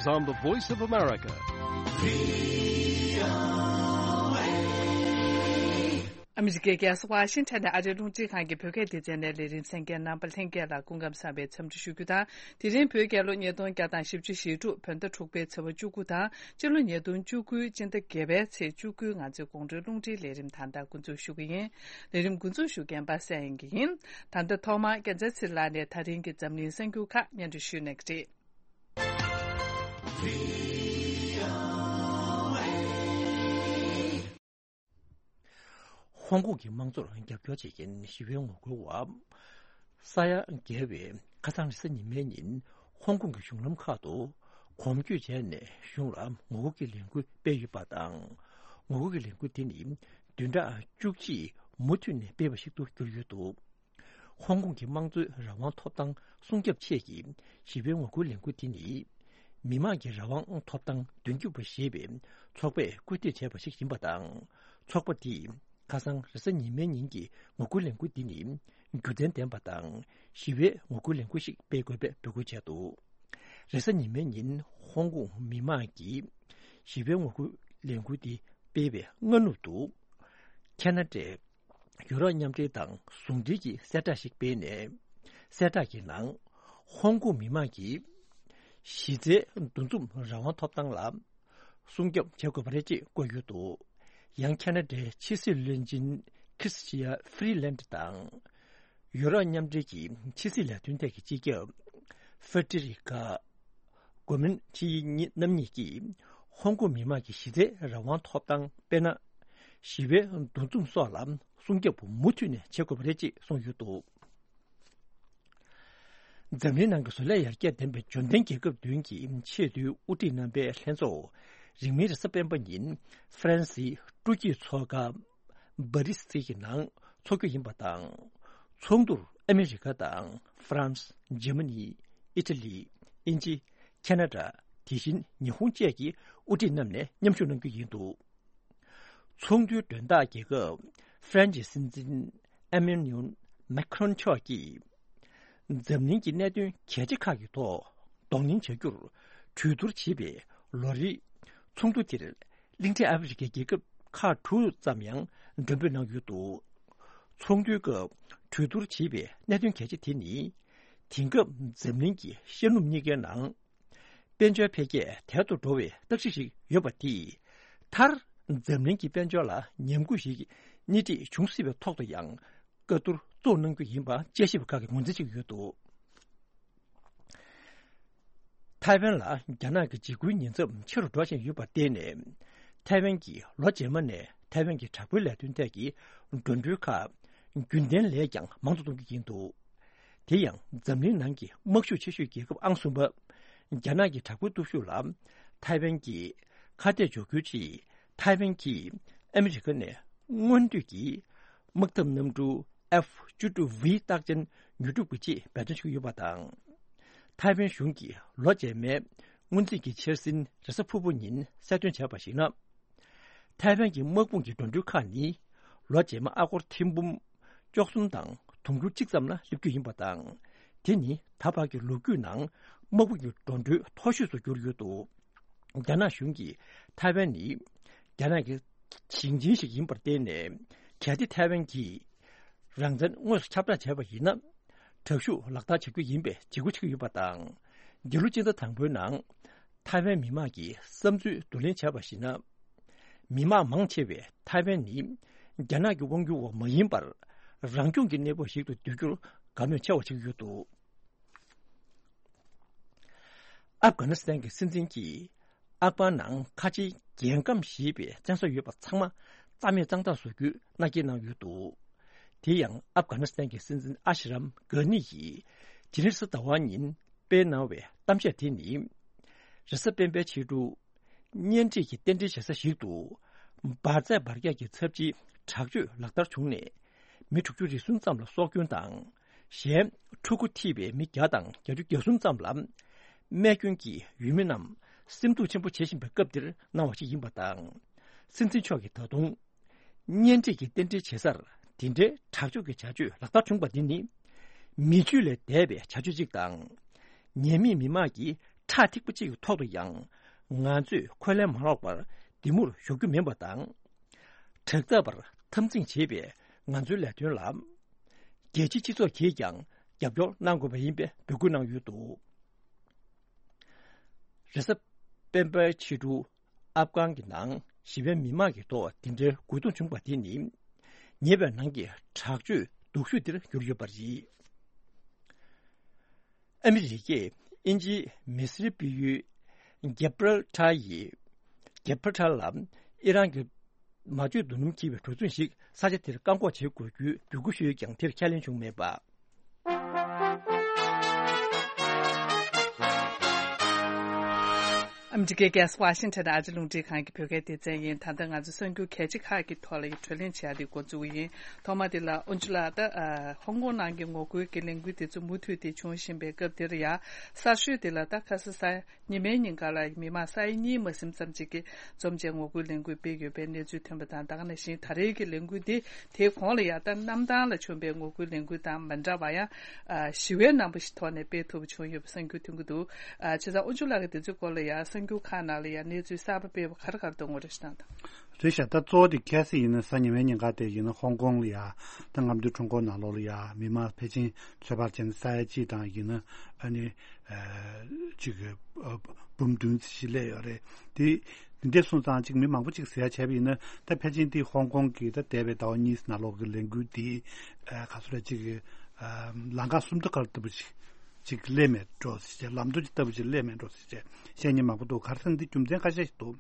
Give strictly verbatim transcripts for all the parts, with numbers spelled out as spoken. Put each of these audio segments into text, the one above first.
on the Voice of America. ཨ་མི་རི་ཀའི་རྒྱལ་ས་ཝ་ཤིང་ཊོན་ནས་ཨ་རིའི་རླུང་འཕྲིན་ཁང་གི་བོད་སྐད་སྡེ་ཚན་ནས་ལས་རིམ་གསན་མཁན་རྣམ་པ་ལྷན་རྒྱས་ལ་སྐུ་ཁམས་བཟང་བའི་འཚམས་འདྲི་ཞུ་རྒྱུ་དང་། དེ་རིང་བོད་རྒྱལ་ལོ་ཉིས་སྟོང་བརྒྱ་དང་བཞི་བཅུ་ཞེ་དྲུག་བོད་ཟླ་དྲུག་པའི་ཚེས་པ་བཅུ་དགུ་དང་། སྤྱི་ལོ་ཉིས་སྟོང་བཅུ་དགུ་སྤྱི་ཟླ་བརྒྱད་པའི་ཚེས་བཅུ་དགུ་ང་ཚོའི་དགོང་དྲོའི་རླུང་འཕྲིན་ལས་རིམ་ད་ལྟ་འགོ་འཛུགས་ཞུ་གི་ཡིན། ལས་རིམ་འགོ་འཛུགས་ཞུ་མཁན་པ་སངས་དབྱངས་སྐྱིད་ཡིན། ད་ལྟ་ཐོག་མར་རྒྱལ་མཚན་ཚེ་རིང་ལགས་ནས་ད་རིང་གི་འཛམ་གླིང་གསར་འགྱུར་ཁག་སྙན་སྒྲོན་ཞུས་གནང་གི་རེད། ཧོང་ཀོང་གི་དམངས་གཙོར་རྒྱབ་སྐྱོར་བྱེད་མཁན་ཞི་བའི་ངོ་རྒོལ་བ་ས་ཡ་བརྒལ་བས་ཁ་སང་རེས་གཟའ་ཉི་མའི་ཉིན་ཧོང་ཀོང་གི་གཞུང་ལམ་ཁག་ཏུ་གོམ་བགྲོད་བྱས་ནས་གཞུང་ལ་ངོ་རྒོལ་གྱི་ལས་འགུལ་སྤེལ་ཡོད་པ་དང་། ངོ་རྒོལ་གྱི་ལས་འགུལ་དེ་ནི་བདུན་ཕྲག་བཅུ་གཅིག་མུ་མཐུད་ནས་སྤེལ་བ་ཞིག་ཏུ་གྱུར་ཡོད་འདུག་ཧོང་ཀོང་གི་དམངས་གཙོའི་རང་དབང་ཐོབ་ཐང་སྲུང་སྐྱོབ་ཆེད་ཀྱི་ཞི་བའི་ངོ་རྒོལ་ལས་འགུལ་དེ་ནི། མི་དམངས་ཀྱི་རང་དབང་ཐོབ་ཐང་མདུན་སྐྱོད་པ་ཞེས་པའི་ཚོགས་པས་སྐུལ་འདེད་བྱས་པ་ཞིག་ཡིན་པ་དང་། ཚོགས་པ་དེས་ཁ་སང་རེས་གཟའ་ཉི་མའི་ཉིན་གྱི་ངོ་རྒོལ་ལས་འགུལ་འདི་ནི་རྒྱུ་མཚན་ལྡན་པ་དང་ཞི་བའི་ངོ་རྒོལ་ལས་འགུལ་ཞིག་སྤེལ་དགོས་པའི་འབོད་སྐུལ་བྱས་འདུག་རེས་གཟའ་ཉི་མའི་ཉིན་ཧོང་ཀོང་མི་དམངས་ཀྱིས་ཞི་བའི་ངོ་རྒོལ་ལས་འགུལ་འདི་སྤེལ་བའི་སྔ་ནུབ་ཏུ། ཁེ་ན་ཌའི་ཡུ་རོབ་མཉམ་འབྲེལ་དང་ཟུང་འབྲེལ་གྱི་གསལ་བསྒྲགས་ཤིག་སྤེལ་ནས། གསལ་བསྒྲགས་ཀྱི་ནང་། ཧོང་ཀོང་མི་དམངས་ཀྱིས་གཞི་རྩའི་འདུ་འཛོམས་རང་དབང་ཐོབ་ཐང་ལ་སྲུང་སྐྱོབ་བྱེད་དགོས་པ་རེད་ཅེས་བཀོད་ཡོད་འདུག་ཡང་ཁེ་ན་ཌའི་ཕྱི་སྲིད་བློན་ཆེན་ཁྲི་སི་ཊི་ཡ་ཧྥི་རི་ལན་ཌི་དང་། ཡུ་རོབ་མཉམ་འབྲེལ་གྱི་ཕྱི་སྲིད་ལས་དོན་ཐད་ཀྱི་སྤྱི་ཁྱབ་ཧྥེ་ཏི་རི་ཀ་གོ་མིན་ཆི་རྣམ་གཉིས་ཀྱིས་ཧོང་ཀོང་མི་དམངས་ཀྱི་གཞི་རྩའི་རང་དབང་ཐོབ་ཐང་དཔེར་ན། ཞི་བའི་འདུ་འཛོམས་སོགས་ལ་སྲུང་སྐྱོབ་མུ་མཐུད་ནས་བྱེད་དགོས་པ་རེད་ཅེས་གསུངས་ཡོད་འདུག་འཛམ་གླིང་ནང་གི་བཟོ་ལས་ཡར་རྒྱས་ལྡན་པའི་འབྱོར་ལྡན་རྒྱལ་ཁབ་བདུན་གྱི་ཆེས་མཐོའི་དབུ་ཁྲིད་རྣམ་པའི་ལྷན་ཚོགས་རིང་མིན་རེས་གཟའ་སྤེན་པ་ཉིན་ཧྥ་རན་སིའི་སྤྲོ་སྐྱིད་ཚོགས་ཁང་པ་རི་སི་གི་ནང་འཚོགས་རྒྱུ་ཡིན་པ་དང་། ཚོགས་འདུར་ཨ་མི་རི་ཀ་དང་ཧྥ་རན་སི། འཇར་མ་ནི། ཨི་ཊ་ལི། དབྱིན་ཇི། ཁེ་ན་ཌ། དེ་བཞིན་ཉི་ཧོང་བཅས་ཀྱི་དབུ་ཁྲིད་རྣམས་ནས་མཉམ་ཞུགས་གནང་རྒྱུ་ཡིན་འདུག་ཚོགས་འདུའི་མགྲོན་བདག་རྒྱལ་ཁབ་ཧྥ་རན་སིའི་སྲིད་འཛིན་ཨེ་མེ་ནུ་ཨེལ་མེ་ཁ་རོན་མཆོག་གིས། འཛམ་གླིང་གི་གནད་དོན་གལ་ཆེ་ཁག་གི་ཐོག་གདོང་ལེན་བྱ་རྒྱུར་གྲོས་བསྡུར་བྱེད་པའི་ལོ་རེའི་ཚོགས་འདུ་དེར། གླིང་ཕྲན་ཨ་ཧྥེ་རི་ཁའི་རྒྱལ་ཁབ་ཁག་དྲུག་ཙམ་ཡང་མགྲོན་འབོད་གནང་ཡོད་འདུག་ཚོགས་འདུའི་སྐབས་གྲོས་བསྡུར་བྱེད་པའི་གནད་དོན་གལ་ཆེ་དེ་ནི། དེང་སྐབས་འཛམ་གླིང་གི་ཤར་ནུབ་གཉིས་ཀའི་ནང་། དཔལ་འབྱོར་འཕེལ་རྒྱས་དལ་དུ་འགྲོ་བའི་རྟགས་གཞི་ཞིག་ཡོད་པ་དེས། མཐར་འཛམ་གླིང་གི་དཔལ་འབྱོར་ལ་ཉམས་རྒུད་ཞིག་སྣེ་ཁྲིད་འབྱུང་སྲིད་པའི་ཐོག་ཏུ་ཡང་བཀའ་བསྡུར་གཙོ་གནང་རྒྱུ་ཡིན་པ་དཔྱད་ཞིབ་པ་ཁག་གིས་ངོས་འཛིན་བྱེད་ཀྱི་ཡོད་འདུག་ཐའེ་ཝན་ལ་རྒྱ་ནག་གི་འཇིགས་སྐུལ་ཉེན་ཚབས་ཆེ་རུ་འགྲོ་བཞིན་ཡོད་པར་བརྟེན་ནས། ཐའེ་ཝན་གྱིས་ལོ་རྗེས་མ་ནས་ཐའེ་ཝན་གྱི་དྲག་པོའི་ལས་དོན་ཐད་ཀྱི་འགྲོ་གྲོན་ཁག་རྒྱུན་ལྡན་ལས་ཀྱང་མང་དུ་གཏོང་རྒྱུ་ཡིན་འདུག་དེ་ཡང་འཛམ་གླིང་ནང་གི་དམག་ཤུགས་ཆེ་ཤོས་རྒྱལ་ཁབ་ཨང་གསུམ་པ། རྒྱ་ནག་གི་དྲག་པོའི་སྟོབས་ཤུགས་ལ་ཐའེ་ཝན་གྱིས་ཁ་གཏད་གཅོག་རྒྱུའི་ཆེད། ཐའེ་ཝན་གྱིས་ཨ་མི་རི་ཀ་ནས་སྔོན་དུས་ཀྱི་དམག་འཐབ་གནམ་གྲུ་ཨེཕ་བཅུ་དྲུག་ཝི་རྟགས་ཅན་ཉོ་སྒྲུབ་ཀྱི་ཆེད་འབད་བརྩོན་བྱེད་ཀྱི་ཡོད་པ་དང་། ཐའེ་ཝན་གཞུང་གིས་ལོ་རྗེས་མའི་སྔོན་རྩིས་ཀྱི་འཆར་ཟིན་རེས་གཟའ་ཕུར་བུ་ཉིན་གསལ་སྟོན་བྱས་པར་གཞིགས་ན། ཐའེ་ཝན་གྱི་དམག་དཔུང་གི་འགྲོ་གྲོན་ཁག་ནི་ལོ་རྗེས་མ་ཨ་སྒོར་ཐེར་འབུམ་བཅུ་གསུམ་དང་དུང་ཕྱུར་གཅིག་ཙམ་ལ་སླེབས་རྒྱུ་ཡིན་པ་དང་། དེ་ནི་ད་བར་གྱི་ལོ་རྒྱུས་ནང་དམག་དཔུང་གི་འགྲོ་གྲོན་མཐོ་ཤོས་སུ་གྱུར་ཡོད་འདུག་རྒྱ་ནག་གཞུང་གིས་ཐའེ་ཝན་ནི་རྒྱ་ནག་གི་ཞིང་ཆེན་ཞིག་ཡིན་པར་བརྟེན་ནས། གལ་ཏེ་ཐའེ་ཝན་གྱིས་རང་བཙན་དངོས་སུ་ཁྱབ་བསྒྲགས་བྱས་པ་ཡིན་ན། དྲག་ཤུགས་ལག་བསྟར་བྱ་རྒྱུ་ཡིན་པའི་འཇིགས་སྐུལ་བྱེད་ཀྱི་ཡོད་པ་དང་། འདི་ལོ་སྤྱི་ཟླ་དང་པོའི་ནང་། ཐའེ་ཝན་མི་དམངས་ཀྱིས་བསམ་ཚུལ་བསྡུ་ལེན་བྱས་པར་གཞིགས་ན། མི་དམངས་མང་ཆེ་བས་ཐའེ་ཝན་ནི་རྒྱ་ནག་གི་དབང་སྒྱུར་འོག་མ་ཡིན་པར། རང་སྐྱོང་གི་གནས་བབ་ཞིག་ཏུ་བསྡུ་རྒྱུར་དགའ་མོས་ཆེ་བ་བྱེད་ཀྱི་ཡོད་འདུག་ཨབ་གྷ་ནི་སི་ཐན་གྱི་སྲིད་འཛིན་གྱིས་ཨག་པར་ནང་ཁ་ཆེའི་རྒྱལ་ཁམས་ཞེས་པའི་བཙན་ས་ཡོད་པ་ཚང་མ་རྩ་མེད་གཙང་དག་བཟོ་རྒྱུའི་མནའ་སྐྱེལ་གནང་ཡོད་འདུག་དེ་ཡང་ཨབ་གྷ་ནི་སི་ཐན་གྱི་སྲིད་འཛིན་ཨ་ཤི་རམ་གྷ་ནི་ཡིས་དེ་རིང་གཟའ་ཟླ་བ་ཉིན་སྤེལ་གནང་བའི་གཏམ་བཤད་དེ་ནི། རེས་གཟའ་སྤེན་པའི་ཕྱི་དྲོ། གཉེན་སྒྲིག་གི་རྟེན་འབྲེལ་བྱེད་ས་ཞིག་ཏུ། འབར་རྫས་འབར་གས་ཀྱི་ཚབས་ཆེའི་དྲག་སྤྱོད་ལག་བསྟར་བྱུང་ནས། མི་དྲུག་ཅུ་རེ་ཟུང་ཙམ་ལ་སྲོག་སྐྱོན་དང་། གཞན་ཕྲུ་གུ་ཐིབས་པའི་མི་བརྒྱ་དང་བརྒྱད་ཅུ་གྱ་གསུམ་ཙམ་ལ། རྨས་སྐྱོན་གྱིས་ཡུལ་མི་རྣམས་སེམས་སྡུག་ཆེན་པོ་བྱེད་བཞིན་པའི་སྐབས་འདིར་གནང་བ་ཞིག་ཡིན་པ་དང་། སྲིད་འཛིན་མཆོག་གིས་ད་དུང་། གཉེན་སྒྲིག་གི་རྟེན་འབྲེལ་བྱེད་སར་དེ་འདྲའི་དྲག་སྤྱོད་ཀྱི་བྱ་སྤྱོད་ལག་བསྟར་བྱུང་བ་འདི་ནི། མི་ཆོས་ལས་འདས་པའི་བྱ་སྤྱོད་ཅིག་དང་། ཉེས་མེད་མི་དམངས་ཀྱི་ ཁྲག་ཐིགས་པ་གཅིག་གི་ཐོག་ཏུ་ཡང་ང་ཚོས་འཁོན་ལན་མ་སློག་པར་འདི་མུར་ཞོག་རྒྱུ་མིན་པ་དང་། དྲག་འཐབ་པར་འཐབ་འཛིང་བྱེད་པའི་ང་ཚོའི་ལས་དོན་ལ་རྒྱལ་སྤྱིའི་སྤྱི་ཚོགས་ཀྱིས་ཀྱང་རྒྱབ་སྐྱོར་གནང་དགོས་པ་ཡིན་པའི་འབོད་སྐུལ་གནང་ཡོད་འདུག་རེས་གཟའ་སྤེན་པའི་ཕྱི་དྲོ་ཨབ་གྷན་གྱི་ནང་ཞི་བའི་མི་མང་གི་ཐོག་འདི་འདྲའི་རྒོལ་རྡུང་བྱུང་བ་དེ་ནི་ཉེ་བའི་ནང་གི་དྲག་སྤྱོད་སྡུག་ཤོས་དེར་གྱུར་ཡོད་པ་རེད། ཨ་མི་རི་ཀས་དབྱིན་ཇིའི་མི་སེར་སྤེལ་ཡུལ་ཇེབ་རལ་ཊར་ཡི་ཇེབ་རལ་ཊར་ལ་ཨི་རན་གྱི་མ་བཅོས་རྡོ་སྣུམ་འཁྱེར་བའི་གྲུ་གཟིངས་ཤིག་ས་ཆ་དེར་བཀག་འགོག་བྱེད་དགོས་རྒྱུའི་འབོད་སྐུལ་ཞུས་ཀྱང་དེར་ཁས་ལེན་བྱུང་མེད་པ། ཨ་མི་རི་ཀའི་རྒྱལ་ས་ཝ་ཤིང་ཊོན་ནས་ཨ་ཅེ་རླུང་འཕྲིན་ཁང་གི་བོད་སྐད་སྡེ་ཚན་ཡིན། ད་ལྟ་ང་ཚོ་གསར་འགྱུར་གལ་ཆེ་ཁག་གི་ཐོག་ལ་ཡི་གྲོས་གླེང་བྱེད་ཡ་དེ་འགོ་འཛུགས་ཡིན། ཐོག་མ་དེ་ལ་ཨོན་ཅུ་ལགས། ད་ཨ་ཧོང་ཀོང་ནང་གི་ངོ་རྒོལ་གྱི་ལས་འགུལ་དེ་ཚོ་མུ་མཐུད་དེ་བྱུང་བཞིན་པའི་སྐབས་དེར་ཡ། གསར་ཤོས་དེ་ལ་ད་ཁ་སང་གཟའ་ཉི་མའི་ཉིན་ཀ་ལ་མི་མང་ས་ཡ་གཉིས་མ་ཟིན་ཙམ་ཅིག་གིས་འཛོམས་བྱས་ངོ་རྒོལ་ལས་འགུལ་སྤེལ་ཡོད་པའི་གནས་ཚུལ་ཐོན་པ་དང་། ད་ག་ནང་བཞིན་ད་རེས་ཀྱི་ལས་འགུལ་འདི་དེའི་གོང་ལ་ཡ་ད་གནམ་ཐང་ལ་བྱུང་པའི་ངོ་རྒོལ་ལས་འགུལ་དང་མ་འདྲ་བ་ཡང་ཨ་ཞི་བའི་རྣམ་པ་ཞིག་ཐོག་ནས་སྤེལ་ཐུབ་པ་བྱུང་ཡོད་པ་གསར་འགྱུར་ཐོན་གྱི་འདུག་ཨ་བྱས་ཙང་ཨོ་ཇོ་ལགས་ཀྱིས་དེ་ཚོའི་སྐོར་ལ་ཡ་གསར་འགྱུར་ཁག་ནང་ལ་ཡ་གནས་ཚུལ་གསར་པ་སྤེལ་བ་ག་རེ་ག་རེ་འདུག་ངོ་སྤྲོད་ཞིག་གནང་དང་། རེད་ཤག་ད་གཙོ་བོ་དེ་གལ་སྲིད་ཡིན་ན་གཟའ་ཉི་མའི་ཉིན་ཀ་དེ་ཡིན་ན་ཧོང་ཀོང་ལ་ཡ་ད་རྔམ་སྟོན་ཁྲོམ་སྐོར་ནང་ལོགས་ལ་ཡ་མི་མང་ཕལ་ཆེར་ཚོད་དཔག་བྱས་ན་ས་ཡ་གཅིག་དང་ཡིན་ན་ཨ་ནི་ཅིག་འབུམ་བདུན་ཙམ་ཞིག་སླེབས་ཡོད་རེད། དེ་འདི་འདྲ་སོང་ཙང་ཅིག་མི་མང་པོ་ཅིག་ཟེར་ཡ་བྱས་པ་ཡིན་ན་ད་ཕལ་ཆེར་དེ་ཧོང་ཀོང་གི་ད་འདས་པའི་ཟླ་བ་གཉིས་ནང་ལོགས་ཀྱི་ལས་འགུལ་དེ་ག་ཚོད་རེད་ཅིག་ལམ་ཁ་སུམ་མདོ་ཁ་ལྟ་བུ་ཞིག་ཅིག་སླེབས་མེད་འགྲོ་ཟེར་བྱས། ལམ་མདོ་ཅིག་ལྟ་བུ་ཅིག་སླེབས་མེད་འགྲོ་ཟེར་བྱས་བཤད་མཁན་མང་པོ་འདུག་ག་རེ་ཟེར་ན་འདི་རྒྱུ་མཚན་ཁ་ཤས་ཤིག་འདུག་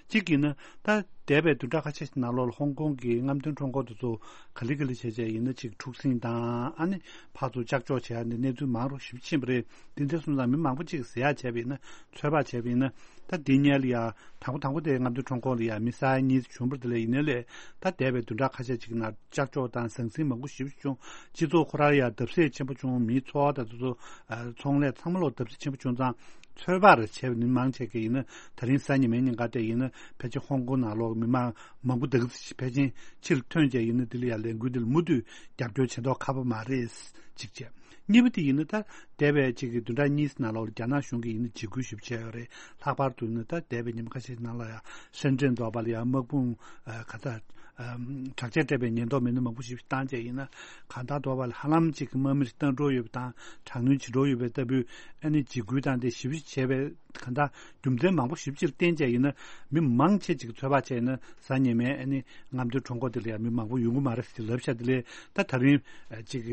གཅིག་ཡིན་ན་ད་འདས་པའི་བདུན་ཕྲག་ཁ་ཤས་ཤིག་ནང་ལོགས་ལ་ཧོང་ཀོང་གི་རྔམ་སྟོན་ཁྲོམ་སྐོར་དེ་ཚོ་ག་ལེ་ག་ལེ་བྱས་བྱས་ཡིན་ན་ཅིག་འཁྲུག་ཟིང་དང་ཨ་ནི་ཕར་ཚུར་ལྕགས་འཇོག་བྱས་ནས་གནས་ཚུལ་མང་རུ་ཞེ་པོ་ཕྱིན་པ་རེད། དེ་འདྲ་སོང་ཙང་མི་མང་པོ་ཅིག་ཟེར་ཡ་བྱས་པ་ཡིན་ན་ཚོད་དཔག་བྱས་པ་ཡིན་ན་ད་འདི་སྔོན་ལ་ཡ་དང་པོ་དང་པོ་དེ་རྔམ་སྟོན་ཁྲོམ་སྐོར་ལ་ཡ་མི་ས་ཡ་གཉིས་བྱུང་བ་དེ་ལས་ཡིན་ནའི་ལས་ད་འདས་པའི་བདུན་ཕྲག་ཁ་ཤས་ཅིག་ནང་ལྕགས་འཇོག་དང་ཟང་ཟིང་མང་པོ་ཞེ་པོ་བྱུང་། སྤྱི་ཚོགས་ཁོ་རང་ཡང་བརྡབ་གསིག་ཆེན་པོ་བྱུང་། མིའི་འཚོ་བ་དང་དེ་ཚོ་ཨ་ཚོང་ལས་ཚང་མ་ལོག་བརྡབ་གསིག་ཆེན་པོ་བྱུང་ཙང་ཚོད་དཔག་རེ་བྱས་པ་ནི་མང་ཆེ་གི་ཡིན་ན་ད་རིང་གཟའ་ཉི་མའི་ཉིན་ཀ་དེ་ཡིན་ན་ཕལ་ཆེར་ཧོང་ཀོང་ནང་ལོག་མི་མང་མང་པོ་དག་ཕལ་ཆེར་ཕྱིར་ཐོན་བྱས་ཡིན་ན་དེ་ལ་ཡང་ལས་འགུལ་འདི་ལ་མུ་མཐུད་རྒྱབ་སྐྱོར་བྱེད་མདོག་ཁ་པོ་མ་རེད་གཅིག་བྱས། གཉིས་པ་དེ་ཡིན་ན་ད་འདས་པའི་གཅིག་གི་བདུན་ཕྲག་གཉིས་ནང་ལོག་ལ་རྒྱ་ནག་གཞུང་གིས་ཡིན་ན་འཇིགས་སྐུལ་ཞིབ་བྱས་ཡོད་རེད། ལྷག་པར་དུ་ཡིན་ན་ད་འདས་པའི་ཉིན་མ་ཁ་ཤས་ནང་ལ་ཡང་ཧྲེན་ཀྲེན་འདྲ་པོ་ལ་ཡང་དམག་དཔུང་ག་ད་དྲག་ཆས་སྤྲས་པའི་ཉེན་རྟོག་མི་སྣ་མང་པོ་ཞིག་བཏང་བྱས་ཡིན་ན་གང་ལྟར་འདྲ་པོ་ལ་ཧ་ལམ་གཅིག་གི་དམག་མི་ཞིག་བཏང་འགྲོ་ཡོད་པ་དང་དྲག་གནོན་བྱེད་འགྲོ་ཡོད་པའི་ལྟ་བུའི་ཨ་ནི་འཇིགས་སྐུལ་དང་དེ་ཞིབ་བཤེར་བྱས་པའི་གང་ལྟར་རྒྱུ་མཚན་མང་པོ་ཞིབ་ཕྱིར་བསྟན་བྱས་ཡིན་ན་མི་མང་ཆེ་ཅིག་ཚོད་དཔག་བྱས་ན་གཟའ་ཉི་མའི་ཨ་ནི་རྔམ་སྟོན་ཁྲོམ་སྐོར་དེ་ལ་ཡང་མི་མང་པོ་ཡོང་གི་མ་རེད་ཟེར་ལབ་ཤག་དེ་ལས་ད་ད་རིང་ཅིག་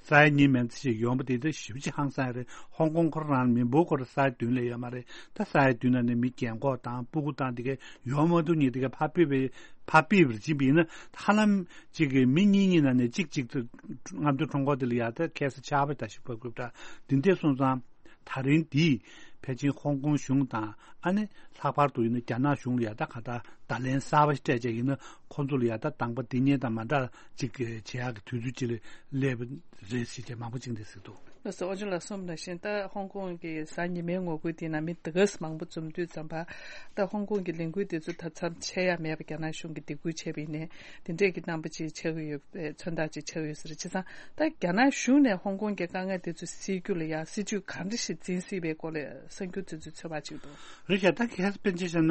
ས་ཡ་གཉིས་མན་ཙམ་ཞིག་ཡོང་པ་དེ་ད་ཞིབ་ཅིག་ཧང་སང་རེད། ཧོང་ཀོང་ཁོ་རང་མི་འབོར་སྐོར་ས་ཡ་བདུན་ལས་ཡོད་མ་རེད། ད་ས་ཡ་བདུན་ནང་ནས་མི་རྒན་འཁོགས་དང་སྤུ་གུ་དང་དེ་ག་ཡོང་མ་ཐུབ་མཁན་དེ་ག་ཕར་ཕུད་པའི་ཕར་ཕུད་པར་ཕྱིན་པ་ཡིན་ན་ཧ་ལམ་ཅིག་གི་མི་གཉིས་གཉིས་ནང་ནས་གཅིག་གཅིག་ཏུ་རྔམ་སྟོན་ཁྲོམ་སྐོར་དེ་ལ་ཡ་ད་ཁ་སང་ཆར་པ་ད་ཞིག་བབས་དགོས་ད་འདི་འདྲས་སོང་ཙང་། ད་རིང་འདིས་ཕལ་ཆེར་ཧོང་ཀོང་གཞུང་དང་ཨ་ནི་ལྷག་པར་དུ་ཡིན་ན་རྒྱ་ནག་གཞུང་ལ་ཡ་ད་ག་ད་བརྡ་ལན་གསར་པ་ཞིག་སྤྲད་བྱས་ཡིན་ན་ཁོང་ཚོ་ལ་ཡ་ད་དང་པོ་འདི་ཉིད་དང་མ་འདྲ་ཅིག་བྱེད་ཡག་གི་དུས་ཚོད་ཅིག་ལ་སླེབས་པ་རེད་ཟེར་བྱས་མང་པོ་ཅིག་འདི་ཟེར་འདུག་ལགས་སོ། ཨོ་ཅོ་ལགས་གསུངས་པ་ནང་བཞིན་ད་ཧོང་ཀོང་གི་གཟའ་ཉི་མའི་ངོ་རྒོལ་དེའི་ནང་མི་དེ་ག་ཙམ་མང་པོ་འཛོམས་དུས་ཙམ་པ་ད་ཧོང་ཀོང་གི་ལས་འགུལ་དེ་ཚོ་ད་མཚམས་ཆད་ཡ་མེད་པ་རྒྱ་ནག་གཞུང་གིས་སྡིགས་སྐུལ་བྱས་པ་ཡིན་ནའི་དེ་འདྲས་ཀྱི་རྣམ་པ་ཅིག་ཆགས་ཀྱི་ཡོད་པའི་མཚོན་རྟགས་ཅིག་ཆགས་ཀྱི་ཡོད་ས་རེད། བྱས་ཙང་ད་རྒྱ་ནག་གཞུང་ནས་ཧོང་ཀོང་གི་དཀའ་ངལ་དེ་ཚོ་སེལ་རྒྱུ་ལ་ཡང་སྲིད་ཇུས་ག་འདྲ་ཞིག་འཛིན་སྲིད་པའི་སྐོར་ལ་གསར་འགྱུར་དེ་ཚོའི་ཚོད་དཔག་ཅིག་འདུག་རེད་ཤག་ད་གལ་སྲིད་དཔེར་ན་ཆ་བཞག་ན་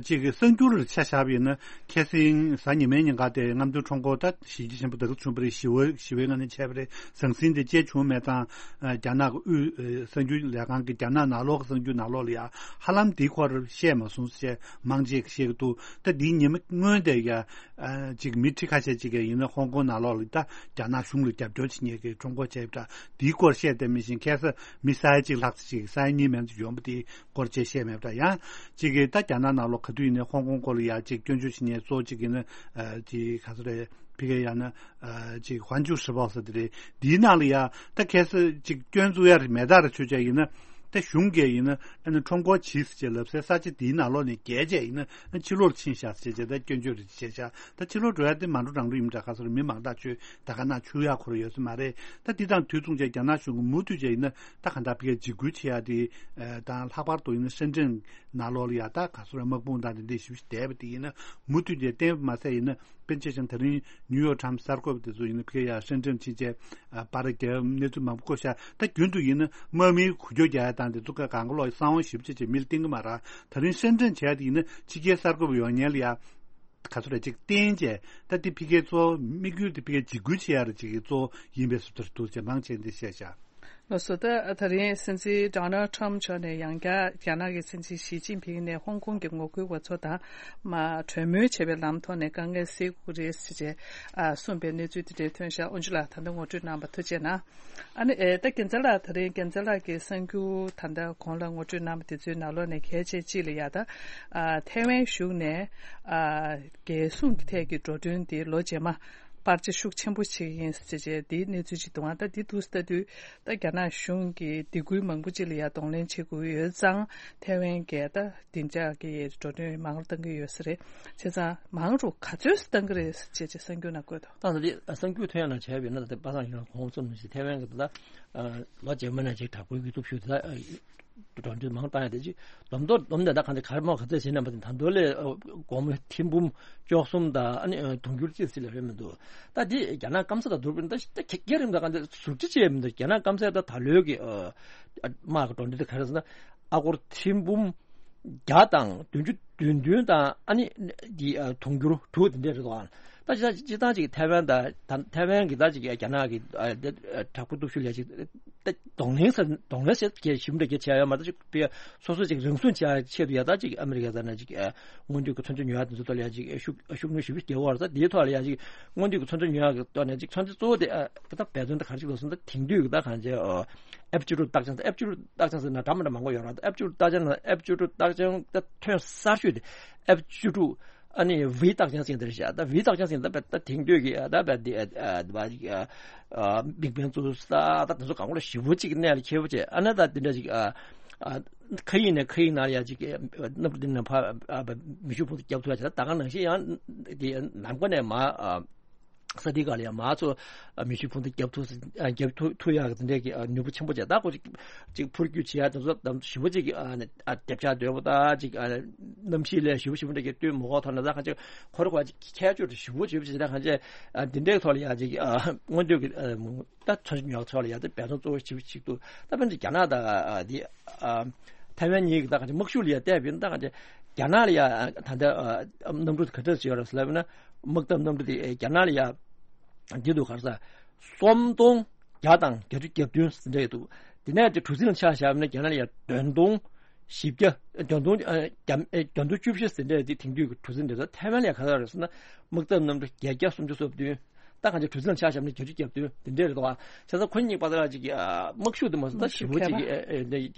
ཅིག་གི་གསར་འགྱུར་ལ་ཆ་བཞག་པ་ཡིན་ན་ཁ་སང་གཟའ་ཉི་མའི་ཉིན་ཀ་དེ་རྔམ་སྟོན་ཁྲོམ་སྐོར་ད་གཞི་རྒྱ་ཆེན་པོ་དེ་ག་བྱུང་བ་རེད། ཞི་བའི་ཞི་བའི་ངང་ནས་བྱས་པ་རེད། ཟང་ཟིང་དེ་ཅི་བྱུང་མེད་ཙང་རྒྱ་ནག་གི་དབུས་གསར་འགྱུར་ལས་ཁང་གི་རྒྱ་ནག་ནང་ལོགས་ཀྱི་གསར་འགྱུར་ནང་ལོགས་ལ་ཡང་ཧ་ལམ་དེའི་སྐོར་བཤད་མ་སོང་ཟེར་མང་ཆེ་གིས་བཤད་ཀྱི་འདུག་ད་དེའི་ཉིན་མོ་སྔོན་དེ་ཡ། ཅིག་མི་ཁྲི་ཁ་ཤས་ཅིག་གིས་ཡིན་ན་ཧོང་ཀོང་ནང་ལོགས་ལ་ད་རྒྱ་ནག་གཞུང་ལ་རྒྱབ་སྐྱོར་བྱེད་མཁན་གྱི་ཁྲོམ་སྐོར་བྱས་པ་འདྲ་དེའི་སྐོར་བཤད་བསྡད་མི་ཤེས་མཁན་ས་མི་ས་ཡ་གཅིག་ལྷག་ཙམ་ཅིག་ས་ཡ་གཉིས་མན་ཙམ་ཡོང་པ་དེའི་སྐོར་བཅས་བཤད་མེད་པ་འདྲ། ཡང་ཅིག་གིས་ད་རྒྱ་ནག་ནང་ལོགས་ག་དུས་ཡིན་ནའི་ཧོང་ཀོང་སྐོར་ལ་ཡ་ཅིག་སྐྱོན་བརྗོད་བྱེད་མཁན་གཙོ་བོ་གཅིག་ཡིན་ན་ཅིག་ག་ཚོད་རེད་ཕ་གིར་ཡང་ན་ཅིག་ཧོན་ཅུ་ཧྲི་པོ་ཟེར་དེ་རེད། དེའི་ནང་ལ་ཡ་ད་གལ་སྲིད་ཅིག་སྐྱོན་བཙུགས་ཡ་རེད་མེད་ད་རེད་ཆོས་ཅན་ཡིན་ན། ད་གཞུང་གིས་ཡིན་ན་ཨ་ནི་ཁྲོམ་སྐོར་གྱིས་ཟེར་བྱས་ལབ་སའི་ས་ཆ་དེའི་ནང་ལོགས་ནས་བརྒལ་བྱས་ཡིན་ན་ཨ་ཕྱི་ལོགས་ཕྱིན་ཤག་ཟེར་བྱས་ད་སྐྱོན་བརྗོད་རེ་བྱས་ཤག་ད་ཕྱི་ལོགས་འགྲོ་ཡ་དེ་མ་འགྲོ་རང་འགྲོ་ཡིན་འདྲ། ག་ཚོད་མི་མང་དག་ཆོས་ད་ག་ན་ཆོས་ཡག་ཁོ་ར་ཡོད་ས་མ་རེད། ད་འདི་དང་དུས་མཚུངས་བྱས་རྒྱ་ནག་གཞུང་གིས་མུ་མཐུད་བྱས་ཡིན་ན་ད་ག་འདྲ་བི་གའི་འཇིགས་སྐུལ་བྱེད་ཡ་དེ་དང་ལྷག་པར་དུ་ཡིན་ན་ཧྲེན་ཀྲེན་ནང་ལོགས་ལ་ཡ་ད་ག་ཚོད་དམག་དཔུང་དང་དེ་འདྲས་ཞིབ་ཞིབ་བསྡད་པ་དེ་ཡིན་ན་མུ་མཐུད་བྱས་བསྟན་པ་མ་ཟད་ཡིན་ན། བྱས་ཙང་ད་རིང་ནིའུ་ཡོག་ཊའིམ་སི་གསར་འགོད་པ་དེ་ཚོ་ཡིན་ན་ཕ་གིར་ཡར་སེང་ཊིམ་ཕྱིན་བྱས་ཨ་པར་རྒྱབ་གནས་ཚུལ་མང་པོ་བཀོད་ཤག་ད་རྒྱུན་དུ་ཡིན་ན་དམག་མིའི་འགུལ་སྐྱོད་རྒྱག་ཡ་དང་དེ་ཚོ་ག་གང་ག་ལོག་གསང་བ་ཞེ་པོ་ཅིག་བྱས་མི་ལ་བསྟན་གི་མ་རེད། ད་རིང་སེང་ཊིམ་བྱས་ཡ་དེ་ཡིན་ན་ཕྱི་རྒྱལ་གསར་འགོད་པ་ཡོང་མཁན་ལ་ཡ་ག་ཚོད་རེ་ཅིག་བསྟན་བྱས་ད་དེ་ཕ་གིའི་གཙོ་བོ་དམིགས་ཡུལ་དེ་ཕ་གིར་འཇིགས་སྐུལ་བྱེད་ཡ་རེ་ཅིག་གི་གཙོ་བོ་ཡིན་པའི་བཟོ་འདྲ་འདུག་ཅེས་མང་ཆེ་འདི་བཤད་བཞག་ལགས་སོ། ད་ད་རིང་སྲིད་འཛིན་ཌོ་ནལ་ཊམ་མཆོག་ནས་ཡང་བསྐྱར་རྒྱ་ནག་གི་སྲིད་འཛིན་ཞི་ཅིན་ཕིང་ནས་ཧོང་ཀོང་གི་ངོ་རྒོལ་བ་ཚོ་དང་མ་གྲོས་མོལ་བྱེད་པའི་ལམ་ཐོག་ནས་དཀའ་ངལ་སེལ་དགོས་རེད་ཟེར་བྱས་ཨ་གསུངས་པའི་གནས་ཚུལ་དེ་འདྲའི་ཐོན་ཤག་ཨོན་ཇུ་ལགས་ད་ལྟ་ངོ་སྤྲོད་གནང་བ་ཐུགས་རྗེ་གནང་། ཨ་ནི་ཨེ་ད་རྒྱལ་མཚན་ལགས་ད་རིང་རྒྱལ་མཚན་ལགས་ཀྱི་གསར་འགྱུར་ད་ལྟ་གོང་ལ་ངོ་སྤྲོད་གནང་བ་དེ་ཚོའི་ནང་ལོགས་ནས་གལ་ཆེ་གཅིག་ལ་ཡ་ད་ཨ་ཐའེ་ཝན་གཞུང་ནས་ཨ་རྒྱལ་སྲུང་གི་ཐད་ཀྱི་འགྲོ་གྲོན་དེ་ལོ་རྗེས་མ། པར་ཆ་ཤུགས་ཆེན་པོ་བྱེད་ཀྱི་ཡིན་ཟེར་བྱས་དེའི་གནས་ཚུལ་ཅིག་འདུག་ཨ་ད་འདི་འདུག་ཟེར་ལྟ་དུས་ད་རྒྱ་ནག་གཞུང་གིས་སྡིགས་སྐུལ་མང་པོ་ཅིག་ལ་ཡང་གདོང་ལེན་བྱེད་དགོས་ཡོད་ཙང་ཐའེ་ཝན་གྱིས་ད་བདེ་འཇགས་ཀྱི་འགྲོ་གྲོན་མང་རུ་གཏང་གི་ཡོད་ས་རེད། བྱས་ཙང་མང་རུ་ག་ཚོད་གཏང་གི་རེད་ཟེར་བྱས་གསར་འགྱུར་ནང་བཀོད་འདུག་ད་ད་འདི་གསར་འགྱུར་ཐོན་ཡག་ནང་བྱས་པ་ཡིན་ན་ད་ལྟ་པ་སངས་ཡིན་ན་གོང་གསུངས་ནང་བཞིན་ཐའེ་ཝན་གྱི་ད་ལོ་རྗེས་མ་ནས་ཅིག་དྲག་པོའི་གི་སྟོབས་ཤུགས་དེ་ད། འགྲོ་གྲོན་མང་བཏང་ཡ་དེ་ཅིག་སྡོམ་ཐོ་སྡོམ་དེ་ད་གང་དེ་ག་རེ་མོ་ག་ཚོད་བྱས་ན་མ་དེ་ད་མདོ་ལས་སྒོར་མོ་ཐེར་འབུམ་བཅུ་གསུམ་དང་ཨ་ནི་དུང་ཕྱུར་གཅིག་ཙམ་ལས་རེད་མི་འདུག་ད་དེ་རྒྱ་ནག་སྐམ་ས་དང་བསྡུར་བ་ཡིན་ན་ད་ད་ག་གེ་རེད་མི་འདུག་རྒྱ་ནག་ཟུར་ཁྲིད་བྱས་མི་འདུག་རྒྱ་ནག་སྐམ་སའི་ད་ད་ལོའི་གི་དམག་གི་འགྲོ་གྲོན་དེ་ག་རེ་ཟེར་ན་ཨ་སྒོར་ཐེར་འབུམ་བརྒྱ་དང་བདུན་ཅུ་དོན་བདུན་དང་ཨ་ནི་དེ་དུང་ཕྱུར་དྲུག་དེ་འདྲས་རེད་འདུག་ད་ཅི་ད་ཅི་ད་ཅིག་ཐའེ་ཝན་དང་ཐའེ་ཝན་གི་ད་ཅིག་རྒྱ་ནག་གི་དྲག་པོ་སྟོབས་ཤུགས་ལས་ཅིག་ད་གདོང་ལེན་ཟེར་གདོང་ལེན་ཟེར་གྱི་ཞིབ་འདྲ་གྱི་བྱས་ཡོད་མ་གཏོགས་ཅིག་པའི་སོ་སོ་ཅིག་རང་སྲུང་བྱ་ཆེད་དུ་ཡ་ད་ཅིག་ཨ་མི་རི་ཀ་ཟེར་ན་ཅིག་སྔོན་དུས་ཀྱི་མཚོན་ཆ་ཉོ་ཡ་དེ་ཚོ་ཐོག་ལ་ཡ་ཅིག་ཤུགས་ཤུགས་སྣོན་ཞེ་པོ་རྒྱག་གི་ཡོད་རེད། ད་དེའི་ཐོག་ལ་ཡ་ཅིག་སྔོན་དུས་ཀྱི་མཚོན་ཆ་ཉོ་ཡ་གི་ཐོག་ནས་ཅིག་མཚོན་ཆ་གཙོ་བོ་དེ་ད་འབད་བརྩོན་དེ་ག་རེ་ཅིག་ལོ་སོང་ད་དེང་དུས་ཀྱི་ད་གང་ཅི་ཨེཕ་བཅུ་དྲུག་རྟགས་ཅན། ད་ཨེཕ་བཅུ་དྲུག་རྟགས་ཅན་ཟེར་ན་འདྲ་མི་འདྲ་མང་པོ་ཡོད་རེད། ད་ཨེཕ་བཅུ་དྲུག་རྟགས་ཅན་ལ་ཨེཕ་བཅུ་དྲུག་རྟགས་ཅན་ད་ཐོན་གསར་ཤོས་དེ་ཨེཕ་བཅུ་དྲུག་ཨ་ནི་ཝི་རྟགས་ཅན་ཟེར་དེ་རེད་ཤག་ད་ཝི་རྟགས་ཅན་ཟེར་ད་བས་ད་དེང་དུས་ཀྱི་ད་བས་དེ་ཨ་ཨ་ཨ་མིག་དཔེ་བཙུགས་ས་ད་དེ་ཚོ་གང་གོ་ལ་ཞེ་པོ་ཅིག་གནད་ལ་འཁེལ་པོ་བྱས། ཨ་ན་ད་དེ་འདྲ་ཅིག་ཨ་ཨ་མཁའ་དབྱིངས་ནས་མཁའ་དབྱིངས་ནང་ལ་ཡ་ཅིག་གནམ་གྲུ་འདི་ནས་ཕར་མེ་ཤུགས་འཕུར་མདའ་བརྒྱབ་ཐུབ་ཡ་བྱས། ད་ད་ག་ནང་བཞིན་ཡང་དེ་ནམ་མཁའ་ནས་མར་ས་དེ་ག་ལ་ཡ་མར་ཚུར་མེ་ཤུགས་འཕུར་མདའ་བརྒྱབ་ཐུབ་བརྒྱབ་ཐུབ་ཐུབ་ཡག་གི་དེ་འདྲ་གི་ནུས་པ་ཆེན་པོ་བྱས། ད་ཁོ་ཅིག་ཅིག་འཕུར་སྐྱོད་བྱེད་ཡ་དེ་ཚོ་ཞེ་པོ་ཅིག་ཨ་ནི་ཨ་རྒྱབ་ཆག་དོད་པོ་ད་ཅིག་ཨ་གནམ་གཤིས་ལས་ཞེ་པོ་ཞེ་པོ་འདྲ་གི་སྟོན་མི་དགོས་ཐོག་ན་ད་གང་ཅི་ཁོ་རེ་ཁོ་ཅིག་ཁྱད་ཆོས་ཞེ་པོ་ཞེ་པོ་ཅིག་ད་གང་ཅི་ཨ་འདི་འདྲའི་ཐོག་ལ་ཡ་ཅིག་ཨ་སྔོན་དུས་ཀྱི་ཨ་ད་ཚོན་ཉོག་ཚོགས་ལ་ཡ་ད་འབད་བརྩོན་གཙོ་བོ་ཞེ་པོ་ཞིག་འདུག་ད་དཔེར་ན་རྒྱ་ནག་དང་ཨ་འདི་ཨ་ཐའེ་ཝན་གཉིས་ཀྱི་ད་གང་ཅི་དམག་ཤུགས་ལ་ཡ་བལྟས་པ་ཡིན་ན་ད་གང་ཅི་རྒྱ་ནག་ལ་ཡ་ད་ལྟ་ཨ་གནམ་གྲུ་ག་འདྲ་ཞིག་ཡོད་རེད་ཟེར་ལབ་ན་དམག་འཐབ་གནམ་གྲུ་དེ་རྒྱ་ནག་ལ་ཡ་འདི་འདུག་ག་རེ་ཟེར་སུམ་སྟོང་བརྒྱ་དང་བརྒྱད་ཅུ་གྱ་བདུན་ཟེར་འདྲ་ཡོད་འདུག་དེ་ནས་དེ་གྲུ་གཟིངས་ལ་ཆ་བཞག་ན་རྒྱ་ནག་ལ་ཡ་བདུན་སྟོང་བཞི་བརྒྱ་བདུན་སྟོང་ཨ་བརྒྱ་ཨ་བདུན་སྟོང་བཅུ་བཞི་ཟེར་འདྲ་དེ་དེང་དུས་ཀྱི་གྲུ་གཟིངས་འདྲ་ཟེར། ཐའེ་ཝན་ལ་ཡ་ག་ཚོད་རེད་ཟེར་ན་དམག་འཐབ་གནམ་གྲུ་བརྒྱད་བརྒྱ་སུམ་ཅུ་སོ་བདུན། ད་གང་ཅི་གྲུ་གཟིངས་ལ་ཆ་བཞག་ན་བརྒྱད་ཅུ་གྱ་བདུན་དེ་འདྲ་རེད་འདུག་ཨ། བྱས་ཙང་ཁོ་གཉིས་བར་ལ་ཅིག་ཨ་དམག་ཤུགས་དེ་མ་སོང་ད་ཞེ་པོ་ཅིག་ཨ་ཨ་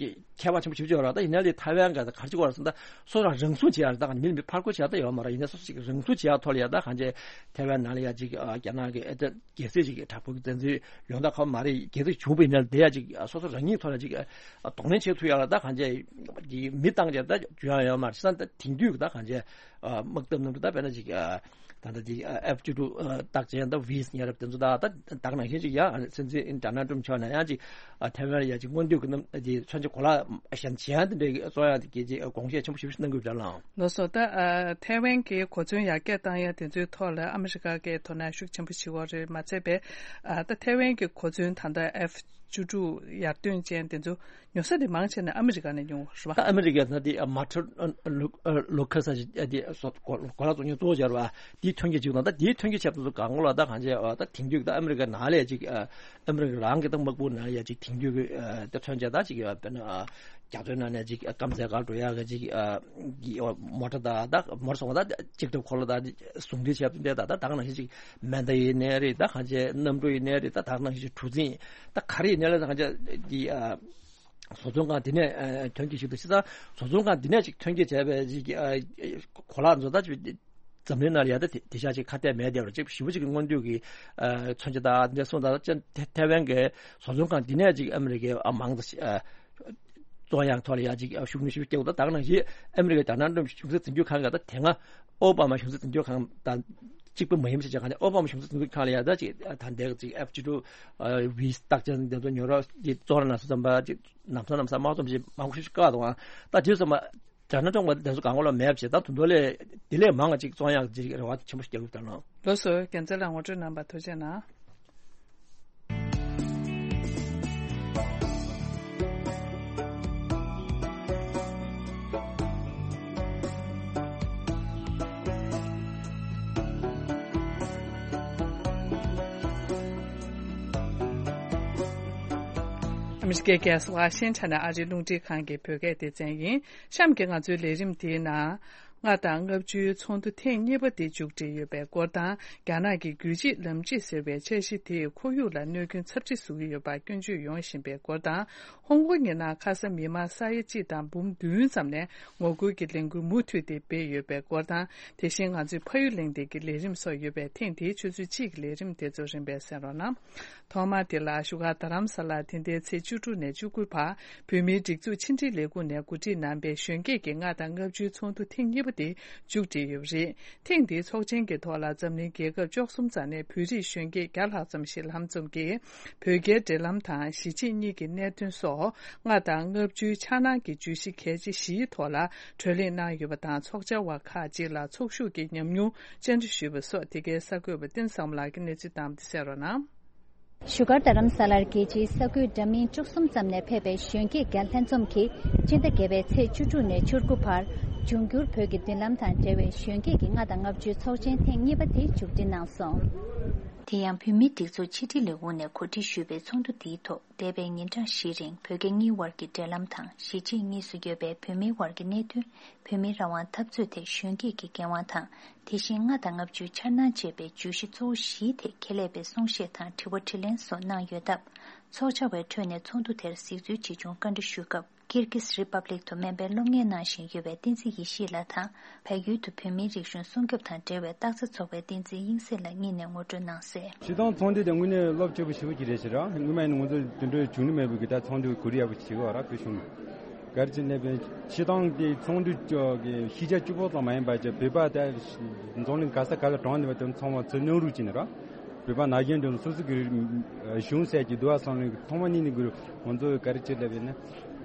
ཁྱད་པར་ཆེན་པོ་ཞེ་པོ་ཅིག་ཡོད་རེད། ད་ཡིན་ན་ལས་ཐའེ་ཝན་ག་ད་ག་རེ་ཅིག་བར་ལ་སོང་ད་སོ་སོ་རང་སྲུང་བྱེད་ཡ་རེད། ད་གང་ཅི་མི་ལ་མི་ཕར་རྒོལ་བྱེད་ཡ་ད་ཡོད་མ་རེད། ཡིན་ན་སོ་སོ་ཅིག་རང་སྲུང་བྱེད་ཡ་ཐོག་ལ་ཡ་ད་གང་ཅི་ཐའེ་ཝན་ནང་ལ་ཡ་ཅིག་ཨ་རྒྱ་ནག་གི་ཨ་ད་རྒྱལ་སྲིད་ཅིག་གི་དྲག་པོ་གི་བཙན་འཛུལ་ཡོང་ད་ཁ་མ་རེད། རྒྱལ་སྲིད་བྱུང་བ་ཡིན་ན་དེ་ཡ་ཅིག་སོ་སོ་རང་ཉིད་ཐོག་ལ་ཅིག་གདོང་ལེན་བྱེད་ཐུབ་ཡ་ལ་ད་གང་ཅི་མི་བཏང་བྱས་ད་འཇུ་ཡ་ཡོད་མ་རེད། བྱས་ཙང་ད་དེང་དུས་ཀྱི་ད་གང་ཅི་དམག་འཐབ་གནམ་གྲུ་ད་དཔེར་ན་ཅིག་ད་ལྟ་ཅིག་ཨེཕ་བཅུ་དྲུག་རྟགས་ཅན་ད་ཝི་ཉེ་རབས་དེ་ཚོ་ད་ད་ད་ག་ནང་བཞིན་ཅིག་ཡ་སྲིད་འཛིན་ཌོ་ནལ་ཊམ་མཆོག་ནས་ཡང་ཅིག་ཐའེ་ཝན་ལ་ཡ་ཅིག་སྔོན་དུས་ཀྱི་གནམ་ཅིག་མཚོན་ཆ་གོ་ལ་གཞན་གཞན་དེ་འདྲའི་གཙོ་ཡང་དེ་གའི་ཅིག་དགོངས་བཞེས་ཆེན་པོ་ཞེ་པོ་ཞིག་གནང་དགོས་པ་འདྲ་ལགས། ལགས་སོ། ད་ཨ་ཐའེ་ཝན་གྱི་གོ་མཚོན་ཡར་རྒྱས་བཏང་ཡ་དེ་ཚོའི་ཐོག་ལ་ཨ་མི་རི་ཀ་གིས་དོ་སྣང་ཤུགས་ཆེན་པོ་བྱེད་ཀྱི་ཡོད་རེད། མ་ཚད་པའི་ཨ་ད་ཐའེ་ཝན་གྱི་གོ་མཚོན་ད་ལྟ་ཨེཕ་བཅུ་དྲུག་ཡར་ཐོན་ཅན་དེ་ཚོ་ཉོ་ས་དེ་མང་ཆེ་ནས་ཨ་མི་རི་ཀ་ནས་ཉོ་རེད་པ། ད་ཨ་མི་རི་ཀ་ན་དེ་མ་ཊིན་ལུ་ལུ་ཁ་ས་ཞིག་དེ་གོ་ལག་བཙོང་མཁན་གཙོ་བོ་སྦྱར་བ་དེའི་ཐོན་སྐྱེད་ཅིག་དང་། ད་དེའི་ཐོན་སྐྱེད་བྱས་པ་ཚོ་གང་གོ་ལ་ད་གང་བྱས་ད་དེང་དུས་ད་ཨ་མི་རི་ཀ་ནང་ལས་ཅིག་ཨ་མི་རི་ཀ་རང་གི་ད་དམག་དཔུང་ནང་ལས་ཅིག་དེང་དུས་ཀྱི་ཨ་ད་ཐོན་སྐྱེད་ད་ཅིག་ཡོད་པ་ན་རྒྱ་མཚོའི་ནང་ནས་ཅིག་སྐམ་སའི་སྒང་འགྲོ་ཡག་གི་ཅིག་ཨ་གི་མོ་ཊ་དང་ད་མོ་ཊ་སོང་བ་ད་ཅིག་ཏུ་འཁོར་ལོ་དང་ཟུང་འབྲེལ་བྱས་པ་འདྲ་ད་ད་ད་ག་ནང་བཞིན་ཅིག་མེ་མདའ་ཡིན་ནའི་རེད། ད་གང་བྱས་གནམ་གྲུ་ཡིན་ནའི་རེད། ད་ད་ག་ནང་བཞིན་ཅིག་གྲུ་གཟིངས་ད་ག་རེ་ཡིན་ནའི་ལ་ད་གང་བྱས་འདི་ཨ། བཟོ་ཚོང་ཁང་འདི་ནས་ཨ་ཐོན་སྐྱེད་ཞིག་ཏུ་ཕྱི་ས་བཟོ་ཚོང་ཁང་འདི་ནས་ཅིག་ཐོན་སྐྱེད་བྱས་པའི་ཅིག་ཨ་གོ་ལག་ཚོ་ད་ཅིག་འཛམ་གླིང་ནང་ལ་ཡ་ད་དེ་དེ་ཤ་ཅིག་ཁ་གཏད་མེད་དེ་རུ་ཅིག་ཞེ་པོ་ཅིག་གི་སྔོན་དུས་ཀྱི་ཨ་མཚོན་ཆ་དང་འདི་སོང་ད་ཅན་ཐེ་ཐེ་ཝན་གྱི་བཟོ་ཚོང་ཁང་འདི་ནས་ཅིག་ཨ་མི་རི་ཀའི་ཨ་མང་ད་ཨ་བཙོང་ཡག་ཐོག་ལ་ཡ་ཅིག་ཨ་ཤུགས་སྣོན་ཞེ་པོ་སྐྱེ་འོ། ད་ད་ག་ནང་བཞིན་ཨ་མི་རི་ཀའི་ཌོ་ནལ་ཊམ་གཞུང་སྲིད་འཛིན་སྐྱོང་ཁང་ག་ད་དེ་སྔ་ཨོ་བྷ་མ་གཞུང་སྲིད་འཛིན་སྐྱོང་ཁང་དང་གཅིག་པ་མ་ཡིན་པ་ཞིག་ཅེས་གང་ནས་ཨོ་བྷ་མ་གཞུང་སྲིད་འཛིན་སྐྱོང་ཁང་ལ་ཡ་ད་ཅིག་ཨ་ད་འདས་ཅིག་ཨེཕ་བཅུ་དྲུག་ཨ་ཝི་རྟགས་ཅན་འདི་ཚོ་ཉོ་རོགས་ཀྱི་གཙོ་བོ་ན་སུ་ཙམ་པ་ཅིག་ནམ་སང་ནམ་སང་མ་ཙམ་ཞིག་མང་པོ་ཞིག་བཀག་འདུག་ཨ། ད་དེ་ཙམ་པ་ དྲ་སྣ་བཙོང་བ་དེ་ཚོ་གང་ག་ལ་མེད་པ་བྱས། ད་དུང་དོ་ལས་དེ་ལས་མང་བ་ཅིག་བཙོང་ཡག་ཅིག་རེ་བ་ཆེན་པོ་ཞིག་རྒྱག་གི་ཡོད་ད་ལོ། ལགས་སོ། རྒྱལ་མཚན་ལགས་ངོ་སྤྲོད་གནང་བར་ཐུགས་རྗེ་གནང་། ཨ་མི་རི་ཀའི་རྒྱལ་ས་ཝ་ཤིང་ཊོན་ནས་ཨ་རིའི་རླུང་འཕྲིན་ཁང་གི་བོད་སྐད་སྡེ་ཚན་ཡིན། གཤམ་གྱི་ང་ཚོའི་ལས་རིམ་འདིའི་ནང་། ལྔ་དང་ལྔ་བཅུའི་ཚོགས་འདུ་ཐེངས་གཉིས་པ་དེ་མཇུག་སྒྲིལ་ཡོད་པའི་སྐོར་དང་། རྒྱ་ནག་གི་རྒྱུད་གཅིག་ལམ་གཅིག་ཟེར་བའི་འཆར་གཞི་དེས་ཁོར་ཡུག་ལ་གནོད་སྐྱོན་ཚབས་ཆེ་བཟོ་གི་ཡོད་པར་སྐྱོན་བརྗོད་ཡོང་བཞིན་པའི་སྐོར་དང་། ཧོང་ཀོང་གི་ནང་ཁ་ས་མི་མང་ས་ཡ་གཅིག་དང་འབུམ་བདུན་ཙམ་ནས་ངོ་རྒོལ་གྱི་ལས་འགུལ་མུ་མཐུད་དེ་སྤེལ་ཡོད་པའི་སྐོར་དང་། དེ་བཞིན་ང་ཚོའི་ཕ་ཡུལ་གླེང་སྟེགས་ཀྱི་ལས་རིམ་སོགས་ཡོད་པས། ཐེངས་འདིའི་ཆུ་ཚོད་གཅིག་གི་ལས་རིམ་དེ་ཚོ་རིམ་པས་གསན་རོགས་གནང་། ཐོག་མར་དེ་ལ་བཞུགས་སྒར་རྡ་རམ་ས་ལར་དེ་ཟླའི་ཚེས་བཅུ་དྲུག་ནས་བཅུ་དགུ་བར་བོད་མིའི་སྒྲིག་འཛུགས་ཕྱི་འབྲེལ་ལས་ཁུངས་ནས་གོ་སྒྲིག་གནང་པའི་གཞོན་སྐྱེས་ཀྱི་ལྔ་དང་ལྔ་བཅུའི་ཚོགས་འདུ་ཐེངས་གཉིས་པ་དེ་མཇུག་སྒྲིལ་ཡོད་པ་རེད། ཐེངས་འདིའི་ཚོགས་ཆེན་གྱི་ཐོག་ལ་འཛམ་གླིང་རྒྱལ་ཁབ་བཅུ་གསུམ་ཙམ་ནས་བོད་རིགས་གཞོན་སྐྱེས་བརྒྱ་ལྷག་ཙམ་ཞིག་ལྷན་འཛོམས་ཀྱིས་བོད་རྒྱའི་འབྲེལ་ལམ་དང་གཞིས་བྱེས་གཉིས་ཀྱི་གནད་དོན་སོགས་ལྔ་དང་ལྔ་བཅུའི་འཆར་སྣང་གི་བརྗོད་གཞི་གལ་ཆེ་བཞིའི་ཐོག་ལ་གྲོས་གླེང་གནང་ཡོད་པ་དང་། ཚོགས་བཅར་བ་ཁག་ཅིག་ལ་ཚོགས་ཞུགས་ཀྱི་ཉམས་མྱོང་བཅར་འདྲི་ཞུས་པ་སོགས། དེ་གའི་གསར་འགོད་པ་བསྟན་བཟང་མོ་ལགས་ཀྱིས་གནས་ཚུལ་བཏང་བ་དེ་གསན་རོགས་གནང་། བཞུགས་སྒར་རྡ་རམ་ས་ལར་རྒྱལ་སྤྱིའི་ས་ཁུལ་འདྲ་མིན་བཅུ་གསུམ་ཙམ་ནས་ཕེབས་པའི་གཞོན་སྐྱེས་བརྒྱ་ལྷན་འཛོམས་ཀྱིས་སྤྱི་ཟླ་བརྒྱད་པའི་ཚེས་བཅུ་དྲུག་ནས་བཅུ་དགུ་བར་འབྱུང་འགྱུར་བོད་ཀྱི་མདུན་ལམ་དང་འབྲེལ་བའི་གཞོན་སྐྱེས་ཀྱི་ལྔ་དང་ལྔ་བཅུའི་ཚོགས་ཆེན་ཐེངས་གཉིས་པ་དེ་མཇུག་སྒྲིལ་གནང་སོང་། དེ་ཡང་བོད་མིའི་སྒྲིག་འཛུགས་ཕྱི་དྲིལ་ལས་ཁུངས་ནས་གོ་སྒྲིག་ཞུས་པའི་ཚོགས་འདུ་འདིའི་ཐོག་འདས་པའི་ཉིན་གྲངས་བཞིའི་རིང་བོད་རྒྱ་གཉིས་དབར་གྱི་འབྲེལ་ལམ་དང་། གཞིས་བྱེས་གཉིས་སུ་ཡོད་པའི་བོད་མིའི་དབར་གྱི་གནད་དོན། བོད་མིའི་རང་དབང་འཐབ་རྩོད་ཐད་གཞོན་སྐྱེས་ཀྱི་འགན་དབང་དང་། དེ་བཞིན་ལྔ་དང་ལྔ་བཅུའི་འཆར་སྣང་བཅས་པའི་བརྗོད་གཞི་གཙོ་བོ་བཞིའི་ཐད་ཁྱད་ལས་པའི་གསུང་བཤད་དང་དྲི་བ་དྲིས་ལན་སོགས་གནང་ཡོད་སྟབས། ཚོགས་བཅར་བའི་ཁྲོད་ནས་ཚོགས་འདུ་དེར་གཟིགས་ཚུལ་ཇི་བྱུང་བཀའ་འདྲི་ཞུས་སྐབས། ཀིར་གིས་རི་པབ་ལིག་ཏུ་སྨན་པའི་སློབ་གཉེར་གནང་བཞིན་ཡོད་པའི་བསྟན་འཛིན་ཡེ་ཤེས་ལགས་དང་། བལ་ཡུལ་དུ་བོད་མིའི་རིག་གཞུང་སྲུང་སྐྱོབ་དང་འབྲེལ་བའི་རྟགས་རྩ་ཚོགས་པའི་བསྟན་འཛིན་དབྱིངས་གསལ་ལགས་གཉིས་ནས་ངོ་སྤྲོད་གནང་གསལ། སྤྱིར་བཏང་ཚོགས་འདུ་དེ་དངོས་གནས་རླབས་ཆེ་པོ་ཞེ་པོ་ཅིག་རེད་ཟེར་ར། སྔོན་མ་ཡིན་ན་ང་ཚོ་དེ་འདྲའི་བྱུང་ནི་མེད་པའི་གི་ད་ཚོགས་འདུ་གོ་སྒྲིག་ཡག་པོ་བྱེད་དགོས་ར། བོད་གཞུང་གི་ག་རེ་བྱས་ནས་བྱས་ཙང་དེ་ཚོགས་འདུ་གི་ཤེས་བྱ་བཅུ་པོ་ཙམ་མ་ཡིན་པ་ཅིག་བོད་པ་ད་འཛམ་གླིང་ག་ས་ག་ལ་གྲོངས་ནས་པ་དེ་ཚང་མ་ཚུར་སྙོམས་སྒྲིག་བྱས་ནས་ར། བོད་པ་ནང་བཞིན་དུ་སོ་སོ་གི་གཞུང་ཟེར་གྱི་འདུག་བ། བསམ་བློ་ཐོག་མ་ཉིད་ནས་གི་ང་ཚོ་ག་རེ་བྱས་ལབ་ཡིན་ན།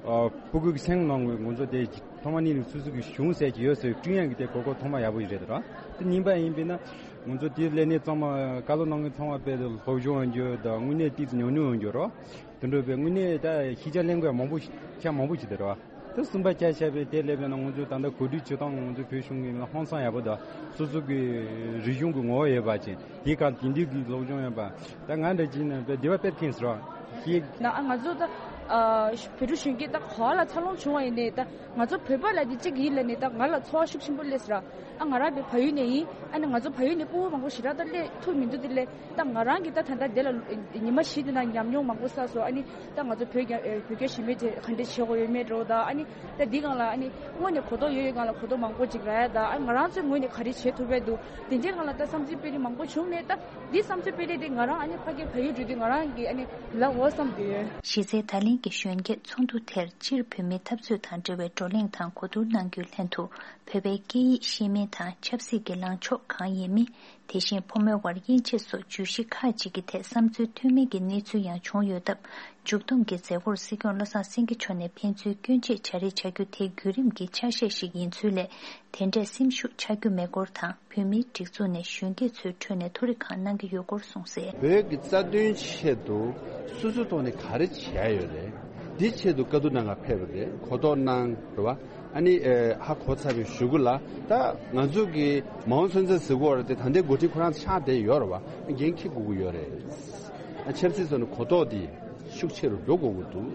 ཨ། སྤུ་གུ་གི་སེམས་ནང་གི་ང་ཚོ་དེ་ཐོག་མ་ཉིད་ནས་སོ་སོ་གི་གཞུང་ཟེར་གྱི་ཡོད་ཟེར་བསྐྲུན་ཡག་གི་དེ་གོ་སྐབས་ཐོག་མ་ཡག་པོ་ཞིག་རེད་ར། དེ་གཉིས་པ་ཡིན་པས་ན་ང་ཚོ་དེ་སླེབས་ནས་ཚང་མ་བཀའ་སློབ་གནང་མཁན་ཚང་མ་དཔེ་སློབ་སྦྱོང་ཡོང་རྒྱུ་དང་དངོས་གནས་ཏོག་ཙམ་ཉམས་མྱོང་ཡོང་རྒྱུ་ར། དེ་འདྲ་བས་དངོས་གནས་ད་ཤེས་བྱ་ལེན་དགོས་མང་པོ་ཤ་མང་པོ་ཞིག་འདུག་ར། དེ་གསུམ་པ་ཆ་བཞག་པའི་དེ་སླེབས་པས་ན་ང་ཚོས་ད་ལྟ་གོ་སྒྲིག་བྱེད་སྟངས་ང་ཚོའི་བོད་གཞུང་གི་ཧང་སང་ཡག་པོ་དང་སོ་སོ་གི་རིག་གཞུང་གི་ངོ་བོ་ཡོད་པ་ཅན། དེའི་སྒང་དེང་དུས་ཀྱི་སློབ་སྦྱོང་ཡོད་པ། ད་ང་འདྲ་ཅིག་ནས་དཔེ་སྡེ་བ་དཔེ་མཁྱེན་ཟེར་བ་ཞིག་ན་ཨ་ང་ཚོ་ད་ཨ་བོད་ཕྲུག་གཞོན་སྐྱེས་ད་ག་བ་ལ་འཚར་ལོངས་བྱུང་བ་ཡིན་ནའི་ད་ང་ཚོ་བོད་པ་ལ་དེ་གཅིག་ཡིན་ལབ་ནས་ད་ང་ལ་ཚོར་བ་ཤུགས་ཆེན་པོ་སླེབས་ཟེར་བ། ཨ་ང་རང་དཔེ་བལ་ཡུལ་ནས་ཡིན། ཨ་ནི་ང་ཚོ་བལ་ཡུལ་ནས་སྤུ་གུ་མང་པོ་ཞེ་དྲག་ད་སླེབས་ཐུབ་མི་འདུག་དེ་ལས་ད་ང་རང་གིས་ད་ད་ལྟ་དེ་ལ་ཉི་མ་བཞི་དེ་ན་ཉམས་མྱོང་མང་པོ་བསགས་སོང་། ཨ་ནི་ད་ང་ཚོ་བོད་རྒྱ་ཨེ་བོད་རྒྱ་ཞི་མོལ་དེ་ག་འདྲས་བྱེད་དགོས་ཡོད་མེད་འདྲ་བོ་དང་། ཨ་ནི་ད་འདི་སྒང་ལ་ཨ་ནི་དངོས་ནས་གོ་རྟོགས་ཡོད་ཡོད་སྒང་ལ་གོ་རྟོགས་མང་པོ་ཅིག་རག་ཡ་དང་། ཨ་ནི་ང་རང་ཚོའི་ངོས་ནས་ག་རེ་བྱེད་ཐུབ་པ་འདུག་དེ་འདྲའི་སྒང་ལ་ད་བསམ་ཚུལ་སྤེལ་རེས་མང་པོ་བྱུང་ནས་ད་འདི་བསམ་ཚུལ་སྤེལ་རེས་དེ་ང་རང་ཨ་ནི་ཕ་གིར་བལ་ཡུལ་འགྲོ་དུས་ང་རང་གི་ཨ་ནི་ལབ་འོ་བསམ་གྱི་ཡོད། གཞི་རྩའི་ད་ལན་གྱི་གཞོན་སྐྱེས་ཚོགས་འདུ་དེར་སྤྱིར་བོད་མིའི་འཐབ་རྩོད་དང་འབྲེལ་བའི་བགྲོ་གླེང་དང་གོ་བསྡུར་གནང་རྒྱུའི་ལྷན་དུ་བོད་པའི་སྐད་ཡིག་ཤེས་མིན་དང་ཆབ་སྲིད་ཀྱི་ལངས་ཕྱོགས་གང་ཡིན་མིན། དེ་བཞིན་ཕོ་མོའི་དབར་དབྱེ་འབྱེད་སོགས་བརྗོད་གཞི་ཁག་ཅིག་གི་ཐད་བསམ་ཚུལ་མཐུན་མིན་གྱི་གནས་ཚུལ་ཡང་བྱུང་ཡོད་སྟབས། མཇུག་བསྡོམས་ཀྱི་མཛད་སྒོར་སྲིད་སྐྱོང་བློ་བཟང་སེང་གེ་མཆོག་ནས་ཕན་ཚུན་སྐྱོན་འབྱེད་བྱ་རེས་བྱ་རྒྱུ་དེ་བརྒྱུད་རིམ་གྱི་ཆ་ཤས་ཤིག་ཡིན་ཚུལ་ལས། དེ་འདྲའི་སེམས་ཤུགས་ཆག་རྒྱུ་མེད་སྐོར་དང་། བོད་མིའི་སྒྲིག་འཛུགས་ནས་གཞོན་སྐྱེས་ཚོའི་ཁྲོད་ནས་ཐུགས་རེ་གང་གནང་གི་ཡོད་སྐོར་གསུངས་གསལ། བོད་ཀྱི་རྩ་དོན་ཆེད་དུ་སོ་སོའི་ཐོག་ནས་ག་རེ་བྱས་ཡོད་རེད། འདི་ཆེད་དུ་བཀའ་བསྡུར་གནང་གར་ཕེབས་པ་རེད། གོ་རྟོགས་གནང་རེད་བ། ཨ་ནི་ཨེ་ཧ་གོ་ཚར་བའི་གཞུག་གུ་ལ་ད་ང་ཚོ་གི་མ་འོངས་ཚུན་ཚོད་ཟེར་དགོས་རེད་དེ། ད་ལྟའི་འགོ་ཁྲིད་ཁོ་རང་ཆགས་བསྡད་ཡོད་རེད་བ། འགན་འཁྱེར་དགོས་ཀྱི་ཡོད་རེད། ཨ་ཆབ་སྲིད་ཐོག་ནས་གོ་རྟོགས་འདི་ཤུགས་ཆེ་རུ་འགྲོ་དགོས་ཀྱི་འདུག་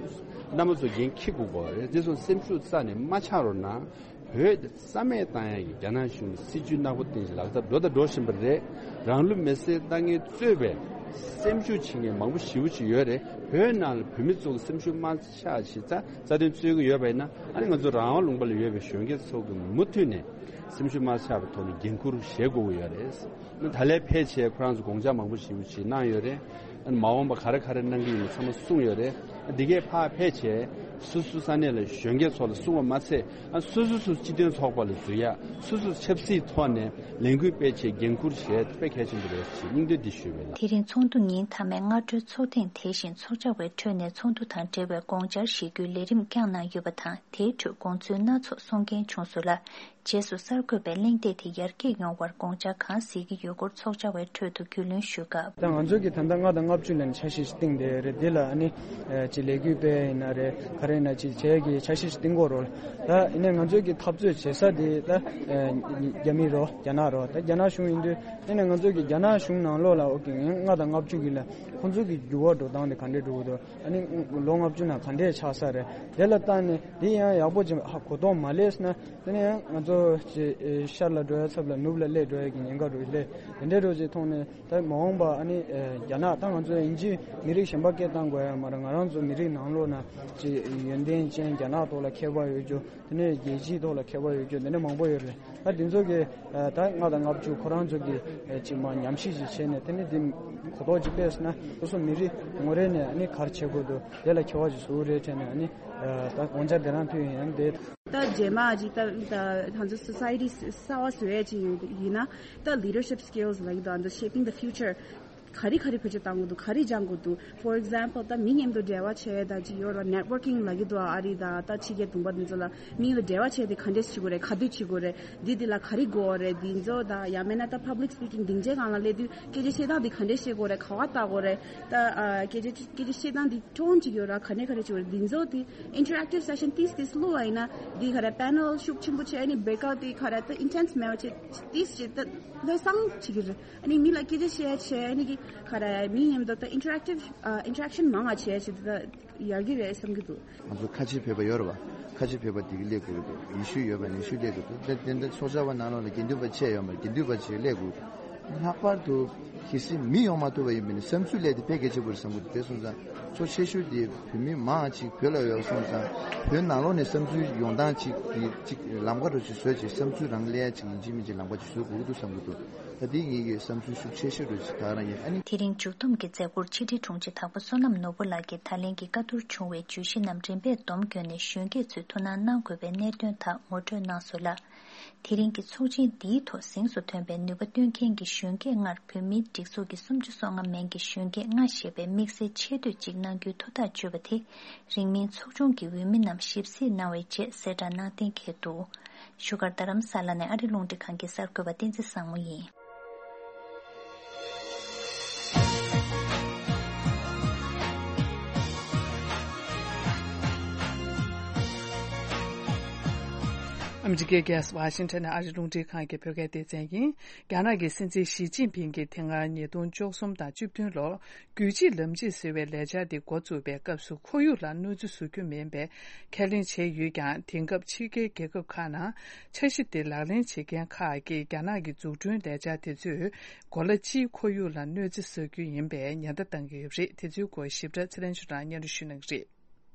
རྣམ་པ་ཚོ་འགན་འཁྱེར་དགོས་ཀྱི་རེད། འདི་ཚོ་སེམས་ཤུགས་རྩ་ནས་མ་ཆག་རོགས་གནང་། བོད་རྩ་མེད་བཏང་ཡག་གི་རྒྱ་ནག་གཞུང་གི་སྲིད་ཇུས་ནག་པོ་བཏིང་ཞིང་ལག་བསྟར་འགྲོ་དང་འགྲོ་བཞིན་པ་རེད། རང་ལུས་མེར་སྲེག་བཏང་མཁན་གཙོས་པའི་སེམས་ཤུགས་ཆེ་མཁན་མང་པོ་ཞེ་པོ་ཅིག་ཡོད་རེད། བོད་ནང་ལ་བོད་མི་ཚོ་གི་སེམས་ཤུགས་མ་ཆག་ཞིག་རྩ་རྩ་དོན་རྩོད་ཀྱི་ཡོད་པ་ཡིན་ན། ཨ་ནི་ང་ཚོ་རང་དབང་ལུང་པ་ལ་ཡོད་པའི་གཞོན་སྐྱེས་ཚོ་གི་མུ་མཐུད་ནས་སེམས་ཤུགས་མ་ཆག་པའི་ཐོག་ནས་འགན་འཁུར་བཞེས་དགོས་ཀྱི་ཡོད་རེད། ད་ལས་ཕལ་ཆེར་ཁོ་རང་ཚོ་དགོངས་འཆར་མང་པོ་ཞེ་པོ་ཅིག་གནང་ཡོད་རེད། ཨ་ནི་མ་འོངས་པ་ག་རེ་ག་རེ་གནང་གི་ཡིན་མིན་ཚང་མ་གསུངས་ཡོད་རེད། ཨ་འདི་གས་ཕར་ཕལ་ཆེར་ སོ་སོ་ས་གནས་ལ་གཞོན་སྐྱེས་ཚོ་ལ་གསུངས་པ་མ་ཚད། ཨ་སོ་སོ་སོ་སྤྱི་མཐུན་ཚོགས་པ་ལ་འཛུལ་ཡ། སོ་སོ་ཆབ་སྲིད་ཐོག་ནས་ལས་འགུལ་སྤེལ་ཆེད་འགན་འཁུར་བྱས་དཔེ་གལ་ཆེན་པོ་རེད་ཅེས་སྙིང་འདོད་འདི་ཞུས་པ་ལགས། དེ་རིང་ཚོགས་འདུ་ཉིན་མཐའ་མའི་སྔ་དྲོའི་ཚོགས་ཐེངས་དེ་བཞིན་ཚོགས་བཅར་བའི་ཁྲོད་ནས་ཚོགས་འདུ་དང་འབྲེལ་བའི་དགོངས་འཆར་བཞེས་རྒྱུའི་ལས་རིམ་བསྐྱངས་གནང་ཡོད་པ་དང་། དེའི་ཁྲོད་དགོངས་ཚུལ་སྣ་ཚོགས་གསུང་མཁན་བྱུང་སོང་ལ། རྗེས་སུ་གསར་འགོད་པས་གླེང་སྟེགས་དེ་ཡར་རྒྱས་ཡོང་བར་དགོངས་འཆར་གང་གཟིགས་ཀྱི་ཡོད་སྐོར་ཚོགས་བཅར་བའི་ཁྲོད་དུ་རྒྱུས་ལོན་ཞུས་སྐབས། ད་ང་ཚོ་གི་ད་ལྟ་ལྔ་དང་ལྔ་བཅུ་ལ་ནི་འཆར་གཞི་ཞིག་བཏིང་བསྡད་ཡོད་རེད། འདི་ལ་ཨ་ནི་ཅིག་ལས་འགུལ་སྤེལ་ཡིན་ན་རེད། ག་རེ་ཡིན་ན་ཅིག་བྱས་ཀྱི་འཆར་གཞི་ཞིག་བཏིང་དགོས་རེད། ད་ཡིན་ནའི་ང་ཚོ་གི་འཐབ་རྩོད་བྱེད་ས་དེ་ད་རྒྱ་མི་རེད། རྒྱ་ནག་རེད། ད་རྒྱ་ནག་གཞུང་ཡིན་དུས་ཡིན་ནའི་ང་ཚོ་གི་རྒྱ་ནག་གཞུང་ནང་ལོགས་ལ་ཨོ་ཀེ་ངས་ལྔ་དང་ལྔ་བཅུ་གི་ལ་ཁོང་ཚོ་གི་འགྱུར་བ་འགྲོ་སྟངས་དེ་ག་འདྲས་འགྲོ་གི་འདུག་ཨ་ནི་ལོ་ལྔ་བཅུ་ནང་ག་འདྲས་ཆགས་ས་རེད། དེ་ལ་བལྟས་ནས་དེ་ཡང་ཡག་པོ་ཅིག་ཧ་གོ་རྟོགས་མ་སླེབས་ན། དེ་ནས་ཡང་ང་ཚོ་ཅིག་ཤར་ལ་འགྲོ་ཡ་ཚབ་ལ་ནུབ་ལ་སླེབས་འགྲོ་ཡ་གི་ཉེན་ཁ་རུ་སླེབས། དེ་འདྲའི་རུ་ཅིག་མཐོང་ནས་ད་མ་འོངས་པ་ཨ་ནི་རྒྱ་ནག་ད་ང་ཚོ་ཡིན་གཅིག་མི་རིགས་གཞན་པ་སྐད་བཏང་དགོས་ཡ་མ་རེད། ང་རང་ཚོ་མི་རིགས་ནང་ལོགས་ན་ཅིག་ཡོན་ཏན་ཅན་རྒྱ་ནག་ཐོག་ལ་མཁས་པ་ཡོད་རྒྱུ། དེ་ནས་རྒྱལ་སྤྱིའི་ཐོག་ལ་མཁས་པ་ཡོད་རྒྱུ་དེ་འདྲ་མང་པོ་ཡོད་རེད། ད་དེ་ཚོ་གི་ད་ལྔ་དང་ལྔ་བཅུ་ཁོ་རང་ཚོ་གི་ཅིག་མ་ཉམས་ཞིབ་ཅིག་བྱས་ནས་དེ་ནས་དེ་གོ་རྟོགས་ཅིག་སྤེལ་སོང་ན་སོ་སོ་མི་རིགས་ངོ་རེ་ནས་ཨ་ནི་ག་རེ་བྱེད་དགོས་འདུག་དེ་ལ་མཁས་པ་ཅིག་བཟོ་གི་རེད་དྲན་ནས་ཨ་ནི་ད་དགོངས་འཆར་དེ་རང་ཕུལ་ཡིན། ཡང་དེ། ད་རྗེས་མ་ཅིག་ད་ད་ང་ཚོ་སོ་སའི་ཊི་གསར་པ་བཟོ་ཡས་ཅིག་ཡིན་ན་ད་leadership skills ལབ་ཀྱི་འདུག་ཨ་ནི་shaping the future ག་རེ་ག་རེ་བེད་སྤྱོད་གཏང་དགོས་འདུག་ག་རེ་སྦྱང་དགོས་འདུག For example ད་མི་མཉམ་དུ་འབྲེལ་བ་བྱས་ད་ཅིག་ཡོད་ར་networking ལབ་ཀྱི་འདུག་ཨ་རི་དང་ད་ཕྱི་རྒྱལ་དུམ་པ་འདི་ཚོ་ལ་མི་ལ་འབྲེལ་བ་བྱས་ཏེ་ག་འདྲས་བྱེད་དགོས་རེད། ག་དུས་བྱེད་དགོས་རེད། འདི་འདི་ལ་ག་རེ་དགོས་རེད། འདི་ཚོ་ད་ཡང་མིན་ན་ད་public speaking སྡིངས་ཆའི་སྒང་ལ་སླེབས་དུས་སྐད་ཆ་བཤད་སྟངས་འདི་ག་འདྲས་བཤད་དགོས་རེད། ག་བ་ལྟ་དགོས་རེད། ད་ཨ་སྐད་ཆ་སྐད་ཆ་བཤད་སྟངས་འདི་tone ཅིག་ཡོད་ར་ག་ནས་ག་རེ་བྱེད་དགོས་རེད། འདི་ཚོ་དེ་interactive session ཏིས་ཏིས་བླུགས་པ་ཡིན་ན་འདི་ག་རེ་panel ཤུགས་ཆེན་པོ་བྱས་ཨ་ནི་breakout དེ་ག་རེ་ད་intense མེད་པ་བྱས་ཏིས་བྱས་ད་ལྷོད་སང་བྱེད་ཀྱི་རེད། ཨ་ནི་མི་ལ་སྐད་ཆ་བཤད་བྱས་ཨ་ནི་གི་ག་རེ་མི་མཉམ་དུ་ད་interactive ཨ་interaction མང་བ་བྱས་བྱས་ད་ཡག་གི་རེད་བསམ་གྱི་འདུག་ང་ཚོ་ཁ་ཆེ་བོད་པ་ཡོད་རེད་བ། ཁ་ཆེ་བོད་པ་དེ་གི་སླེབས་དགོས་ཀྱི་འདུག་ཡེ་ཤུ་ཡོད་པ་ནི་ཡེ་ཤུ་སླེབས་དགོས་འདུག་དེ་དེ་འདྲ་ཚོགས་བཅར་བ་ནང་ལོགས་ལ་དགེ་འདུན་པ་བཅས་ཡོད་མ་རེད། དགེ་འདུན་པ་བཅས་སླེབས་དགོས་འདུག་ལྷག་པར་དུ་གལ་སྲིད་མི་ཡོང་མ་ཐུབ་པ་ཡིན་པ་ནི་བསམ་ཚུལ་སླེབས་དེ་དཔེ་གལ་ཆེན་པོ་རེད་བསམ་གྱི་འདུག་དེ་སོང་ཙང་གཙོ་ཆེ་ཤོས་དེ་བོད་མི་མང་ཅིག་བོད་ལ་ཡོད་སོང་ཙང་བོད་ནང་ལོགས་ནས་བསམ་ཚུལ་ཡོང་སྟངས་ཅིག་གི་ཅིག་ལམ་ཁ་འདྲ་ཅིག་བཟོས་ཅིག་བསམ་ཚུལ་རང་སླེབས་ཡ་ཅིག་ཡིན་གཅིག་མིན་གཅིག་ལམ་ཁ་ཅིག་བཟོ་དགོས་ཀྱི་འདུག་བསམ་གྱི་འདུག་ད་དེ་ངེད་ཀྱི་བསམ་ཚུལ་ཤུགས་ཆེ་ཤོས་འདྲ་ཅིག་ད་རང་ཡིན། ཨ་ནི། དེ་རིང་མཇུག་བསྡོམས་ཀྱི་མཛད་སྒོར་ཕྱི་དྲིལ་དྲུང་ཆེ་དྭགས་པོ་བསོད་ནམས་ནོར་བུ་ལགས་ཀྱིས་ད་ལན་གྱི་བཀའ་བསྡུར་བྱུང་བའི་བརྗོད་གཞི་རྣམས་རིམ་པས་སྡོམ་བརྒྱབ་ནས་གཞོན་སྐྱེས་ཚོས་ཐུགས་སྣང་གནང་དགོས་པའི་གནད་དོན་དག་ངོ་སྤྲོད་གནང་སོང་ལ། དེ་རིང་གི་ཚོགས་ཆེན་འདིའི་ཐོག་གཟེངས་སུ་ཐོན་པའི་ནུས་པ་བཏོན་མཁན་གྱི་གཞོན་སྐྱེས་ལྔར་བོད་མིའི་སྒྲིག་འཛུགས་ཀྱི་སུམ་ཅུ་སོ་ལྔ་མན་གྱི་གཞོན་སྐྱེས་ལྔ་ཞེས་པའི་དམིགས་བསལ་ཆེ་བསྟོད་ཅིག་གནང་རྒྱུའི་ཐུགས་ཐག་གཅོད་པ་དེ་རིང་མིན་ཚོགས་ཆུང་གི་འོས་མི་རྣམས་ཞིབ་གཟིགས་གནང་བའི་རྗེས་གསལ་བསྒྲགས་གནང་གཏན་འཁེལ་འདུག་བཞུགས་སྒར་རྡ་རམ་ས་ལ་ནས་ཨ་རི་རླུང་འཕྲིན་ཁང་གི་གསར་འགོད་པ་བསྟན་འཛིན་བཟང་མོ་ཡིན། ཨ་མི་རི་ཀའི་རྒྱལ་ས་ཝ་ཤིང་ཊོན་ནས་ཨ་རི་རླུང་འཕྲིན་ཁང་གི་བོད་སྐད་སྡེ་ཚན་ཡིན། རྒྱ་ནག་གི་སྲིད་འཛིན་ཞི་ཅིན་ཕིང་གིས་དེ་སྔ་ཉིས་སྟོང་བཅུ་གསུམ་དང་བཅུ་བདུན་ལོར་རྒྱུད་གཅིག་ལམ་གཅིག་ཟེར་བའི་ལས་འཆར་དེ་འགོ་བཙུགས་པའི་སྐབས་སུ་ཁོར་ཡུག་ལ་གནོད་འཚེ་བཟོ་རྒྱུ་མིན་པའི་ཁས་ལེན་བྱས་ཡོད་ཀྱང་། དེང་སྐབས་ཕྱི་རྒྱལ་རྒྱལ་ཁབ་ཁག་ནང་འཆར་གཞི་དེ་ལག་ལེན་བྱེད་མཁན་ཁག་གིས་རྒྱ་ནག་གི་འཛུགས་སྐྲུན་ལས་འཆར་དེ་ཚོས་གོ་ལ་སྤྱིའི་ཁོར་ཡུག་ལ་གནོད་འཚེ་བཟོ་རྒྱུ་ཡིན་པའི་ཉེན་བརྡ་བཏང་གི་ཡོད་པ་རེད། དེ་ཚོའི་སྐོར་ཞིབ་ཕྲ་ཚེ་རིང་ཆོས་གྲགས་སྙན་སྒྲོན་ཞུ་གནང་གི་རེད།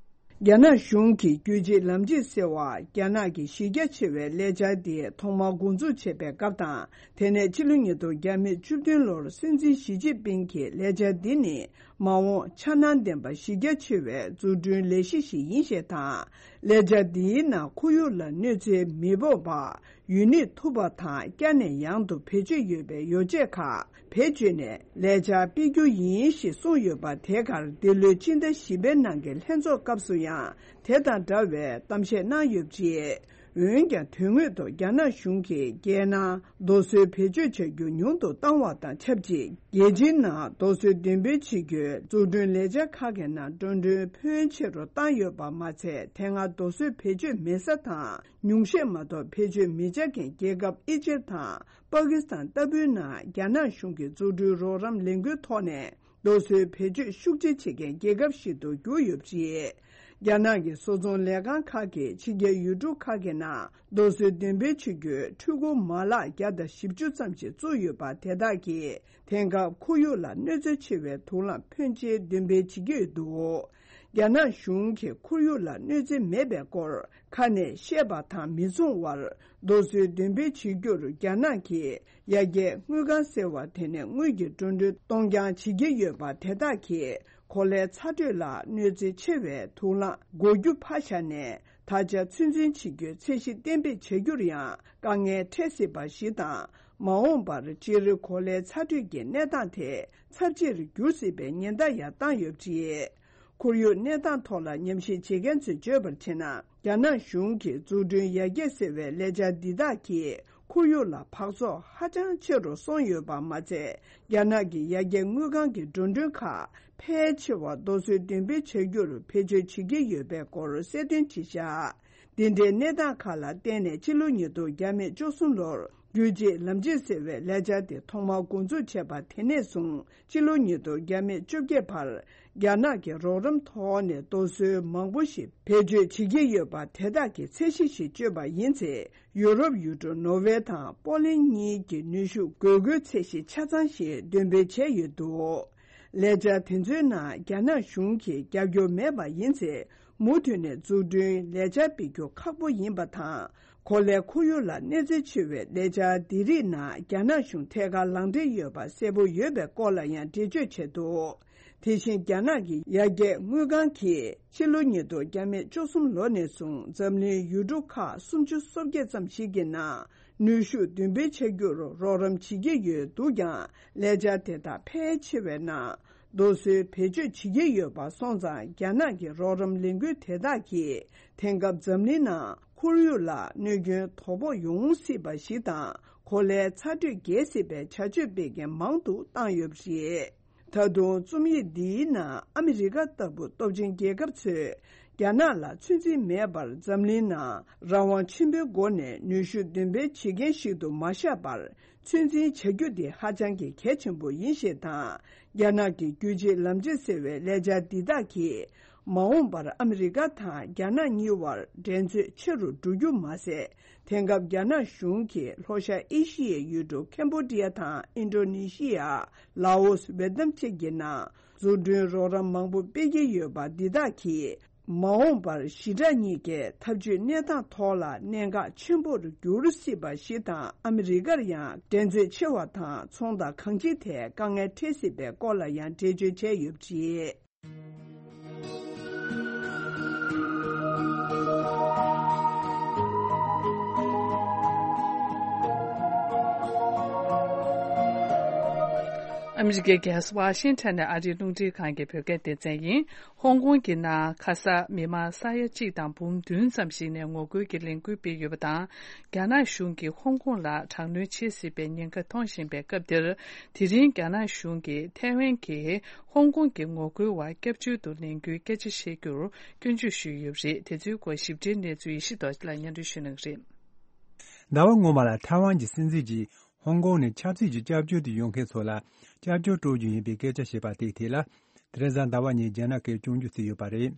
རྒྱ་ནག་གཞུང་གིས་རྒྱུད་གཅིག་ལམ་གཅིག་ཟེར་བ་རྒྱ་ནག་གི་གཞི་རྒྱ་ཆེ་བའི་ལས་འཆར་དེ་ཐོག་མར་འགོ་འཛུགས་བྱས་པའི་སྐབས་དང་། དེ་ནས་ཕྱི་ལོ་ཉིས་སྟོང་བརྒྱ་མེད་བཅུ་བདུན་ལོར་སྲིད་འཛིན་ཞི་ཅིན་ཕིང་གི་ལས་འཆར་འདི་ནི་མ་འོངས་འཆར་སྣང་ལྡན་པ་གཞི་རྒྱ་ཆེ་བའི་འཛུགས་སྐྲུན་ལས་གཞི་ཞིག་ཡིན་ཞེས་དང་། ལས་འཆར་འདིའི་ནང་ཁོར་ཡུག་ལ་གནོད་འཚེ་མི་ཕོག་པ། ཡུན་གནས་ཐུབ་པ་དང་། བསྐྱར་ནས་ཡང་དུ་བེད་སྤྱོད་ཡོད་པའི་ཡོ་བྱད་ཁག་བེད་སྤྱོད་ནས་ལས་འཆར་སྤེལ་རྒྱུ་ཡིན་ཞེས་གསུངས་ཡོད་པ། དེ་གར་འདི་ལོའི་ཕྱི་ཟླ་བཞི་པའི་ནང་གི་ལྷན་ཚོགས་སྐབས་སུ་ཡང་དེ་དང་འདྲ་བའི་གཏམ་བཤད་གནང་ཡོད་པ་རེད། འོན་ཀྱང་དོན་དངོས་ཐོག་རྒྱ་ནག་གཞུང་གིས་རྒྱལ་ནང་རྡོ་སོལ་བེད་སྤྱོད་བྱ་རྒྱུ་ཉུང་དུ་བཏང་བ་དང་ཆབས་ཅིག་རྒྱལ་སྤྱིའི་ནང་རྡོ་སོལ་འདོན་སྤེལ་བྱེད་རྒྱུའི་འཛུགས་སྐྲུན་ལས་འཆར་ཁག་གི་ནང་འགྲོ་གྲོན་ཕོན་ཆེ་རུ་བཏང་ཡོད་པ་མ་ཚད། དེ་སྔ་རྡོ་སོལ་བེད་སྤྱོད་མེད་ས་དང་། ཉུང་ཤས་མ་གཏོགས་བེད་སྤྱོད་མི་བྱ་མཁན་རྒྱལ་ཁབ་ཨི་ཇིབ་དང་པ་ཀི་སི་ཐན་ལྟ་བུའི་ནང་རྒྱ་ནག་གཞུང་གི་འཛུགས་སྐྲུན་རོགས་རམ་ལས་འགུལ་ཐོག་ནས་རྡོ་སོལ་བེད་སྤྱོད་ཤུགས་ཆེ་བྱེད་མཁན་རྒྱལ་ཁབ་ཞིག་ཏུ་གྱུར་ཡོད་པ་རེད། རྒྱ་ནག་གི་བཟོ་ཚོང་ལས་ཁང་ཁག་གིས་ཕྱི་རྒྱལ་ཡུལ་གྲུ་ཁག་གི་ནང་རྡོ་སོལ་འདོན་སྤེལ་བྱེད་རྒྱུའི་འཕྲུལ་འཁོར་མ་ལག་བརྒྱ་དང་བཞི་བཅུ་ཙམ་ཞིག་བཙུགས་ཡོད་པ། དེ་དག་གིས་དེང་སྐབས་ཁོར་ཡུག་ལ་གནོད་འཚེ་ཆེ་བའི་དུག་རླངས་ཕོན་ཆེ་འདོན་སྤེལ་བྱེད་ཀྱི་ཡོད་འདུག་རྒྱ་ནག་གཞུང་གིས་ཁོར་ཡུག་ལ་གནོད་འཚེ་མེད་པའི་སྐོར་ཁ་ནས་བཤད་པ་དང་མི་མཚུངས་པར། རྡོ་སོལ་འདོན་སྤེལ་བྱེད་རྒྱུར་རྒྱ་ནག་གིས་ཡར་རྒྱས་དངུལ་ཁང་ཟེར་བ་དེ་ནས་དངུལ་གྱི་འགྲོ་གྲོན་གཏོང་རྐྱང་བྱེད་ཀྱི་ཡོད་པ། དེ་དག་གིས་ གོ་ལའི་ཚ་དྲོད་ལ་གནོད་འཚེ་ཆེ་བའི་དུག་རླངས་འགོག་རྒྱུ་ཕར་བཞག་ནས། ད་ཆ་ཚོད་འཛིན་བྱེད་རྒྱུའི་ཚད་གཞི་གཏན་འབེབས་བྱ་རྒྱུར་ཡང་དཀའ་ངལ་འཕྲད་སྲིད་པ་ཞིག་དང་། མ་འོངས་པར་སྤྱིར་གོ་ལའི་ཚ་དྲོད་ཀྱི་གནས་སྟངས་དེ་ཚབས་ཆེར་འགྱུར་སྲིད་པའི་ཉེན་བརྡ་ཡང་བཏང་ཡོད་པ་རེད། ཁོར་ཡུག་གནས་སྟངས་ཐོག་ལ་ཉམས་ཞིབ་བྱེད་མཁན་ཚོས་བརྗོད་པར་བྱས་ན། རྒྱ་ནག་གཞུང་གིས་འཛུགས་སྐྲུན་ཡར་རྒྱས་ཟེར་བའི་ལས་འཆར་འདི་དག་གིས་ཁོར་ཡུག་ལ་འབག་བཙོག་ཧ་ཅང་ཆེ་རུ་སོང་ཡོད་པ་མ་ཚད། རྒྱ་ནག་གི་ཡར་རྒྱས་དངུལ་ཁང་གི་འགྲོ་གྲོན་ཁག་ཕལ་ཆེ་བ་རྡོ་སོལ་འདོན་སྤེལ་བྱ་རྒྱུར་བེད་སྤྱོད་བྱེད་ཀྱི་ཡོད་པའི་སྐོར་གསལ་སྟོན་བྱས་བཞག་འདི་འདྲའི་གནས་སྟངས་ཁག་ལ་བརྟེན་ནས་ཕྱི་ལོ་ཉིས་སྟོང་བརྒྱ་མེད་བཅུ་གསུམ་ལོར་རྒྱུད་གཅིག་ལམ་གཅིག་ཟེར་བའི་ལས་འཆར་དེ་ཐོག་མར་འགོ་འཛུགས་བྱས་པ་དེ་ནས་བཟུང་ཕྱི་ལོ་ཉིས་སྟོང་བརྒྱ་མེད་བཅོ་བརྒྱད་བར་རྒྱ་ནག་གི་རོགས་རམ་ཐོག་ནས་རྡོ་སོལ་མང་པོ་ཞིག་བེད་སྤྱོད་བྱེད་ཀྱི་ཡོད་པ་དེ་དག་གི་ཚད་གཞི་ཞིག་བཅོས་པ་ཡིན་ཚེ། ཡུ་རོབ་ཡུལ་གྲུ་ནོར་ཝེ་དང་པོ་ལན་གཉིས་ཀྱི་ནུས་ཤུགས་དགོས་མཁོའི་ཚད་གཞི་ཆ་ཚང་ཞིག་འདོན་སྤེལ་བྱས་ཡོད་འདུག་ལས་འཆར་དེ་ཚོའི་ནང་རྒྱ་ནག་གཞུང་གིས་རྒྱབ་སྐྱོར་མེད་པ་ཡིན་ཚེ། མུ་མཐུད་ནས་འཛུགས་སྐྲུན་ལས་འཆར་སྤེལ་རྒྱུ་ཁག་པོ་ཡིན་པ་དང་། གོ་ལའི་ཁོར་ཡུག་ལ་གནོད་འཚེ་ཆེ་བའི་ལས་འཆར་འདི་རིགས་ནང་རྒྱ་ནག་གཞུང་ཐད་ཀར་ལག་འབྲེལ་ཡོད་པ་གསལ་པོ་ཡོད་པའི་སྐོར་ལ་ཡང་འགྲེལ་བརྗོད་བྱས་འདུག་དེ་བཞིན་རྒྱ་ནག་གི་ཡར་རྒྱས་དངུལ་ཁང་གིས་ཕྱི་ལོ་ཉིས་སྟོང་བརྒྱ་མེད་བཅུ་གསུམ་ལོ་ནས་བཟུང་འཛམ་གླིང་ཡུལ་གྲུ་ཁག་སུམ་ཅུ་སོ་བརྒྱད་ཙམ་ཞིག་གི་ནང་ནུས་ཤུགས་འདོན་སྤེལ་བྱ་རྒྱུར་རོགས་རམ་བྱེད་ཀྱི་ཡོད་འདུག་ཀྱང་། ལས་འཆར་དེ་དག་ཕལ་ཆེ་བའི་ནང་རྡོ་སོལ་བེད་སྤྱོད་བྱེད་ཀྱི་ཡོད་པ་སོང་ཙང་། རྒྱ་ནག་གི་རོགས་རམ་ལས་འགུལ་དེ་དག་གིས་དེང་སྐབས་འཛམ་གླིང་ནང་ཁོར་ཡུག་ལ་གནོད་སྐྱོན་དོ་ཕོག་ཡོང་སྲིད་པ་ཞིག་དང་། གོ་ལའི་ཚ་དྲོད་རྒྱས་སྲིད་པའི་བྱ་སྤྱོད་སྤེལ་མཁན་མང་དུ་བཏང་ཡོད་པ་རེད། ད་དུང་རྩོམ་ཡིག་འདིའི་ནང་ཨ་མི་རི་ཀ་ལྟ་བུ་སྟོབས་ཆེན་རྒྱལ་ཁབ་ཚོས་རྒྱ་ནག་ལ་ཚོད་འཛིན་མེད་པར་འཛམ་གླིང་ནང་རང་དབང་ཆེན་པོའི་སྒོ་ནས་ནུས་ཤུགས་འདོན་སྤེལ་བྱེད་མཁན་ཞིག་ཏུ་མ་བཞག་པར། ཚོད་འཛིན་བྱ་རྒྱུ་དེ་ཧ་ཅང་གི་གལ་ཆེན་པོ་ཡིན་ཞེས་དང་། རྒྱ་ནག་གི་རྒྱུད་གཅིག་ལམ་གཅིག་ཟེར་བའི་ལས་འཆར་འདི་དག་གིས། མ་འོངས་པར་ཨ་མི་རི་ཀ་དང་རྒྱ་ནག་གཉིས་བར་འགྲན་རྩོད་ཆེ་རུ་འགྲོ་རྒྱུ་མ་ཟད། དེང་སྐབས་རྒྱ་ནག་གཞུང་གིས་ལྷོ་ཤར་ཨེ་ཤི་ཡའི་ཡུལ་གྲུ་ཁེམ་བྷོ་ཌི་ཡ་དང་ཨིན་ཌོ་ནེ་ཤི་ཡ། ལའོ་སི། ཝེ་ཏི་ནམ་བཅས་ཀྱི་ནང་འཛུགས་སྐྲུན་རོགས་རམ་མང་པོ་སྤེལ་གྱི་ཡོད་པ་འདི་དག་གིས། མ་འོངས་པར་ཞི་དྲག་གཉིས་ཀའི་འཐབ་ཇུས་གནས་སྟངས་ཐོག་ལ་གནད་འགག་ཆེན་པོར་འགྱུར་སྲིད་པ་ཞིག་དང་། ཨ་མི་རི་ཀར་ཡང་འགྲན་རྩོད་ཆེ་བ་དང་ཚོང་དང་གང་ཅིའི་ཐད་དཀའ་ངལ་འཕྲད་སྲིད་པའི་སྐོར་ལ་ཡང་འགྲེལ་བརྗོད་བྱས་ཡོད་པ་རེད། ཨ་མི་རི་ཀའི་རྒྱལ་ས་ཝ་ཤིང་ཊོན་ནས་ཨ་རིའི་རླུང་འཕྲིན་ཁང་གི་བོད་སྐད་སྡེ་ཚན་ཡིན། ཧོང་ཀོང་གི་ནང་ཁ་ས་མི་མང་ས་ཡ་གཅིག་དང་འབུམ་བདུན་ཙམ་ཞིག་ནས་ངོ་རྒོལ་གྱི་ལས་འགུལ་སྤེལ་ཡོད་པ་དང་། རྒྱ་ནག་གཞུང་གིས་ཧོང་ཀོང་ལ་དྲག་གནོན་བྱེད་སྲིད་པའི་ཉེན་ཁ་མཐོང་བཞིན་པའི་སྐབས་འདིར། དེ་རིང་རྒྱ་ནག་གཞུང་གིས་ཐའེ་ཝན་གྱི་ཧོང་ཀོང་གི་ངོ་རྒོལ་བར་སྐྱབས་བཅོལ་དུ་ལེན་རྒྱུའི་སྐད་ཆ་བཤད་རྒྱུར་སྐྱོན་བརྗོད་ཞུས་ཡོད་པ་རེད། དེ་ཚོའི་སྐོར་ཞིབ་ཕྲའི་གནས་ཚུལ་ཡེ་ཤེས་རྡོ་རྗེ་ལགས་སྙན་སྒྲོན་ཞུ་གནང་གི་རེད། ཟླ་བ་སྔོན་མ་ལ་ཐའེ་ཝན་གྱི་སྲིད་འཛིན་གྱིས་ཧོང་ཀོང་ནས་ཆབ་སྲིད་ཀྱི་སྐྱབས་བཅོལ་དུ་ཡོང་མཁན་ཚོ་ལ་སྐྱབས་བཅོལ་སྤྲོད་རྒྱུ་ཡིན་པའི་སྐད་ཆ་བཤད་པ་དེའི་ཐད་ལ། དེ་རིང་གཟའ་ཟླ་བ་ཉིན་རྒྱ་ནག་གིས་སྐྱོན་བརྗོད་བྱས་ཡོད་པ་རེད།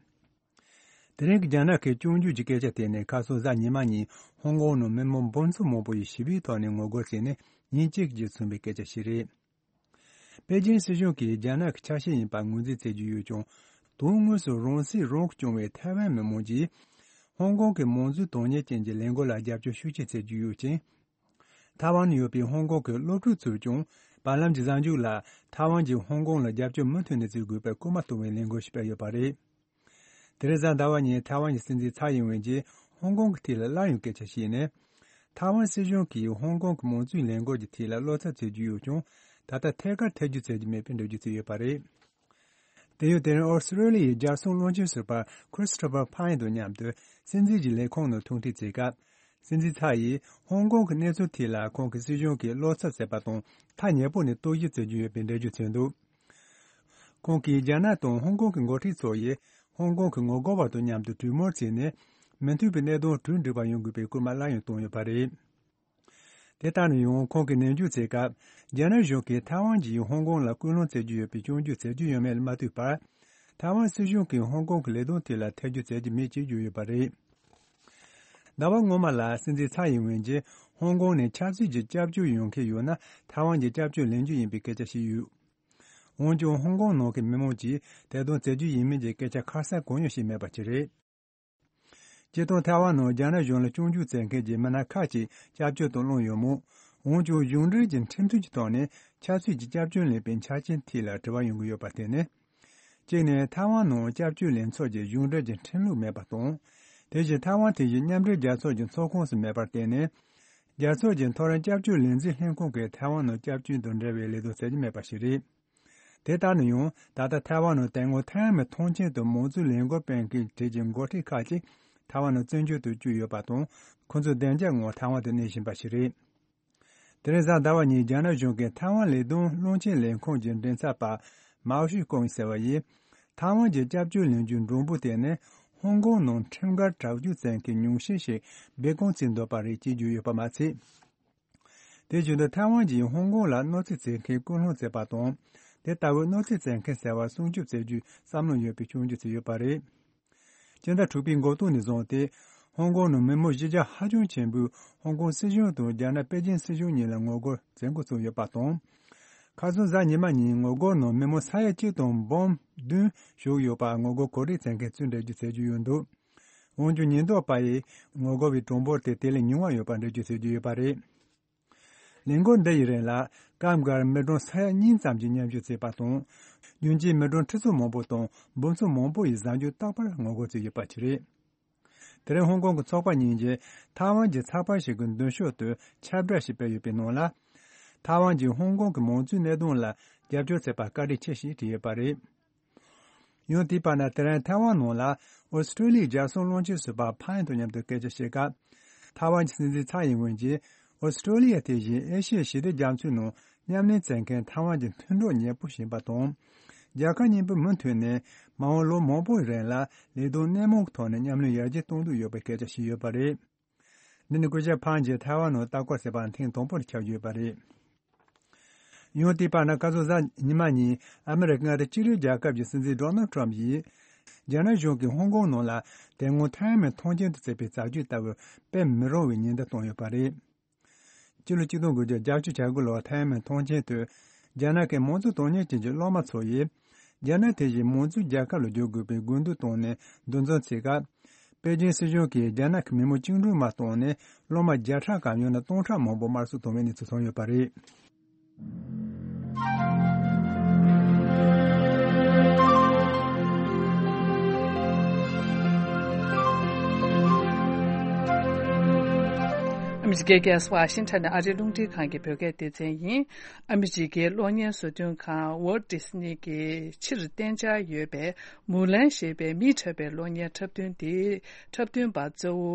དེ་རིང་གི་རྒྱ་ནག་གི་སྐྱོན་བརྗོད་ཀྱི་སྐད་ཆ་དེ་ནི་ཁ་སང་གཟའ་ཉི་མ་ཉིན་ཧོང་ཀོང་ནང་མི་མང་འབུམ་ཚོ་མང་པོ་ཡིས་ཞི་བའི་ཐོག་ནས་ངོ་རྒོལ་བྱས་ནས་ཉིན་གཅིག་རྗེས་ཚུགས་པའི་སྐད་ཆ་ཞིག་རེད། པེ་ཅིན་སྲིད་གཞུང་གིས་རྒྱ་ནག་གི་ཆ་ཤས་ཡིན་པ་ངོས་འཛིན་བྱེད་ཀྱི་ཡོད་ཀྱང་། དོན་དངོས་སུ་རང་སྲིད་རང་གིས་སྐྱོང་བའི་ཐའེ་ཝན་མི་མང་གིས་ཧོང་ཀོང་གི་མང་གཙོའི་དོན་གཉེར་ཅན་གྱི་ལས་འགུལ་ལ་རྒྱབ་སྐྱོར་ཤུགས་ཆེ་བྱེད་ཀྱི་ཡོད་ཅིང་། ཐའེ་ཝན་ནང་ཡོད་པའི་ཧོང་ཀོང་གི་སློབ་ཕྲུག་ཚོས་ཀྱང་། བར་ལམ་གྱི་གཟའ་མཇུག་ལ་ཐའེ་ཝན་གྱིས་ཧོང་ཀོང་ལ་རྒྱབ་སྐྱོར་མུ་མཐུད་ནས་བྱེད་དགོས་པའི་སྐུལ་མ་གཏོང་བའི་ལས་འགུལ་ཞིག་སྤེལ་ཡོད་པ་རེད། དེ་རིང་གཟའ་ཟླ་བ་ཉིན་ཐའེ་ཝན་གྱི་སྲིད་འཛིན་ཚའེ་ཡིན་ཝེན་གྱིས་ཧོང་ཀོང་གི་ཐད་ལ་སླར་ཡང་སྐད་ཆ་བཤད་ནས། ཐའེ་ཝན་སྲིད་གཞུང་གིས་ཧོང་ཀོང་གི་མང་གཙོའི་ལས་འགུལ་གྱི་ཐད་ལ་བློ་འཚབ་བྱེད་ཀྱི་ཡོད་ཀྱང་། ད་ལྟ་ཐད་ཀར་ཐེ་བྱུས་བྱེད་ཀྱི་མེད་པའི་འགྲེལ་བརྗོད་བྱས་ཡོད་པ་རེད། དེ་ཡང་དེ་རིང་ཨོ་སི་ཀྲོ་ལི་ཡའི་རྒྱལ་སྲུང་བློན་ཆེན་ཟུར་པ་ཁྲི་སི་ཐོ་ཕར་ཕ་ཡིན་དང་མཉམ་དུ་སྲིད་འཛིན་གྱི་ལས་ཁུངས་ནང་ཐུག་འཕྲད་བྱེད་སྐབས། སྲིད་འཛིན་ཚའེ་ཡིས་ཧོང་ཀོང་གི་གནས་ཚུལ་ཐད་ལ་ཁོང་གི་སྲིད་གཞུང་གིས་བློ་འཚབ་བྱས་པ་དང་ཐག་ཉེ་པོ་ནས་རྟོག་ཞིབ་བྱེད་ཀྱི་ཡོད་པའི་འགྲེལ་བརྗོད་བྱས་འདུག་ཁོང་གིས་རྒྱ་ནག་དང་ཧོང་ཀོང་གི་འགོ་ཁྲིད་ཚོ་ཡིས་ཧོང་ཀོང་གི་ངོ་རྒོལ་བ་དང་མཉམ་དུ་གྲོས་མོལ་བྱས་ནས་མི་མཐུན་པའི་གནད་དོན་གྲོས་འགྲིག་པ་ཡོང་དགོས་པའི་སྐུལ་མ་སླར་ཡང་བཏང་ཡོད་པ་རེད། དེ་ལྟར་ན་ཡང་ཁོང་གིས་ནན་བརྗོད་བྱས་སྐབས། རྒྱ་ནག་གཞུང་གིས་ཐའེ་ཝན་གྱིས་ཧོང་ཀོང་ལ་སྐུལ་སློང་བྱེད་ཀྱི་ཡོད་པའི་སྐྱོན་བརྗོད་བྱེད་རྒྱུ་ཡོད་མེད་ལ་མ་ལྟོས་པར། ཐའེ་ཝན་སྲིད་གཞུང་གིས་ཧོང་ཀོང་གི་ལས་དོན་ཐད་ལ་ཐེ་བྱུས་བྱེད་ཀྱི་མེད་ཅེས་བརྗོད་ཡོད་པ་རེད། ཟླ་བ་སྔོན་མ་ལ་སྲིད་འཛིན་ཚའེ་ཡིན་ཝེན་གྱིས་ཧོང་ཀོང་ནས་ཆབ་སྲིད་ཀྱི་སྐྱབས་བཅོལ་ཡོང་མཁན་ཡོད་ན་ཐའེ་ཝན་གྱིས་སྐྱབས་བཅོལ་ལེན་རྒྱུ་ཡིན་པའི་སྐད་ཆ་བཤད་ཡོད། འོན་ཀྱང་ཧོང་ཀོང་ནང་གི་མི་མང་གིས་དེ་དང་བྱེད་རྒྱུ་ཡིན་མིན་གྱི་སྐད་ཆ་ཁ་གསལ་གང་ཡང་བཤད་མེད་པ་ཅིག་རེད། སྤྱིར་བཏང་ཐའེ་ཝན་ནང་རྒྱ་ནག་གཞུང་ལ་སྐྱོན་བརྗོད་བྱེད་མཁན་གྱི་མི་སྣ་ཁག་ཅིག་སྐྱབས་བཅོལ་དུ་བླངས་ཡོད་མོད། འོན་ཀྱང་གཞུང་འབྲེལ་གྱི་ཁྲིམས་མཐུན་གྱི་ཐོག་ནས་ཆབ་སྲིད་ཀྱི་སྐྱབས་བཅོལ་ལེན་པའི་ཆ་རྐྱེན་ཐད་ལ་དྲི་བ་ཡོང་གི་ཡོད་པ་དེ་ནི། གཅིག་ནས་ཐའེ་ཝན་ནང་སྐྱབས་བཅོལ་ལེན་ཚུལ་གྱི་གཞུང་འབྲེལ་གྱི་ཁྲིམས་ལུགས་མེད་པ་དང་། དེ་བཞིན་ཐའེ་ཝན་དེ་བཞིན་མཉམ་འབྲེལ་རྒྱལ་ཚོགས་ཀྱི་ཚོགས་ཁོངས་སུ་མེད་པར་བརྟེན་ནས། རྒྱལ་ཚོགས་ཀྱི་མཐོ་རིམ་སྐྱབས་བཅོལ་ལས་འཛིན་ལྷན་ཁང་གིས་ཐའེ་ཝན་ནང་སྐྱབས་བཅོལ་དང་འབྲེལ་བའི་ལས་དོན་བྱེད་ཀྱི་མེད་པ་ཞིག་རེད། དེ་ལྟར་ན་ཡང་ད་ལྟ་ཐའེ་ཝན་ནང་དེ་སྔོན་ཐའེ་ཝན་མི་ཐོངས་མཆན་དང་མང་གཙོའི་ལས་འགུལ་སྤེལ་མཁན་གྲས་ཀྱི་འགོ་ཁྲིད་ཁག་ཅིག་ཐའེ་ཝན་ནང་བཙན་བྱོལ་དུ་བསྐྱོད་ཡོད་པ་དང་། ཁོ་ཚོ་བདེ་འཇགས་ངང་ཐའེ་ཝན་དུ་གནས་བཞིན་པ་ཞིག་རེད། དེ་རིང་གཟའ་ཟླ་བ་ཉིན་རྒྱ་ནག་གཞུང་གིས་ཐའེ་ཝན་ལས་དོན་བློན་ཆེན་ལས་ཁུངས་ཀྱི་མགྲིན་ཚབ་པ་མའོ་ཤུ་ཀོང་ཟེར་བ་ཡིས། ཐའེ་ཝན་གྱི་སྐྱབས་བཅོལ་ལེན་རྒྱུའི་མགྲོན་པོ་དེ་ནི་ཧོང་ཀོང་ནང་ཁྲིམས་འགལ་དྲག་སྤྱོད་བྱེད་མཁན་ཉུང་ཤས་ཤིག་སྦས་སྐུང་བྱས་འདུག་པ་རེད་ཅེས་བརྗོད་ཡོད་པ་མ་ཚད། དེ་བཞིན་དུ་ཐའེ་ཝན་གྱིས་ཧོང་ཀོང་ལ་གནོད་འཚེ་བྱེད་མཁན་སྐུལ་སློང་བྱས་པ་དང་། དེ་ལྟ་བུའི་གནོད་འཚེ་བྱེད་མཁན་ཟེར་བ་སྲུང་སྐྱོབ་བྱེད་རྒྱུའི་བསམ་བློ་ཡོད་པའི་སྐྱོན་བརྗོད་བྱས་ཡོད་པ་རེད། སྤྱི་ཟླ་དྲུག་པའི་འགོ་སྟོད་ནས་བཟུང་སྟེ། ཧོང་ཀོང་ནང་མི་མང་གཞི་རྒྱ་ཧ་ཅང་ཆེན་པོས་ཧོང་ཀོང་སྲིད་གཞུང་དང་རྒྱ་ནག་པེ་ཅིན་སྲིད་གཞུང་གཉིས་ལ་ངོ་རྒོལ་བྱེད་འགོ་བཙུགས་ཡོད་པ་དང་། ཁ་སང་གཟའ་ཉི་མ་ཉིན་ངོ་རྒོལ་ནང་མི་མང་ས་ཡ་གཅིག་དང་འབུམ་བདུན་ཞུགས་ཡོད་པ་ངོ་རྒོལ་གོ་སྒྲིག་བྱེད་མཁན་ཚོས་འགྲེལ་བརྗོད་བྱེད་ཀྱི་ཡོད་འདུག་འོན་ཀྱང་ཉེན་རྟོག་པ་ཡིས་ངོ་རྒོལ་བའི་གྲངས་འབོར་དེ་དེ་ལས་ཉུང་བ་ཡོད་པ་འགྲེལ་བརྗོད་བྱེད་ཀྱི་ཡོད་པ་རེད། ལས་འགུལ་འདི་ཡི་རིང་ལ་སྐབས་འགར་མི་གྲངས་ས་ཡ་གཉིས་ཙམ་གྱིས་མཉམ་ཞུགས་བྱས་པ་དང་། རྒྱུན་གཅིག་མི་གྲངས་ཁྲི་ཚོ་མང་པོ་དང་འབུམ་ཚོ་མང་པོ་ཡིས་གཟའ་མཇུག་རྟག་པར་ངོ་རྒོལ་བྱས་ཡོད་པ་ཞིག་རེད། དེ་རིང་ཧོང་ཀོང་གི་ཚོགས་པ་གཉིས་ཀྱིས་ཐའེ་ཝན་གྱི་ཚགས་པར་ཞིག་གི་མདུན་ཤོག་ཏུ་ཁྱབ་བསྒྲགས་ཤིག་སྤེལ་ཡོད་པའི་ནང་ལ། ཐའེ་ཝན་གྱིས་ཧོང་ཀོང་གི་མང་གཙོའི་གནད་དོན་ལ་རྒྱབ་སྐྱོར་བྱས་པར་བཀའ་དྲིན་ཆེ་ཞེས་བྲིས་ཡོད་པ་རེད། ཡང་དེའི་བར་ན་དེ་རིང་ཐའེ་ཝན་ནང་ལ་ཨོ་སི་ཀྲོ་ལི་ཡའི་རྒྱལ་སྲུང་བློན་ཆེན་ཟུར་པ་ཕན་དང་མཉམ་དུ་སྐད་ཆ་བཤད་སྐབས། ཐའེ་ཝན་གྱི་སྲིད་འཛིན་ཚའེ་ཡིན་ཝེན་གྱིས་ཨོ་སི་ཀྲོ་ལི་ཡ་དེ་བཞིན་ཨེ་ཤི་ཡའི་ཞི་བདེ་རྒྱ་མཚོའི་ནང་མཉམ་ལས་བྱེད་མཁན་ཐའེ་ཝན་གྱི་མཐུན་གྲོགས་ཉེ་པོ་ཞིག་ཡིན་པ་དང་། རྒྱལ་ཁབ་གཉིས་པོས་མུ་མཐུད་ནས་མ་འོངས་ལོ་མང་པོའི་རིང་ལ་ལས་དོན་སྣེ་མང་གི་ཐོག་ནས་མཉམ་ལས་ཡར་རྒྱས་གཏོང་འདོད་ཡོད་པའི་སྐད་ཆ་བཤད་ཡོད་པ་རེད། འདི་ནི་སྐུ་ཞབས་ཕན་གྱིས་ཐའེ་ཝན་ནང་ལྟ་སྐོར་བྱས་པ་ཐེངས་དང་པོར་ཁྱབ་ཡོད་པ་རེད། ཡང་དེའི་བར་ན་ཁ་སང་གཟའ་ཉི་མ་ཉིན་ཨ་མི་རི་ཀ་མངའ་སྡེ་གཅིག་རིས་རྒྱལ་ཁབ་ཀྱི་སྲིད་འཛིན་ཌོ་ནལ་ཊམ་ཡིས། རྒྱ་ནག་གཞུང་གིས་ཧོང་ཀོང་ནང་ལ་དེ་སྔོན་ཐའེ་ཝན་མཐོང་ཆེན་དུ་བརྩིས་པའི་བྱ་སྤྱོད་ལྟ་བུ་སྤེལ་མི་རུང་བའི་ཉེན་བརྡ་བཏང་ཡོད་པ་རེད། ཕྱི་ལོ་ཆིག་སྟོང་དགུ་བརྒྱ་བརྒྱད་ཅུ་གྱ་དགུ་ལོར་ཐའེ་ཝན་མཐོང་ཆེན་དུ། རྒྱ་ནག་གི་མང་གཙོ་དོན་གཉེར་ཅན་གྱི་སློབ་མ་ཚོ་ཡིས། རྒྱ་ནག་དེ་བཞིན་མང་གཙོའི་རྒྱལ་ཁབ་ལ་བསྒྱུར་དགོས་པའི་དགོས་འདུན་བཏོན་ནས་འདུ་འཛོམས་བྱེད་སྐབས། པེ་ཅིན་སྲིད་གཞུང་གིས་རྒྱ་ནག་གི་མི་མང་བཅིངས་འགྲོལ་མ་བཏང་ནས་སློབ་མ་བརྒྱ་ཕྲག་གམ་ཡང་ན་སྟོང་ཕྲག་མང་པོ་དམར་གསོད་བཏང་བའི་གནས་ཚུལ་ཐོན་ཡོད་པ་རེད། ཨ་མི་རི་ཀའི་རྒྱལ་ས་ཝ་ཤིང་ཊོན་ནས་ཨ་རིའི་རླུང་འཕྲིན་ཁང་གི་བོད་སྐད་སྡེ་ཚན་ཡིན། ཨ་མི་རི་ཀའི་གློག་བརྙན་བཟོ་སྐྲུན་ཁང་ཝོལ་ཌི་སི་ནི་གི་ཕྱིར་གཏན་འཇགས་ཡོད་པའི་མུ་ལན་ཞེས་པའི་མིས་འཁྲབ་པའི་གློག་བརྙན་འཁྲབ་སྟོན་དེའི་འཁྲབ་སྟོན་པ་གཙོ་བོ་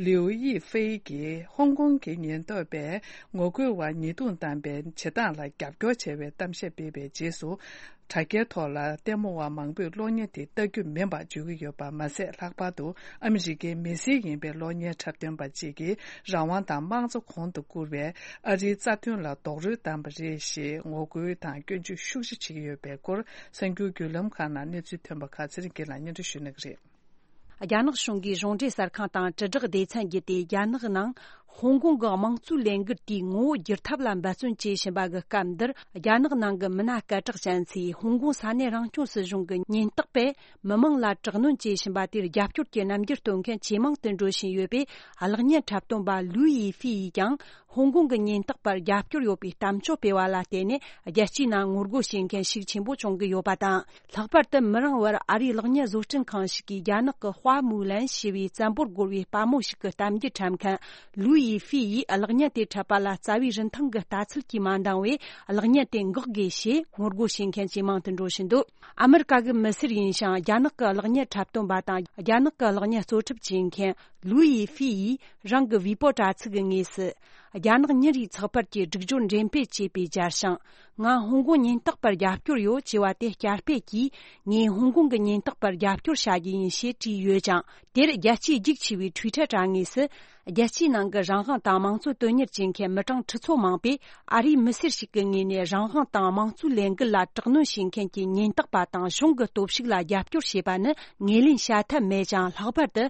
ལིའུ་ཡི་ཧྥེ་གིས་ཧོང་ཀོང་གི་ཉེན་རྟོག་པས་ངོ་རྒོལ་བ་ཉེས་རྡུང་བཏང་པའི་བྱེད་སྟངས་ལ་རྒྱབ་སྐྱོར་བྱས་པའི་གཏམ་བཤད་སྤེལ་བའི་རྗེས་སུ། དྲ་རྒྱའི་ཐོག་ལ་ལྟད་མོ་བ་མང་པོས་གློག་བརྙན་དེ་ལྟ་རྒྱུ་མིན་པར་བརྗོད་ཀྱི་ཡོད་པ་མ་ཟད། ལྷག་པར་དུ་ཨ་མི་རི་ཀའི་མི་སེར་ཡིན་པའི་གློག་བརྙན་འཁྲབ་སྟོན་པ་གཅིག་གིས་རང་དབང་དང་དམངས་གཙོ་གོང་དུ་བཀུར་བའི་ཨ་རིའི་རྩ་དོན་ལ་རྡོག་རོལ་བཏང་པ་རེད་ཞེས་ངོ་རྒོལ་དང་སྐྱོན་བརྗོད་ཤུགས་ཆེ་བྱེད་ཀྱི་ཡོད་པའི་སྐོར། གསར་འགྱུར་བརྒྱུད་ལམ་ཁག་ནང་གནས་ཚུལ་ཐོན་པ་ཁག་ཚེ་རིང་སྐྱིད་ལ་སྙན་སྒྲོན་ཞུ་གནང་གི་རེད། རྒྱ་ནག་གཞུང་གིས་གཞུང་འབྲེལ་གསར་ཁང་དང་དྲིལ་བསྒྲགས་སྡེ་ཚན་བརྒྱུད་དེ། རྒྱ་ནག་ནང་ཧོང་ཀོང་གི་དམངས་གཙོའི་ལས་འགུལ་དེའི་ངོ་བོ་བསྒྱུར་ཐབས་ལ་འབད་བརྩོན་བྱེད་བཞིན་པ་གི་སྐབས་འདིར། རྒྱ་ནག་ནང་གི་མི་སྣ་སྐད་གྲགས་ཅན་ཚོས་ཧོང་ཀོང་ས་གནས་རང་སྐྱོང་སྲིད་གཞུང་གི་ཉེན་རྟོག་པས་མི་མང་ལ་དྲག་གནོན་བྱེད་བཞིན་པ་དེར་རྒྱབ་སྐྱོར་གྱི་རྣམ་འགྱུར་སྟོན་མཁན་ཇེ་མང་དུ་འགྲོ་བཞིན་ཡོད་པས། གློག་བརྙན་འཁྲབ་སྟོན་པ་ལུའུ་ཡི་ཧྥི་ཡིས་ཀྱང་། ཧོང་ཀོང་གི་ཉེན་རྟོག་པར་རྒྱབ་སྐྱོར་ཡོད་པའི་གཏམ་བརྗོད་སྤེལ་བ་ལ་བརྟེན་ནས། རྒྱལ་སྤྱིའི་ནང་ངོ་རྒོལ་བྱེད་མཁན་ཤུགས་ཆེན་པོ་བྱུང་གི་ཡོད་པ་དང་། ལྷག་པར་དུ་མི་རིང་བར་ཨ་རིའི་གློག་བརྙན་བཟོ་སྐྲུན་ཁང་ཞིག་གིས་རྒྱ་ནག་གི་ཧྭ་མུའུ་ལན་ཞེས་པའི་བཙན་པོར་རྒོལ་བའི་དཔའ་མོ་ཞིག་གི་གཏམ་རྒྱུད་འཁྲབ་མཁན་ལུའུ་ཡི་ཧྥི་ཡིས་གློག་བརྙན་དེ་འཁྲབ་པ་ལ་རྩ་བའི་རིན་ཐང་གི་ལྟ་ཚུལ་གྱིས་མ་འདང་བས། གློག་བརྙན་དེ་འགག་དགོས་ཞེས་ངོ་རྒོལ་བྱེད་མཁན་ཇེ་མང་དུ་འགྲོ་བཞིན་འདུག་ཨ་མི་རི་ཀ་གི་མི་སེར་ཡིན་ཞིང་། རྒྱ་ནག་གི་གློག་བརྙན་འཁྲབ་སྟོན་པ་དང་། རྒྱ་ནག་གི་གློག་བརྙན་གཙོ་འཁྲབ་བྱེད་མཁན་ལུའུ་ཡི་ཧྥི་ཡིས་རང་གི་ཝི་པོ་དྲ་ཚིགས་ཀྱི་ངོས་སུ། རྒྱ་ནག་ཉིན་རེའི་ཚགས་པར་གྱི་སྒྲིག་སྦྱོར་འགྲེམས་སྤེལ་བྱས་པའི་རྒྱལ་ཞང་། ང་ཧོང་ཀོང་ཉེན་རྟོག་པར་རྒྱབ་སྐྱོར་ཡོད་ཅེས་པ་དེ་བསྐྱར་སྤེལ་གྱིས། ངས་ཧོང་ཀོང་གི་ཉེན་རྟོག་པར་རྒྱབ་སྐྱོར་བྱ་རྒྱུ་ཡིན་ཞེས་བྲིས་ཡོད་ཅིང་། དེར་རྒྱལ་སྤྱིའི་རྒྱུགས་ཆེ་བའི་ཊུའི་ཊར་དྲ་ངོས་སུ། རྒྱལ་སྤྱིའི་ནང་གི་རང་དབང་དང་དམངས་གཙོ་དོན་གཉེར་བྱེད་མཁན་མི་གྲངས་ཁྲི་ཚོ་མང་པོས། ཨ་རིའི་མི་སེར་ཞིག་གི་ངོས་ནས་རང་དབང་དང་དམངས་གཙོའི་ལས་འགུལ་ལ་དྲག་གནོན་བྱེད་མཁན་གྱི་ཉེན་རྟོག་པ་དང་གཞུང་གི་སྟོབས་ཤུགས་ལ་རྒྱབ་སྐྱོར་བྱས་པ་ནི་ངོས་ལེན་བྱ་ཐབས་མེད་ཅིང་། ལྷག་པར་དུ་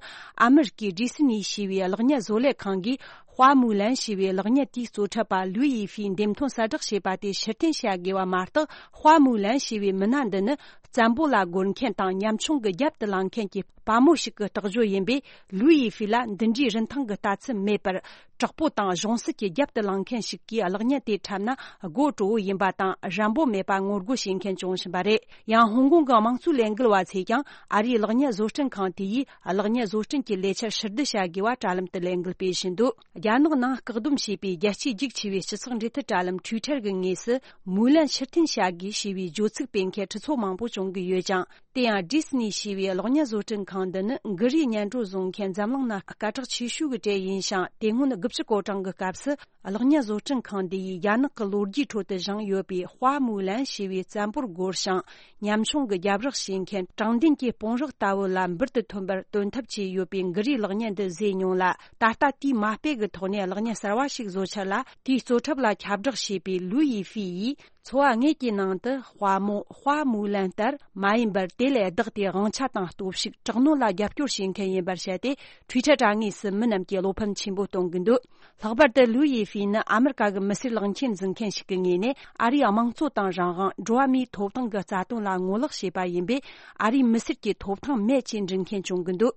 ཨ་མི་རི་ཀའི་ཌི་སི་ནི་ཞེས་པའི་གློག་བརྙན་བཟོ་ལས་ཁང་གིས། ཧྭ་མུའུ་ལན་ཞེས་པའི་གློག་བརྙན་དེའི་གཙོ་འཁྲབ་པ་ལུའུ་ཡི་ཧྥིའི་འདེམས་ཐོན་གསལ་བསྒྲགས་བྱས་པ་དེ་ཕྱིར་འཐེན་བྱ་དགོས་པ་མ་གཏོགས། ཧྭ་མུའུ་ལན་ཞེས་པའི་མི་སྣ་འདི་ནི་ བཙན་པོ་ལ་རྒོལ་མཁན་དང་ཉམ་ཆུང་གི་རྒྱབ་ཏུ་ལངས་མཁན་གྱི་དཔའ་མོ་ཞིག་གི་རྟགས་བརྗོད་ཡིན་པས། ལུའུ་ཡི་ཧྥི་ལ་འདི་འདྲའི་རིན་ཐང་གི་ལྟ་ཚུལ་མེད་པར། དྲག་པོ་དང་གཞུང་སྲིད་ཀྱི་རྒྱབ་ཏུ་ལངས་མཁན་ཞིག་གིས་གློག་བརྙན་དེ་འཁྲབ་ན་སྒོ་དྲོ་བོ་ཡིན་པ་དང་། རན་པོ་མེད་པ་ངོ་རྒོལ་བྱེད་མཁན་བྱུང་བཞིན་པ་རེད། ཡང་ཧོང་ཀོང་གི་དམངས་གཙོའི་ལས་འགུལ་བ་ཚོས་ཀྱང་ཨ་རིའི་གློག་བརྙན་བཟོ་སྐྲུན་ཁང་དེ་ཡིས་གློག་བརྙན་བཟོ་སྐྲུན་གྱི་ལས་འཆར་ཕྱིར་བསྡུ་བྱ་དགོས་པ་དྲ་ལམ་དུ་ལས་འགུལ་སྤེལ་བཞིན་འདུག་རྒྱ་ནག་ནང་བཀག་སྡོམ་བྱས་པའི་རྒྱལ་སྤྱིའི་རྒྱུགས་ཆེ་བའི་སྤྱི་ཚོགས་འབྲེལ་མཐུད་དྲ་ལམ་Twitter་གི་ངོས་སུ། མུའུ་ལན་ཕྱིར་འཐེན་བྱ་དགོས་ཞེས་པའི་བརྗོད་ཚིག་སྤེལ་མཁན་ཁྲི་ཚོ་མང་པོ་བྱུང་གི་ཡོད་ཀྱང་། དེ་ཡང་Disney་ཞེས་པའི་གློག་བརྙན་བཟོ་སྐྲུན་ཁང་འདི་ནི་འགུལ་རིས་སྙན་སྒྲོན་བཟོ་མཁན་འཛམ་གླིང་ན་སྐད་གྲགས་ཆེ་ཤོས་ཀྱི་གྲས་ཡིན་ཞིང་། དེ་སྔོན་དགུ་བཅུ་གོ་གྲངས་ཀྱི་སྐབས་སུ་གློག་བརྙན་བཟོ་སྐྲུན་ཁང་འདི་ཡིས་རྒྱ་ནག་གི་ལོ་རྒྱུས་ཁྲོད་དུ་བཞེངས་ཡོད་པའི་ཧྭ་མུའུ་ལན་ཞེས་པའི་བཙན་པོར་རྒོལ་ཞིང་། ཉམ་ཆུང་གི་རྒྱབ་རོགས་བྱེད་མཁན་དྲང་བདེན་གྱི་དཔུང་རོགས་ལྟ་བུ་ལ་འབུར་དུ་ཐོན་པར་དོན་འཐབ་བྱས་ཡོད་པའི་འགུལ་རིས་གློག་བརྙན་འདི་བཟོས་མྱོང་ལ། ད་ལྟ་དེའི་མ་དཔེ་གི་ཐོག་ནས་གློག་བརྙན་གསར་བ་ཞིག་བཟོ་འཆར་ལ། དེའི་གཙོ་འཁྲབ་ལ་ཁྱབ་བསྒྲགས་བྱས་པའི་ལུའུ་ཡི་ཧྥི་ཡིས། འཚོ་བ་དངོས་ཀྱི་ནང་དུ་དཔའ་མོ་ཧྭ་མུའུ་ལན་ལྟར་མ་ཡིན་པར། དེ་ལས་ལྡོག་སྟེ་དབང་ཆ་དང་སྟོབས་ཤུགས། དྲག་གནོན་ལ་རྒྱབ་སྐྱོར་བྱེད་མཁན་ཡིན་པར་བཤད་དེ། Twitter་དྲ་ངོས་སུ་མི་རྣམས་ཀྱིས་བློ་ཕམ་ཆེན་པོ་གཏོང་གི་འདུག་ལྷག་པར་དུ་ལུའུ་ཡི་ཧྥི་ནི་ཨ་མི་རི་ཀ་གི་མི་སེར་གློག་ཆེན་འཛིན་མཁན་ཞིག་གི་ངོས་ནས། ཨ་རིའི་དམངས་གཙོ་དང་རང་དབང་། འགྲོ་བ་མིའི་ཐོབ་ཐང་གི་རྩ་དོན་ལ་ངོ་ལོག་བྱས་པ་ཡིན་པས། ཨ་རིའི་མི་སེར་གྱི་ཐོབ་ཐང་མེད་ཅེས་འབྲི་མཁན་བྱུང་གི་འདུག་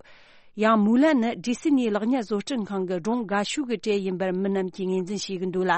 ཡང་མུའུ་ལན་ནི་ཌི་སི་ནིའི་གློག་བརྙན་བཟོ་སྐྲུན་ཁང་གི་སྒྲུང་དགའ་ཤོས་ཀྱི་གྲས་ཡིན་པར་མི་རྣམས་ཀྱིས་ངོས་འཛིན་བྱེད་ཀྱི་འདུག་ལ།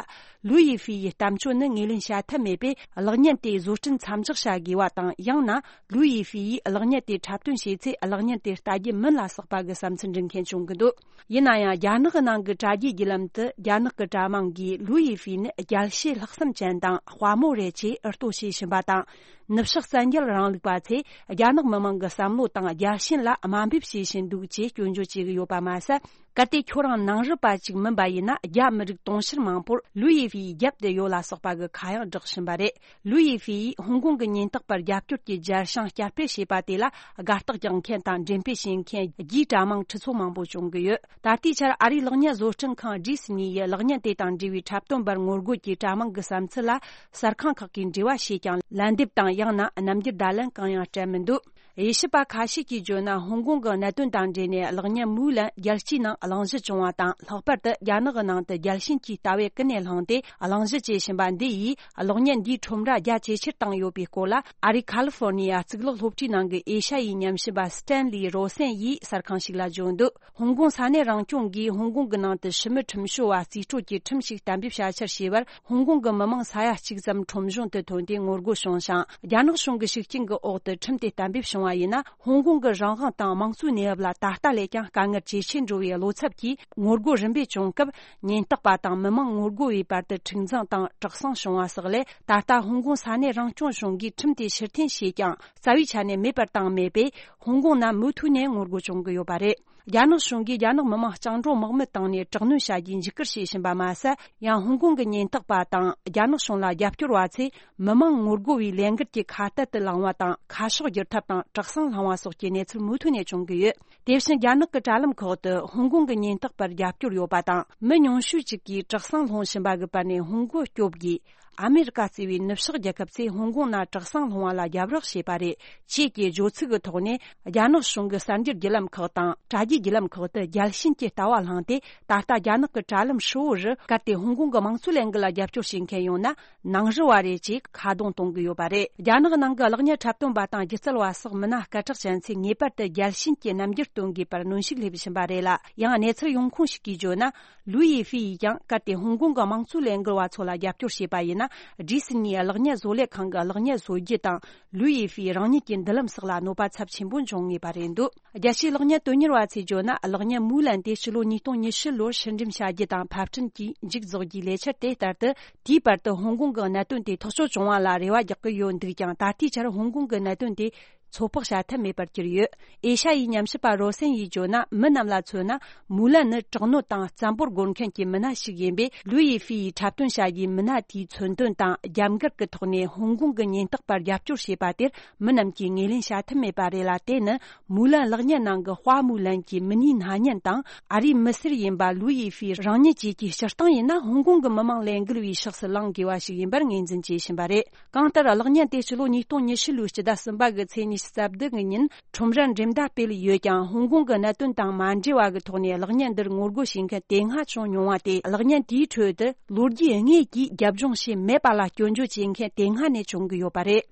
ལུའུ་ཡི་ཧྥི་ཡི་གཏམ་སྤྱོད་ནི་ངོས་ལེན་བྱ་ཐབས་མེད་པས། གློག་བརྙན་དེའི་བཟོ་སྐྲུན་མཚམས་འཇོག་བྱ་དགོས་པ་དང་། ཡང་ན་ལུའུ་ཡི་ཧྥི་ཡིས་གློག་བརྙན་དེ་འཁྲབ་སྟོན་བྱས་ཚེ། གློག་བརྙན་དེ་ལྟ་རྒྱུ་མིན་ལ་སོགས་པ་གི་བསམ་ཚུལ་འབྲི་མཁན་བྱུང་གི་འདུག་ཡིན་ན་ཡང་། རྒྱ་ནག་གི་ནང་གི་དྲ་རྒྱའི་བརྒྱུད་ལམ་དུ། རྒྱ་ནག་གི་དྲ་དམངས་ཀྱིས་ལུའུ་ཡི་ཧྥི་ནི་རྒྱལ་གཅེས་ལྷག་བསམ་ཅན་དང་དཔའ་མོ་རེད་ཅེས་ཨུ་ལྟོ་བྱེད་བཞིན་པ་དང་། ནུབ་ཕྱོགས་བཙན་རྒྱལ་རིང་ལུགས་པ་ཚོས་རྒྱ་ནག་མི་དམངས་ཀྱི་བསམ་བློ་དང་རྒྱལ་ཞེན་ལ་དམའ་འབེབས་བྱེད་བཞིན་འདུག་ཅེས་སྐྱོན་བརྗོད་བྱེད་ཀྱི་ཡོད་པ་མ་ཟད། གལ་ཏེ་ཁྱོད་རང་ནང་རུལ་པ་ཅིག་མིན་པ་ཡིན་ན། རྒྱ་མི་རིགས་དུང་ཕྱུར་མང་པོར་ལུའུ་ཡི་ཧྥིའི་རྒྱབ་ཏུ་ཡོད་ལ་སོགས་པ་གི་ཁ་གཡང་བསྒྲགས་བཞིན་པ་རེད། ལུའུ་ཡི་ཧྥིའི་ཧོང་ཀོང་གི་ཉེན་རྟོག་པར་རྒྱབ་སྐྱོར་གྱི་སྦྱར་བྱང་བསྐྱར་སྤེལ་བྱས་པ་དེ་ལ་དགའ་རྟགས་རྒྱག་མཁན་དང་འགྲེམས་སྤེལ་བྱེད་མཁན་རྒྱའི་དྲ་དམངས་ཁྲི་ཚོ་མང་པོ་བྱུང་གི་ཡོད། ད་ལྟའི་ཆར་ཨ་རིའི་གློག་བརྙན་བཟོ་སྐྲུན་ཁང་ཌི་སི་ནི་ཡི་གློག་བརྙན་དེ་དང་འབྲེལ་བའི་འཁྲབ་སྟོན་པར་ངོ་རྒོལ་གྱི་དྲ་དམངས་ཀྱི་བསམ་ཚུལ་ལ་གསར་ཁང་ཁག་གིས་འགྲེལ་བ་བྱས་ཀྱང་། ལན་འདེབས་དང་ཡང་ན་རྣམ་འགྱུར་བརྡ་ལན་གང་ཡང་སྤྲད་མི་འདུག་དབྱེ་ཞིབ་པ་ཁ་ཤས་ཀྱིས་བརྗོད་ན། ཧོང་ཀོང་གི་གནད་དོན་དང་འབྲེལ་ནས་གློག་བརྙན་མུའུ་ལན་རྒྱལ་སྤྱིའི་ནང་གླེང་གཞི་བྱུང་བ་དང་། ལྷག་པར་དུ་རྒྱ་ནག་གི་ནང་དུ་རྒྱལ་ཞེན་གྱི་ལྟ་བས་ཀུན་ནས་བསླངས་ཏེ་གླེང་གཞི་བྱེད་བཞིན་པ་འདི་ཡིས། གློག་བརྙན་འདིའི་ཁྲོམ་ར་རྒྱ་ཇེ་ཆེར་བཏང་ཡོད་པའི་སྐོར་ལ། ཨ་རིའི་ཁ་ལི་ཧྥོར་ནི་ཡ་གཙུག་ལག་སློབ་གྲྭའི་ནང་གི་ཨེ་ཤ་ཡའི་ཉམས་ཞིབ་པ་སི་ཏན་ལི་རོ་སན་ཡིས་གསར་ཁང་ཞིག་ལ་བརྗོད་འདུག་ཧོང་ཀོང་ས་གནས་རང་སྐྱོང་གིས་ཧོང་ཀོང་གི་ནང་དུ་ཕྱི་མི་ཁྲིམས་བྱོལ་བ་རྩིས་སྤྲོད་ཀྱི་ཁྲིམས་ཤིག་གཏན་འབེབས་བྱ་འཆར་བྱས་པར། ཧོང་ཀོང་གི་མི་མང་ས་ཡ་གཅིག་ཙམ་ཁྲོམ་གཞུང་དུ་ཐོན་ཏེ་ངོ་རྒོལ་བྱུང་ཞིང་། རྒྱ་ནག་གཞུང་གི་ཤུགས་རྐྱེན་གྱི་འོག་ཏུ་ཁྲིམས་དེ་གཏན་འབེབས་བྱུང་བ་ཡིན་ན། ཧོང་ཀོང་གི་རང་དབང་དང་དམངས་གཙོའི་གནས་བབ་ལ་ད་ལྟ་ལས་ཀྱང་དཀའ་ངལ་ཇེ་ཆེར་འགྲོ་བའི་བློ་འཚབ་ཀྱིས། ངོ་རྒོལ་རིམ་པས་བྱུང་སྐབས། ཉེན་རྟོག་པ་དང་མི་མང་ངོ་རྒོལ་བའི་བར་དུ་འཁྲུག་འཛིང་དང་དྲག་ཟིང་བྱུང་བ་སོགས་ལས། ད་ལྟ་ཧོང་ཀོང་ས་གནས་རང་སྐྱོང་གཞུང་གིས་ཁྲིམས་དེ་ཕྱིར་འཐེན་བྱས་ཀྱང་། རྩ་བའི་ཆ་ནས་མེད་པར་བཏང་མེད་པས། ཧོང་ཀོང་ནང་མུ་མཐུད་ནས་ངོ་རྒོལ་བྱུང་གི་ཡོད་པ་རེད། རྒྱ་ནག་གཞུང་གིས་རྒྱ་ནག་མི་དམངས་སྤྱང་གྲུང་དམག་མི་བཏང་ནས་དྲག་གནོན་བྱ་རྒྱུའི་འཇིགས་སྐུལ་བྱེད་བཞིན་པ་མ་ཟད། ཡང་ཧོང་ཀོང་གི་ཉེན་རྟོག་པ་དང་རྒྱ་ནག་གཞུང་ལ་རྒྱབ་སྐྱོར་བ་ཚོས་མི་མང་ངོ་རྒོལ་བའི་ལས་འགུལ་གྱི་ཁ་གཏད་དུ་ལངས་པ་དང་། ཁ་ཕྱོགས་བསྒྱུར་ཐབས་དང་དྲག་ཟིང་བསླངས་པ་སོགས་ཀྱི་གནས་ཚུལ་མུ་མཐུད་ནས་བྱུང་གི་ཡོད། དེ་བཞིན་རྒྱ་ནག་གི་དྲ་ལམ་ཁག་ཏུ་ཧོང་ཀོང་གི་ཉེན་རྟོག་པར་རྒྱབ་སྐྱོར་ཡོད་པ་དང་། མི་ཉུང་ཤོས་ཅིག་གིས་དྲག་ཟིང་སློང་བཞིན་པ་གི་བར་ནས་ཧོང་ཀོང་སྐྱོབ་དགོས། ཨ་མེ་རི་ཀ་གཙོས་པའི་ནུབ་ཕྱོགས་རྒྱལ་ཁབ་ཚོས་ཧོང་ཀོང་ནང་དྲག་ཟིང་སློང་བ་ལ་རྒྱབ་རོགས་བྱས་པ་རེད་ཅེས་ཀྱི་བརྗོད་ཚིག་གི་ཐོག་ནས། རྒྱ་ནག་གཞུང་གི་གསར་འགྱུར་བརྒྱུད་ལམ་ཁག་དང་དྲ་རྒྱའི་བརྒྱུད་ལམ་ཁག་ཏུ་རྒྱལ་ཞེན་གྱི་ལྟ་བ་བསླངས་ཏེ། ད་ལྟ་རྒྱ་ནག་གི་དྲ་ལམ་ཧྲིལ་བོ་རུ། གལ་ཏེ་ཧོང་ཀོང་གི་དམངས་གཙོའི་ལས་འགུལ་ལ་རྒྱབ་སྐྱོར་བྱེད་མཁན་ཡོང་ན། ནང་རུལ་བ་རེད་ཅེས་ཁ་རྡུང་གཏོང་གི་ཡོད་པ་རེད། རྒྱ་ནག་ནང་གི་གློག་བརྙན་འཁྲབ་སྟོན་པ་དང་སྒྱུ་རྩལ་བ་སོགས་མི་སྣ་སྐད་གྲགས་ཅན་ཚོས་ངེས་པར་དུ་རྒྱལ་ཞེན་གྱི་རྣམ་འགྱུར་སྟོན་དགོས་པར་གནོན་ཤུགས་སླེབས་བཞིན་པ་རེད་ལ། ཡང་གནས་ཚུལ་ཡོང་ཁུངས་ཤིག་གིས་བརྗོད་ན། ལུའུ་ཡི་ཧྥི་ཡིས་ཀྱང་གལ་ཏེ་ཧོང་ཀོང་གི་དམངས་གཙོའི་ལས་འགུལ་བ་ཚོ་ལ་རྒྱབ་སྐྱོར་བྱས་པ་ཡིན་ན། ཌི་སི་ནིའི་གློག་བརྙན་བཟོ་ལས་ཁང་གི་གློག་བརྙན་བཟོ་རྒྱུ་དང་། ལུའུ་ཡི་ཧྥིའི་རང་ཉིད་ཀྱི་མདུན་ལམ་སོགས་ལ་གནོད་པ་ཚབས་ཆེན་པོ་འབྱུང་ངེས་པ་རེད་འདུག་རྒྱལ་སྤྱིའི་གློག་བརྙན་དོན་གཉེར་བ་ཚོས་བརྗོད་ན། གློག་བརྙན་མུའུ་ལན་དེ་ཕྱི་ལོ་ཉིས་སྟོང་ཉི་ཤུ་ལོར་ཕྱིར་འགྲེམས་བྱ་རྒྱུ་དང་ཕབ་སྐྲུན་གྱི་མཇུག་རྫོགས་རྒྱུའི་ལས་འཆར་དེ་ལྟར་དུ། དེའི་བར་དུ་ཧོང་ཀོང་གི་གནད་དོན་དེ་ཐག་གཅོད་བྱུང་བ་ལ་རེ་བ་རྒྱག་གི་ཡོད་འདུག་ཀྱང་། ད་ལྟའི་ཆར་ཧོང་ཀོང་གི་གནད་དོན་དེ་ཚོད་དཔག་བྱ་ཐབས་མེད་པར་གྱུར་ཡོད། ཨེ་ཤ་ཡའི་ཉམས་ཞིབ་པ་རོ་སན་ཡིས་བརྗོད་ན། མི་རྣམས་ལ་མཚོན་ན། མུའུ་ལན་ནི་དྲག་གནོན་དང་བཙན་པོར་རྒོལ་མཁན་གྱི་མི་སྣ་ཞིག་ཡིན་པས། ལུའུ་ཡི་ཧྥི་ཡིས་འཁྲབ་སྟོན་བྱ་རྒྱུའི་མི་སྣ་དེའི་མཚོན་དོན་དང་རྒྱབ་འགལ་གྱི་ཐོག་ནས་ཧོང་ཀོང་གི་ཉེན་རྟོག་པར་རྒྱབ་སྐྱོར་བྱས་པ་དེར། མི་རྣམས་ཀྱིས་ངོས་ལེན་བྱ་ཐུབ་མེད་པ་རེད་ལ། དེ་ནི་མུའུ་ལན་གློག་བརྙན་ནང་གི་དཔའ་མུའུ་ལན་གྱི་མི་སྣའི་སྣ་བརྙན་དང་། ཨ་རིའི་མི་སེར་ཡིན་པ་ལུའུ་ཡི་ཧྥི་རང་ཉིད་བཅས་ཀྱི་སྤྱིར་བཏང་ཡིན་ན། ཧོང་ཀོང་གི་མི་མང་ལས་འགུལ་བའི་ཕྱོགས་སུ་ལངས་དགོས་པ་ཞིག་ཡིན་པར་ངོས་འཛིན་བྱེད་བཞིན་པ་རེད། གང་ལྟར། གློག་བརྙན་དེ་ཕྱི་ལོ་ཉིས་སྟོང་ཉི་ཤུ་ལོའི་སྤྱི་ཟླ་གསུམ་པ་གི་ཚེས་ཉི་ཤུ་རྩ་བདུན་གི་ཉིན་ཁྲོམ་རར་འགྲེམས་བརྡ་སྤེལ་ཡོད་ཀྱང་། ཧོང་ཀོང་གི་གནད་དོན་དང་མ་འབྲེལ་བ་གི་ཐོག་ནས་གློག་བརྙན་འདིར་ངོ་རྒོལ་བྱེད་མཁན་དེ་སྔ་བྱུང་མྱོང་བ་དེ། གློག་བརྙན་དེའི་ཁྲོད་དུ་ལོ་རྒྱུས་དངོས་ཀྱིས་རྒྱབ་ལྗོངས་བྱས་མེད་པ་ལ་སྐྱོན་བརྗོད་བྱེད་མཁན་དེ་སྔ་ནས་བྱུང་གི་ཡོད་པ་རེད།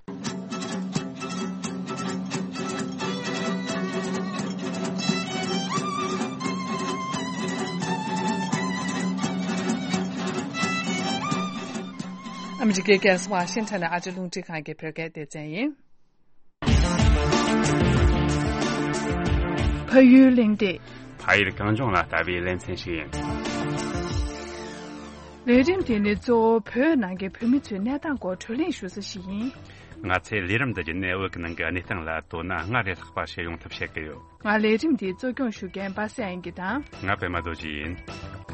ཨ་མི་རི་ཀའི་རྒྱལ་ས་ཝ་ཤིང་ཊོན་ནས་ཨ་རི་རླུང་འཕྲིན་ཁང་གི་བོད་སྐད་སྡེ་ཚན་ཡིན། ཕ་ཡུལ་གླེང་སྟེགས། ཕ་ཡུལ་གངས་ལྗོངས་ལ་ལྟ་བའི་ལེ་ཚན་ཞིག་ཡིན། ལས་རིམ་དེ་ནི་གཙོ་བོ་བོད་ནང་གི་བོད་མི་ཚོའི་གནས་སྟངས་སྐོར་བགྲོ་གླེང་ཞུ་ས་ཞིག་ཡིན། ང་ཚོས་ལས་རིམ་འདི་བརྒྱུད་ནས་བོད་ཀྱི་ནང་གི་གནས་སྟངས་ལ་དོ་སྣང་སྔར་ལས་ལྷག་པ་བྱེད་ཡོང་ཐབས་བྱེད་ཀྱི་ཡོད། ང་ལས་རིམ་འདི་གཙོ་སྐྱོང་ཞུ་མཁན་པ་སངས་དབྱངས་སྐྱིད་དང་། ང་པད་མ་རྡོ་རྗེ་ཡིན།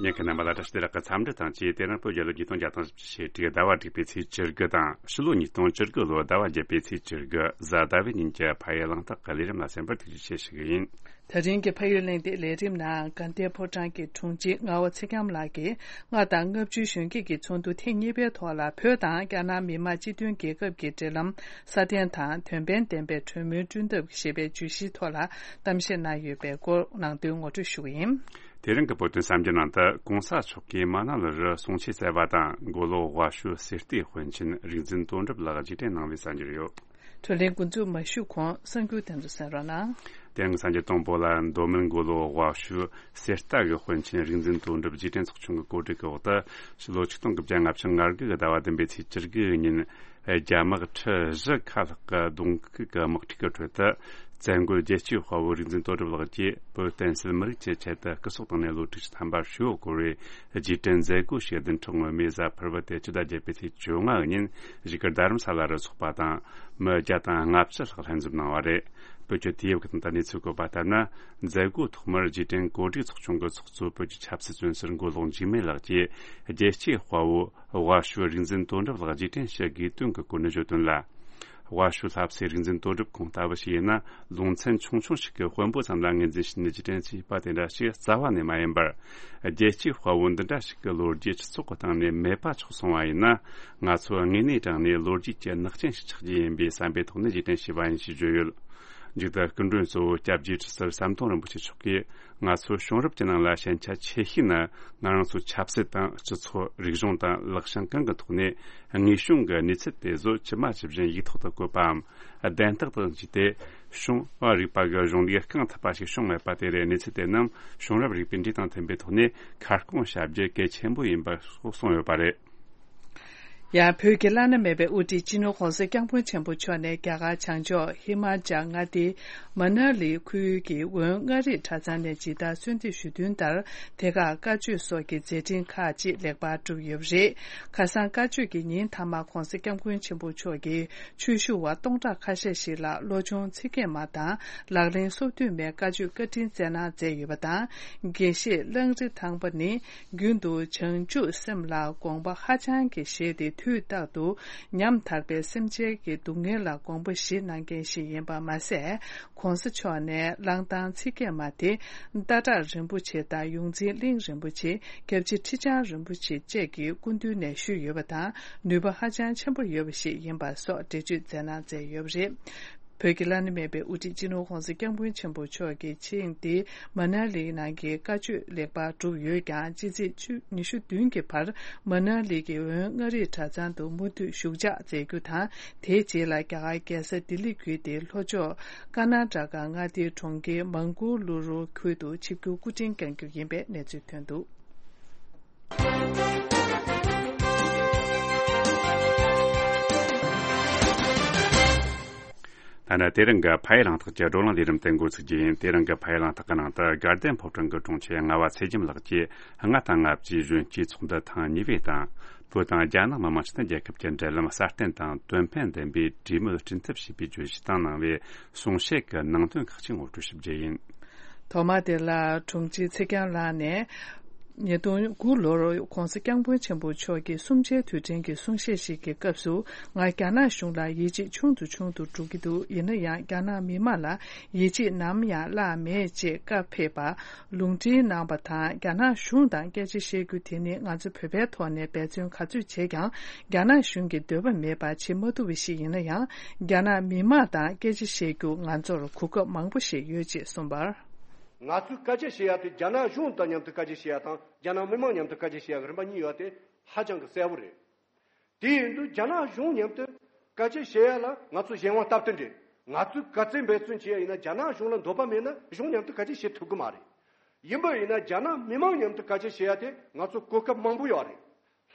ཉན་མཁན་རྣམ་པ་ལ་བཀྲ་ཤིས་བདེ་ལེགས་ཀྱི་འཚམས་འདྲི་དང་བཅས། དེ་རིང་བོད་རྒྱལ་ལོ་ཉིས་སྟོང་བརྒྱ་དང་བཞི་བཅུ་ཞེ་དྲུག་ཟླ་བ་དྲུག་པའི་ཚེས་བཅུ་དགུ་དང་། ཕྱི་ལོ་ཉིས་སྟོང་བཅུ་དགུ་ལོ་ཟླ་བ་བརྒྱད་པའི་ཚེས་བཅུ་དགུ་གཟའ་ཟླ་བའི་ཉིན་གྱི་ཕ་ཡུལ་གླེང་སྟེགས་ཀྱི་ལས་རིམ་ལ་གསན་པར་ཐུགས་རྗེ་ཆེ་ཞུ་གི་ཡིན། དེ་རིང་གི་ཕ་ཡུལ་གླེང་སྟེགས་ལས་རིམ་ནང་དགའ་ལྡན་ཕོ་བྲང་གི་དྲུང་ཆེ་རྔ་བ་ཚེ་རྒྱམ་ལགས་ཀྱིས་མངའ་བདག་ལྔ་བཅུའི་གཞོན་སྐྱེས་ཀྱི་ཚོགས་འདུ་ཐེངས་གཉིས་པའི་ཐོག་ལ་བོད་དང་རྒྱ་ནག་མི་དམངས་སྤྱི་མཐུན་རྒྱལ་ཁབ་ཀྱི་འབྲེལ་ལམ་སྲ་བརྟན་དང་དོན་ཕན་ལྡན་པའི་གྲོས་མོལ་བསྐྲུན་ཐབས་ཞེས་པའི་བརྗོད་གཞིའི་ཐོག་ལ་གཏམ་བཤད་གནང་ཡོད་པའི་སྐོར་ནང་དོན་ངོ་སྤྲོད་ཞུ་གི་ཡིན། དེ་རིང་གི་བོད་དོན་གསར་འགྱུར་ནང་དུ་གོང་ས་མཆོག་གིས་མ་ན་ལི་རུ་གསུང་ཆོས་སྩལ་བ་དང་། མགོ་ལོག་དབའ་ཤོད་གསེར་རྟའི་དཔོན་ཆེན་རིག་འཛིན་དོན་གྲུབ་ལགས་རྗེས་དྲན་གནང་བའི་གསར་འགྱུར་ཡོད། བགྲོ་གླེང་འགོ་འཛུགས་མ་ཞུས་གོང་གསར་འགྱུར་དེ་ཚོ་གསན་རོགས་གནང་། དེ་རིང་གི་གསར་འགྱུར་དང་པོ་ལ། མདོ་སྨད་མགོ་ལོག་དབའ་ཤོད་གསེར་རྟ་གི་དཔོན་ཆེན་རིག་འཛིན་དོན་གྲུབ་རྗེས་དྲན་ཚོགས་ཆུང་གི་གོ་སྒྲིག་གི་འོག་ཏུ། ཕྱི་ལོ་ཆིག་སྟོང་དགུ་བརྒྱ་ལྔ་བཅུ་ང་དགུ་གི་ཟླ་བ་བདུན་པའི་ཚེས་བཅུ་དགུ་ཉིན། རྒྱ་དམག་ཁྲི་བཞི་ཁ་ལྷག་གི་གདོང་ཁུག་གི་དམག་འཁྲུག་གི་ཁྲོད་དུ། བཙན་རྒོལ་རྒྱལ་གཅེས་དཔའ་བོ་རིག་འཛིན་དོན་གྲུབ་ལགས་ཀྱིས་བོད་བསྟན་སྲིད་མི་རིགས་ཀྱི་ཆེད་དུ་སྐུ་སྲོག་བཏང་ནས་ལོ་དྲུག་ཅུ་ཐམ་པ་བཞུགས་ཡོད་སྐོར་བའི་རྗེས་དྲན་མཛད་སྒོ་ཞིག་བདུན་ཕྲག་སྔོན་མའི་གཟའ་ཕུར་བུ་སྟེ་ཕྱི་ཟླ་བརྒྱད་པའི་ཚེས་བཅོ་ལྔ་ཉིན་གཞིས་སྒར་རྡ་རམ་ས་ལ་རུ་ཚོགས་པ་དང་མི་བརྒྱ་དང་ལྔ་བཅུ་ལྷག་ལྷན་འཛོམས་གནང་བ་རེད། བོད་ཀྱི་དུས་བབ་ཀྱི་སྟེང་དུ་གནས་ཚུལ་བཀོད་པ་ལྟར་ན། མཛད་སྒོའི་ཐོག་མར་རྗེས་དྲན་གོ་སྒྲིག་ཚོགས་ཆུང་གི་ཚོགས་གཙོ་བོད་ཀྱི་ཆབ་སྲིད་བཙོན་ཟུར་མགོ་ལོག་འཇིགས་མེད་ལགས་ཀྱིས་རྒྱལ་གཅེས་དཔའ་བོ་དབའ་ཤོད་རིག་འཛིན་དོན་གྲུབ་ལགས་རྗེས་དྲན་ཞུ་དགོས་དོན་གྱི་སྐོར་ནས་བརྗོད་དོན་ལ། དབའ་ཤོད་ལྷ་སའི་རིག་འཛིན་དོན་གྲུབ་ཁོང་ལྟ་བུ་ཞིག་ཡིན་ན། ལུང་ཚན་ཆུང་ཆུང་ཞིག་གི་དཔོན་པོ་ཙམ་ལ་ངོས་འཛིན་བྱས་ནས་རྗེས་དྲན་བྱས་པ་དེ་འདྲ་ཞིག་རྩ་བ་ནས་མ་ཡིན་པར། རྒྱལ་གཅེས་དཔའ་བོ་འདི་འདྲ་ཞིག་གི་ལོ་རྒྱུས་སྤྱི་ཚོགས་ཀྱི་སྟེང་ནས་མེད་པ་ཆགས་སོང་བ་ཡིན་ན། ང་ཚོ་དངོས་གནས་དྲང་གནས་ལོ་རྒྱུས་ཀྱི་ནག་ཅན་ཞིག་ཆགས་རྒྱུ་ཡིན་པའི་བསམ་པའི་ཐོག་ནས་རྗེས་དྲན་བྱས་པ་ཡིན་ཞེས་བརྗོད་ཡོད། མཇུག་ཏུ་སྐུ་མགྲོན་གཙོ་བོ་སྐྱབས་རྗེ་ཁྲི་ཟུར་ཟམ་གདོང་རིན་པོ་ཆེ་མཆོག་གིས། ང་ཚོ་བྱུང་རབས་ཀྱི་ནང་ལ་ཞན་ཆ་ཆེ་ཤོས་ནི། ང་རང་ཚོ་ཆབ་སྲིད་དང་སྤྱི་ཚོགས། རིག་གཞུང་དང་ལག་བྱང་གང་གི་ཐོག་ནས་དངོས་བྱུང་གི་གནས་ཚུལ་དེ་ཚོ་ཇི་མ་ཇི་བཞིན་ཡིག་ཐོག་ཏུ་བཀོད་པའམ་གདན་རྟགས་དང་བཅས་ཏེ། བྱུང་བ་རིག་པ་གི་གཞུང་ལུགས་རྐང་ཐུབ་པ་ཞིག་བྱུང་མེད་པ་དེ་རེད། གནས་ཚུལ་དེ་རྣམས་བྱུང་རབས་རིག་པའི་འགྲོས་དང་མཐུན་པའི་ཐོག་ནས་ཁ་སྐོང་བྱ་རྒྱུ་གལ་ཆེན་པོ་ཡིན་པ་སོགས་གསུངས་ཡོད་པ་རེད། ཡང་བོད་ཀྱི་བླ་ན་མེད་པའི་དབུ་ཁྲིད་སྤྱི་ནོར་༧གོང་ས་༧སྐྱབས་མགོན་ཆེན་པོ་མཆོག་ནས་རྒྱ་གར་བྱང་ཕྱོགས་ཧི་མ་ཅལ་མངའ་སྡེའི་མ་ན་ལི་ཁུལ་གྱི་འོན་མངའ་རིས་གྲྭ་ཚང་ནས་ཇི་ལྟར་གསོལ་འདེབས་ཞུས་དོན་ལྟར། དེ་ཁར་བཀའ་ཆོས་སོགས་ཀྱི་མཛད་འཕྲིན་ཁག་ཅིག་ལེགས་པར་གྲུབ་ཡོད་པ་རེད། ཁ་སང་བཀའ་ཆོས་ཀྱི་ཉིན་མཐའ་མར་གོང་ས་སྐྱབས་མགོན་ཆེན་པོ་མཆོག་གིས་ཆོས་ཞུ་བ་སྟོང་ཕྲག་ཁ་ཤས་ཤིག་ལ་བློ་སྦྱོང་ཚིག་བརྒྱད་མ་དང་ལག་ལེན་སོ་བདུན་མའི་བཀའ་ཆོས་བཀའ་དྲིན་སྩལ་གནང་མཛད་ཡོད་པ་དང་། དགེ་བཤེས་གླང་རི་ཐང་པ་ནི། རྒྱུན་དུ་བྱང་ཆུབ་སེམས་ལ་དགོངས་པ་ཧ་ཅང་གིས་བཞེས་ཏེ། དུས་རྟག་ཏུ་ཉམ་ཐག་པའི་སེམས་ཅན་གྱི་སྡུག་བསྔལ་ལ་དགོངས་པ་བཞེས་གནང་མཁན་ཞིག་ཡིན་པ་མ་ཟད། ྋགོང་ས་མཆོག་ནས་གླང་ཐང་ཚིག་བརྒྱད་མ་དེ་སྟག་བྲག་རིན་པོ་ཆེ་དང་ཡོངས་འཛིན་གླིང་རིན་པོ་ཆེ། སྐྱབས་རྗེ་ཁྲི་བྱང་རིན་པོ་ཆེ་བཅས་ཀྱི་སྐུ་མདུན་ནས་ཞུས་ཡོད་པ་དང་། ནུས་པ་ཧ་ཅང་ཆེན་པོ་ཡོད་པ་ཞིག་ཡིན་པ་སོགས་འགྲེལ་བརྗོད་མཛད་གནང་མཛད་ཡོད་པ་རེད། བོད་ཀྱི་བླ་ན་མེད་པའི་དབུ་ཁྲིད་སྤྱི་ནོར་༧གོང་ས་༧སྐྱབས་མགོན་ཆེན་པོ་མཆོག་གིས་ཆིངས་ཏེ་མ་ན་ལིའི་ནང་གི་བཀའ་ཆོས་ལེགས་པར་གྲུབ་ཡོད་ཀྱང་། སྤྱི་ཚེས་ཉི་ཤུ་བདུན་གྱི་བར་མ་ན་ལི་གི་འོན་མངའ་རིས་གྲྭ་ཚང་དུ་མུ་མཐུད་བཞུགས་ཕྱག་མཛད་རྒྱུ་དང་། དེའི་རྗེས་ལ་རྒྱ་གར་རྒྱལ་ས་ལྡི་ལི་བརྒྱུད་དེ་ལྷོ་ཕྱོགས་ཀར་ནཱ་ཊ་ཀ་མངའ་སྡེའི་གྲོང་ཁྱེར་མང་གུ་ལུ་རུ་ཁུལ་དུ་ཆིབས་བསྒྱུར་སྐུ་ཕྲེང་བསྐྱང་རྒྱུ་ཡིན་པའི་གནས་ཚུལ་ཐོན་འདུག་ད་ནི་དེ་རིང་གི་ཕ་ཡུལ་གླེང་སྟེགས་ཀྱི་བགྲོ་གླེང་ལས་རིམ་དེ་འགོ་ཚུགས་རྒྱུ་ཡིན། དེ་རིང་གི་ཕ་ཡུལ་གླེང་སྟེགས་ཀྱི་ནང་དུ་དགའ་ལྡན་ཕོ་བྲང་གི་དྲུང་ཆེ་རྔ་བ་ཚེ་རྒྱམ་ལགས་ཀྱིས་ལྔ་དང་ལྔ་བཅུའི་གཞོན་སྐྱེས་ཚོགས་འདུ་ཐེངས་གཉིས་པའི་སྟེང་། བོད་དང་རྒྱ་ནག་མི་དམངས་སྤྱི་མཐུན་རྒྱལ་ཁབ་ཀྱི་འབྲེལ་ལམ་སྲ་བརྟན་དང་དོན་ཕན་ལྡན་པའི་གྲོས་མོལ་བསྐྲུན་ཐབས་ཞེས་པའི་བརྗོད་གཞི་སྟེང་གནང་བའི་གསུང་བཤད་ཀྱི་ནང་དོན་ཁག་ཅིག་ངོ་སྤྲོད་ཞུ་རྒྱུ་ཡིན། ཐོག་མར་དེ་ལ་དྲུང་ཆེ་ཚེ་རྒྱམ་ལགས་ནས། ཉིས་སྟོང་དགུ་ལོར་༧གོང་ས་༧སྐྱབས་མགོན་ཆེན་པོ་མཆོག་གི་གསུམ་ཆའི་དུས་དྲན་གྱི་གསུང་བཤད་ཞིག་གི་སྐབས་སུ། ང་རྒྱ་ནག་གཞུང་ལ་ཡིད་ཆེས་ཆུང་དུ་ཆུང་དུ་འགྲོ་གི་འདུག་ཡིན་ན་ཡང་རྒྱ་ནག་མི་དམངས་ལ་ཡིད་ཆེས་ནམ་ཡང་བརླག་མེད་ཅེས་བཀའ་ཕེབས་པ། ལུང་འདྲེན་གནང་བ་དང་། རྒྱ་ནག་གཞུང་དང་སྐད་ཆ་བཤད་རྒྱུ་དེ་ནི་ང་ཚོ་བོད་པའི་ཐོག་ནས་འབད་བརྩོན་ག་ཚོད་བྱས་ཀྱང་། རྒྱ་ནག་གཞུང་གི་འདོད་པ་མེད་པ་བྱེད་མ་ཐུབ་པ་ཞིག་ཡིན་ན་ཡང་། རྒྱ་ནག་མི་དམངས་དང་སྐད་ཆ་བཤད་རྒྱུ་ང་ཚོར་གོ་སྐབས་མང་པོ་ཞིག་ཡོད་ཅེས་གསུངས་པར། ང་ཚོས་སྐད་ཆ་བཤད་ཡ་དེ་རྒྱ་ནག་གཞུང་དང་མཉམ་དུ་སྐད་ཆ་བཤད་ཡ་དང་། རྒྱ་ནག་མི་དམངས་མཉམ་དུ་སྐད་ཆ་བཤད་ཡ་གི་རིམ་པ་གཉིས་ཡོད་དེ་ཧ་ཅང་གི་གསལ་པོ་རེད། དེ་ཡིན་དུས་རྒྱ་ནག་གཞུང་མཉམ་དུ་སྐད་ཆ་བཤད་ཡ་ལ་ང་ཚོ་གཞན་དབང་སྟབས་བསྟུན་རེད། ང་ཚོས་ག་ཚད་འབད་བརྩོན་བྱེད་ཡ་ཡིན་ན་རྒྱ་ནག་གཞུང་ལ་འདོད་པ་མེད་ན་གཞུང་མཉམ་དུ་སྐད་ཆ་བཤད་ཐུབ་གི་མ་རེད། ཡིན་པ་ཡིན་ན་རྒྱ་ནག་མི་མང་མཉམ་དུ་སྐད་ཆ་བཤད་ཡ་དེ་ང་ཚོ་གོ་སྐབས་མང་པོ་ཡོད་རེད།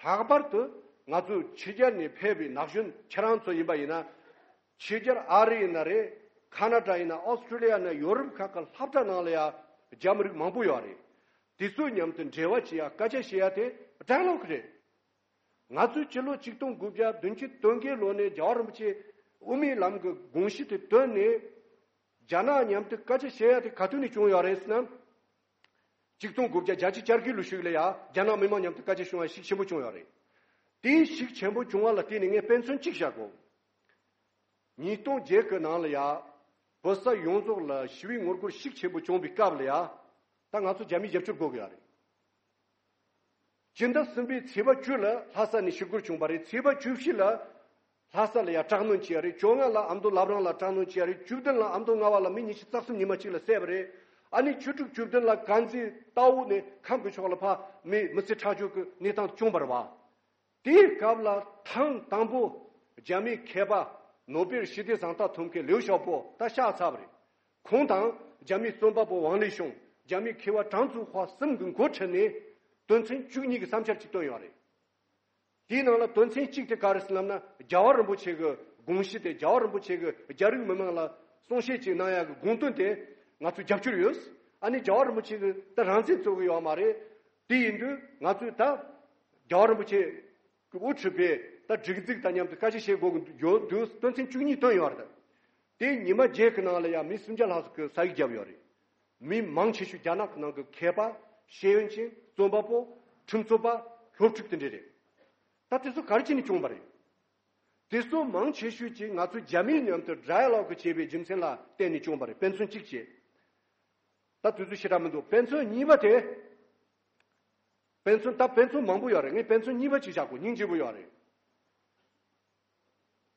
ལྷག་པར་དུ་ང་ཚོ་ཕྱི་རྒྱལ་ནས་ཕེབས་པའི་ན་གཞོན་ཁྱེད་རང་ཚོ་ཡིན་པ་ཡིན་ན། ཕྱི་རྒྱལ་ཨ་རི་ཡིན་ན་རེད། ཁ་ན་ཌ་ཡིན་ན། ཨོ་སི་ཀྲི་ལི་ཡ་ན། ཡོ་རོབ་ཁག་གི་སློབ་གྲྭ་ནང་ལ་ཡ་རྒྱ་མི་རིགས་མང་པོ་ཡོད་རེད། དེ་ཚོ་མཉམ་དུ་འབྲེལ་བ་བྱེད་ཡ་སྐད་ཆ་བཤད་ཡ་དེ་ཌའི་ལོག་རེད། ང་ཚོས་ཕྱི་ལོ་ཆིག་སྟོང་དགུ་བརྒྱ་བདུན་ཅུ་དོན་བརྒྱད་ལོ་ནས་རྒྱལ་བ་རིན་པོ་ཆེ་དབུ་མའི་ལམ་གྱི་དགོངས་གཞི་དེ་བཏོན་ནས། རྒྱ་ནག་མཉམ་དུ་སྐད་ཆ་བཤད་ཡ་དེ་ག་དུས་ནས་བྱུང་ཡོད་རེད་ཟེར་ན། ཆིག་སྟོང་དགུ་བརྒྱ་བརྒྱད་ཅུ་གྱ་དགུ་ལོ་ཞིག་ལ་ཡ་རྒྱ་ནག་མི་མང་མཉམ་དུ་སྐད་ཆ་བྱུང་བ་ཤུགས་ཆེན་པོ་བྱུང་ཡོད་རེད། དེའི་ཤུགས་ཆེན་པོ་བྱུང་བ་ལ་བརྟེན་ནས་ངས་དཔེ་མཚོན་གཅིག་བཞག་གོ། ཉིས་སྟོང་བརྒྱད་ཀྱི་ནང་ལ་ཡ་བོད་ས་ཡོངས་རྫོགས་ལ་ཞི་བའི་ངོ་རྒོལ་ཤུགས་ཆེན་པོ་བྱུང་བའི་སྐབས་ལ་ཡ། ད་ང་ཚོ་རྒྱ་མིའི་རྒྱབ་སྐྱོར་དགོས་ཀྱི་ཡོད་རེད། སྤྱི་ཟླ་གསུམ་པའི་ཚེས་པ་བཅུ་ལ་ལྷ་ས་ནས་ཞི་རྒོལ་བྱུང་བ་རེད། ཚེས་པ་བཅུ་བཞི་ལ་ལྷ་ས་ལ་ཡ་དྲག་གནོན་བྱས་རེད། བཅོ་ལྔ་ལ་ཨ་མདོ་བླ་བྲང་ལ་དྲག་གནོན་བྱས་རེད། བཅུ་བདུན་ལ་ཨ་མདོ་རྔ་བ་ལ་མི་ཉི་ཤུ་རྩ་གསུམ་ཉི་མ་གཅིག་ལ་བསད་པ་རེད། ཨ་ནི་བཅུ་དྲུག་བཅུ་བདུན་ལ་དཀར་མཛེས་རྟའུ་ནས་ཁམས་ཀྱི་ཕྱོགས་ལ་ཕར་མི་མི་ཚེ་ཁྲག་སྦྱོར་གྱི་གནས་སྟངས་བྱུང་བ་རེད་བ། དེའི་སྐབས་ལ་ཐེངས་དང་པོ་རྒྱ་མིའི་མཁས་པ་ནོ་བེལ་ཞི་བདེ་གཟེངས་རྟགས་ཐོབ་མཁན་ལིའུ་ཞའོ་པོ་ད་གཤེགས་ཚར་བ་རེད། ཁོང་དང་རྒྱ་མིའི་རྩོམ་པ་པོ་ཝང་ལི་ཤུང་། རྒྱ་མིའི་མཁས་པ་ཀྲང་ཙུའུ་ཧྭ་གསུམ་གྱིས་འགོ་ཁྲིད་ནས་དོན་ཚན་བཅུ་གཉིས་ཀྱི་བསམ་འཆར་ཅིག་བཏོན་ཡོད་རེད། དེའི་ནང་ལ་དོན་ཚན་གཅིག་དེ་ག་རེ་ཟེར་ལབ་ན། རྒྱལ་བ་རིན་པོ་ཆེ་གི་དགོངས་གཞི་དེ། རྒྱལ་བ་རིན་པོ་ཆེ་གི་རྒྱ་རིགས་མི་མང་ལ་གསུང་བཤད་ཅིག་གནང་ཡག་གི་དགོངས་དོན་དེ་ང་ཚོས་རྒྱབ་སྐྱོར་ཡོད། ཨ་ནི་རྒྱལ་བ་རིན་པོ་ཆེ་གི་ད་རང་བཙན་རྩོད་གི་ཡོད་མ་རེད། དེ་ཡིན་དུས་ང་ཚོས་ད་རྒྱལ་བ་རིན་པོ་ཆེ་གི་དབུ་ཁྲིད་པའི་ད་སྒྲིག་འཛུགས་དང་མཉམ་དུ་སྐད་ཆ་བཤད་དགོས་ཀྱི་ཡོད་དུས། དོན་ཚན་བཅུ་གཉིས་བཏོན་ཡོད་རེད། དེ་ཉི་མ་བརྒྱད་ཀྱི་ནང་ལ་ཡང་མི་སུམ་བརྒྱ་ལྷག་ཙམ་གྱིས་ས་ཡིག་བརྒྱབ་ཡོད་རེད། མི་མང་ཆེ་ཤོས་རྒྱ་ནག་གི་ནང་གི་མཁས་པ། ཤེས་ཡོན་ཅན། རྩོམ་པ་པོ། ཁྲིམས་རྩོད་པ། སློབ་ཕྲུག་དེ་འདྲ་རེད། ད་དེ་ཚོ་ག་རེ་བྱས་ནས་བྱུང་བ་རེད། དེ་ཚོ་མང་ཆེ་ཤོས་ཀྱིས་ང་ཚོ་རྒྱ་མིའི་མཉམ་དུ་ཌའི་ལོག་བྱས་པའི་རྒྱུ་མཚན་ལ་བརྟེན་ནས་བྱུང་བ་རེད། དཔེ་མཚོན་གཅིག་བྱས། ད་དུས་ཚོད་ཞེ་དྲག་མི་འདུག་དཔེ་མཚོན་གཉིས་པ་དེ། དཔེ་མཚོན། ད་དཔེ་མཚོན་མང་པོ་ཡོད་རེད། ངས་དཔེ་མཚོན་གཉིས་པ་ཅིག་བཞག་གོ། སྙིང་རྗེ་པོ་ཡོད་རེད།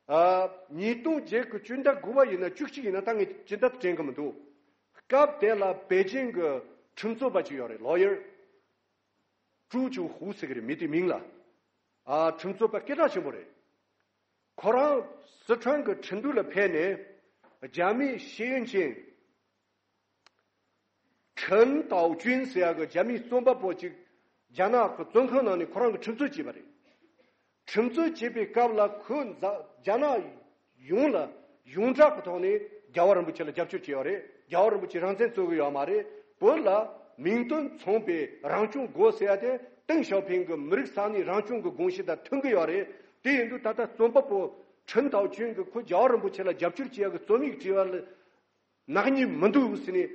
ཨ། ཉིས་སྟོང་བརྒྱད་ཀྱི་སྤྱི་ཟླ་དགུ་པ་ཡིན་ན་བཅུ་གཅིག་ཡིན་ན། ད་ངས་སྤྱི་ཟླ་དེ་དྲན་གི་མི་འདུག་སྐབས་དེ་ལ་པེ་ཅིང་གི་ཁྲིམས་རྩོད་པ་ཅིག་ཡོད་རེད། ལོ་ཡར། ཀྲུའུ་ཅུའུ་ཧུའུ་ཟེར་གི་རེད། མི་དེའི་མིང་ལ། ཨ། ཁྲིམས་རྩོད་པ་སྐད་གྲགས་ཆེན་པོ་རེད། ཁོ་རང་སི་ཁྲོན་གྱི་ཁྲིན་ཏུའུ་ལ་ཕེབས་ནས་རྒྱ་མིའི་ཤེས་ཡོན་ཅན་ཁྲིན་ཏའོ་ཅུན་ཟེར་ཡག་གི་རྒྱ་མིའི་རྩོམ་པ་པོ་ཅིག་རྒྱ་ནག་གི་བཙོན་ཁང་ནང་ནས་ཁོ་རང་གིས་ཁྲིམས་རྩོད་བྱས་པ་རེད། ཁྲིམས་རྩོད་བྱས་པའི་སྐབས་ལ་ཁོས་འཛ- རྒྱ་ནག་ཡོངས་ལ་ཡོངས་གྲགས་ཀྱི་ཐོག་ནས་རྒྱལ་བ་རིན་པོ་ཆེ་ལ་རྒྱབ་སྐྱོར་བྱས་ཡོད་རེད། རྒྱལ་བ་རིན་པོ་ཆེ་རང་བཙན་རྩོད་གི་ཡོད་མ་རེད། བོད་ལ་མིང་དོན་མཚུངས་པའི་རང་སྐྱོང་དགོས་ཟེར་ཡ་དེ་ཏེང་ཞའོ་ཕིང་གི་མི་རིགས་ས་གནས་རང་སྐྱོང་གི་དགོངས་གཞི་དང་མཐུན་གི་ཡོད་རེད། དེ་ཡིན་དུས་ད་ལྟ་རྩོམ་པ་པོ་ཁྲིན་ཏའོ་ཅུན་གྱིས་ཁོ་རྒྱལ་བ་རིན་པོ་ཆེ་ལ་རྒྱབ་སྐྱོར་བྱེད་ཡག་གི་རྩོམ་ཡིག་བྲིས་པ་ལ་ནག་ཉེས་མི་འདུག་ཟེར་ནས་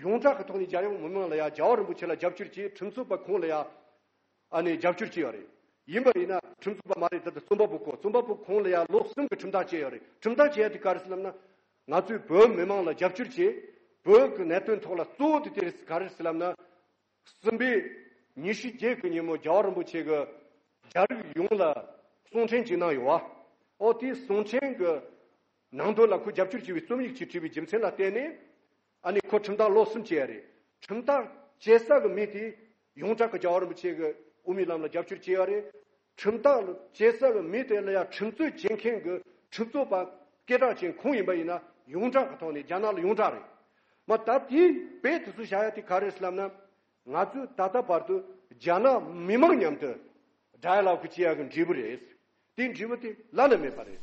ཡོངས་གྲགས་ཀྱི་ཐོག་ནས་རྒྱལ་ཡོངས་མི་མང་ལ་ཡ་རྒྱལ་བ་རིན་པོ་ཆེ་ལ་རྒྱབ་སྐྱོར་བྱས། ཁྲིམས་རྩོད་པ་ཁོང་ལ་ཡ་ཨ་ནི་རྒྱབ་སྐྱོར་བྱས་ཡོད་རེད། ཡིན་པ་ཡིན་ན་ཁྲིམས་རྩོད་པ་མ་རེད། ད་ལྟ་རྩོམ་པ་པོ་ཁོ། རྩོམ་པ་པོ་ཁོང་ལ་ཡ་ལོ་གསུམ་གྱི་ཁྲིམས་ཐག་བཅད་ཡོད་རེད། ཁྲིམས་ཐག་བཅད་ཡ་དེ་ག་རེ་ཟེར་ལབ་ན། ང་ཚོས་བོད་མི་མང་ལ་རྒྱབ་སྐྱོར་བྱས། བོད་ཀྱི་གནད་དོན་ཐོག་ལ་གཙོ་བོ་དེ་དེ་རེད། ག་རེ་ཟེར་ལབ་ན། གསུམ་པའི་ཉི་ཤུ་བརྒྱད་ཀྱི་ཉིན་མོ་རྒྱལ་བ་རིན་པོ་ཆེ་གིས་རྒྱ་རིགས་ཡོངས་ལ་གསུང་འཕྲིན་ཅིག་གནང་ཡོད་བ། ཨོ་དེའི་གསུང་འཕྲིན་གྱི་ནང་དོན་ལ་ཁོས་རྒྱབ་སྐྱོར་བྱས་པའི་རྩོམ་ཡིག་ཅིག་བྲིས་པའི་རྒྱུ་མཚན་ལ་བརྟེན་ནས། ཨ་ནི་ཁོ་ཁྲིམས་ཐག་ལོ་གསུམ་བཅད་ཡ་རེད། ཁྲིམས་ཐག་བཅད་ས་གི་མི་དེ་ཡོངས་གྲགས་ཀྱི་རྒྱལ་བ་རིན་པོ་ཆེ་གི་དབུ་མའི་ལམ་ལ་རྒྱབ་སྐྱོར་བྱས་ཡ་རེད། ཁྲིམས་ཐག་བཅད་ས་གི་མི་དེ་ལ་ཡ་ཁྲིམས་རྩོད་བྱེད་མཁན་གྱི་ཁྲིམས་རྩོད་པ་སྐད་གྲགས་ཅན་ཁོང་ཡིན་པ་ཡིན་ན་ཡོངས་གྲགས་ཀྱི་ཐོག་ནས་རྒྱ་ནག་ལ་ཡོངས་གྲགས་རེད། མ་ད་དེའི་དཔེ་དེ་ཚོ་བཞག་ཡ་དེ་ག་རེ་རེད་ལབ་ན། ང་ཚོས་ད་ལྟ་བར་དུ་རྒྱ་ནག་མི་མང་མཉམ་དུ་ཌའི་ལོག་བྱེད་ཡ་གི་འབྲས་བུ་རེད། དེའི་འབྲས་བུ་དེ་བླ་ན་མེད་པ་རེད།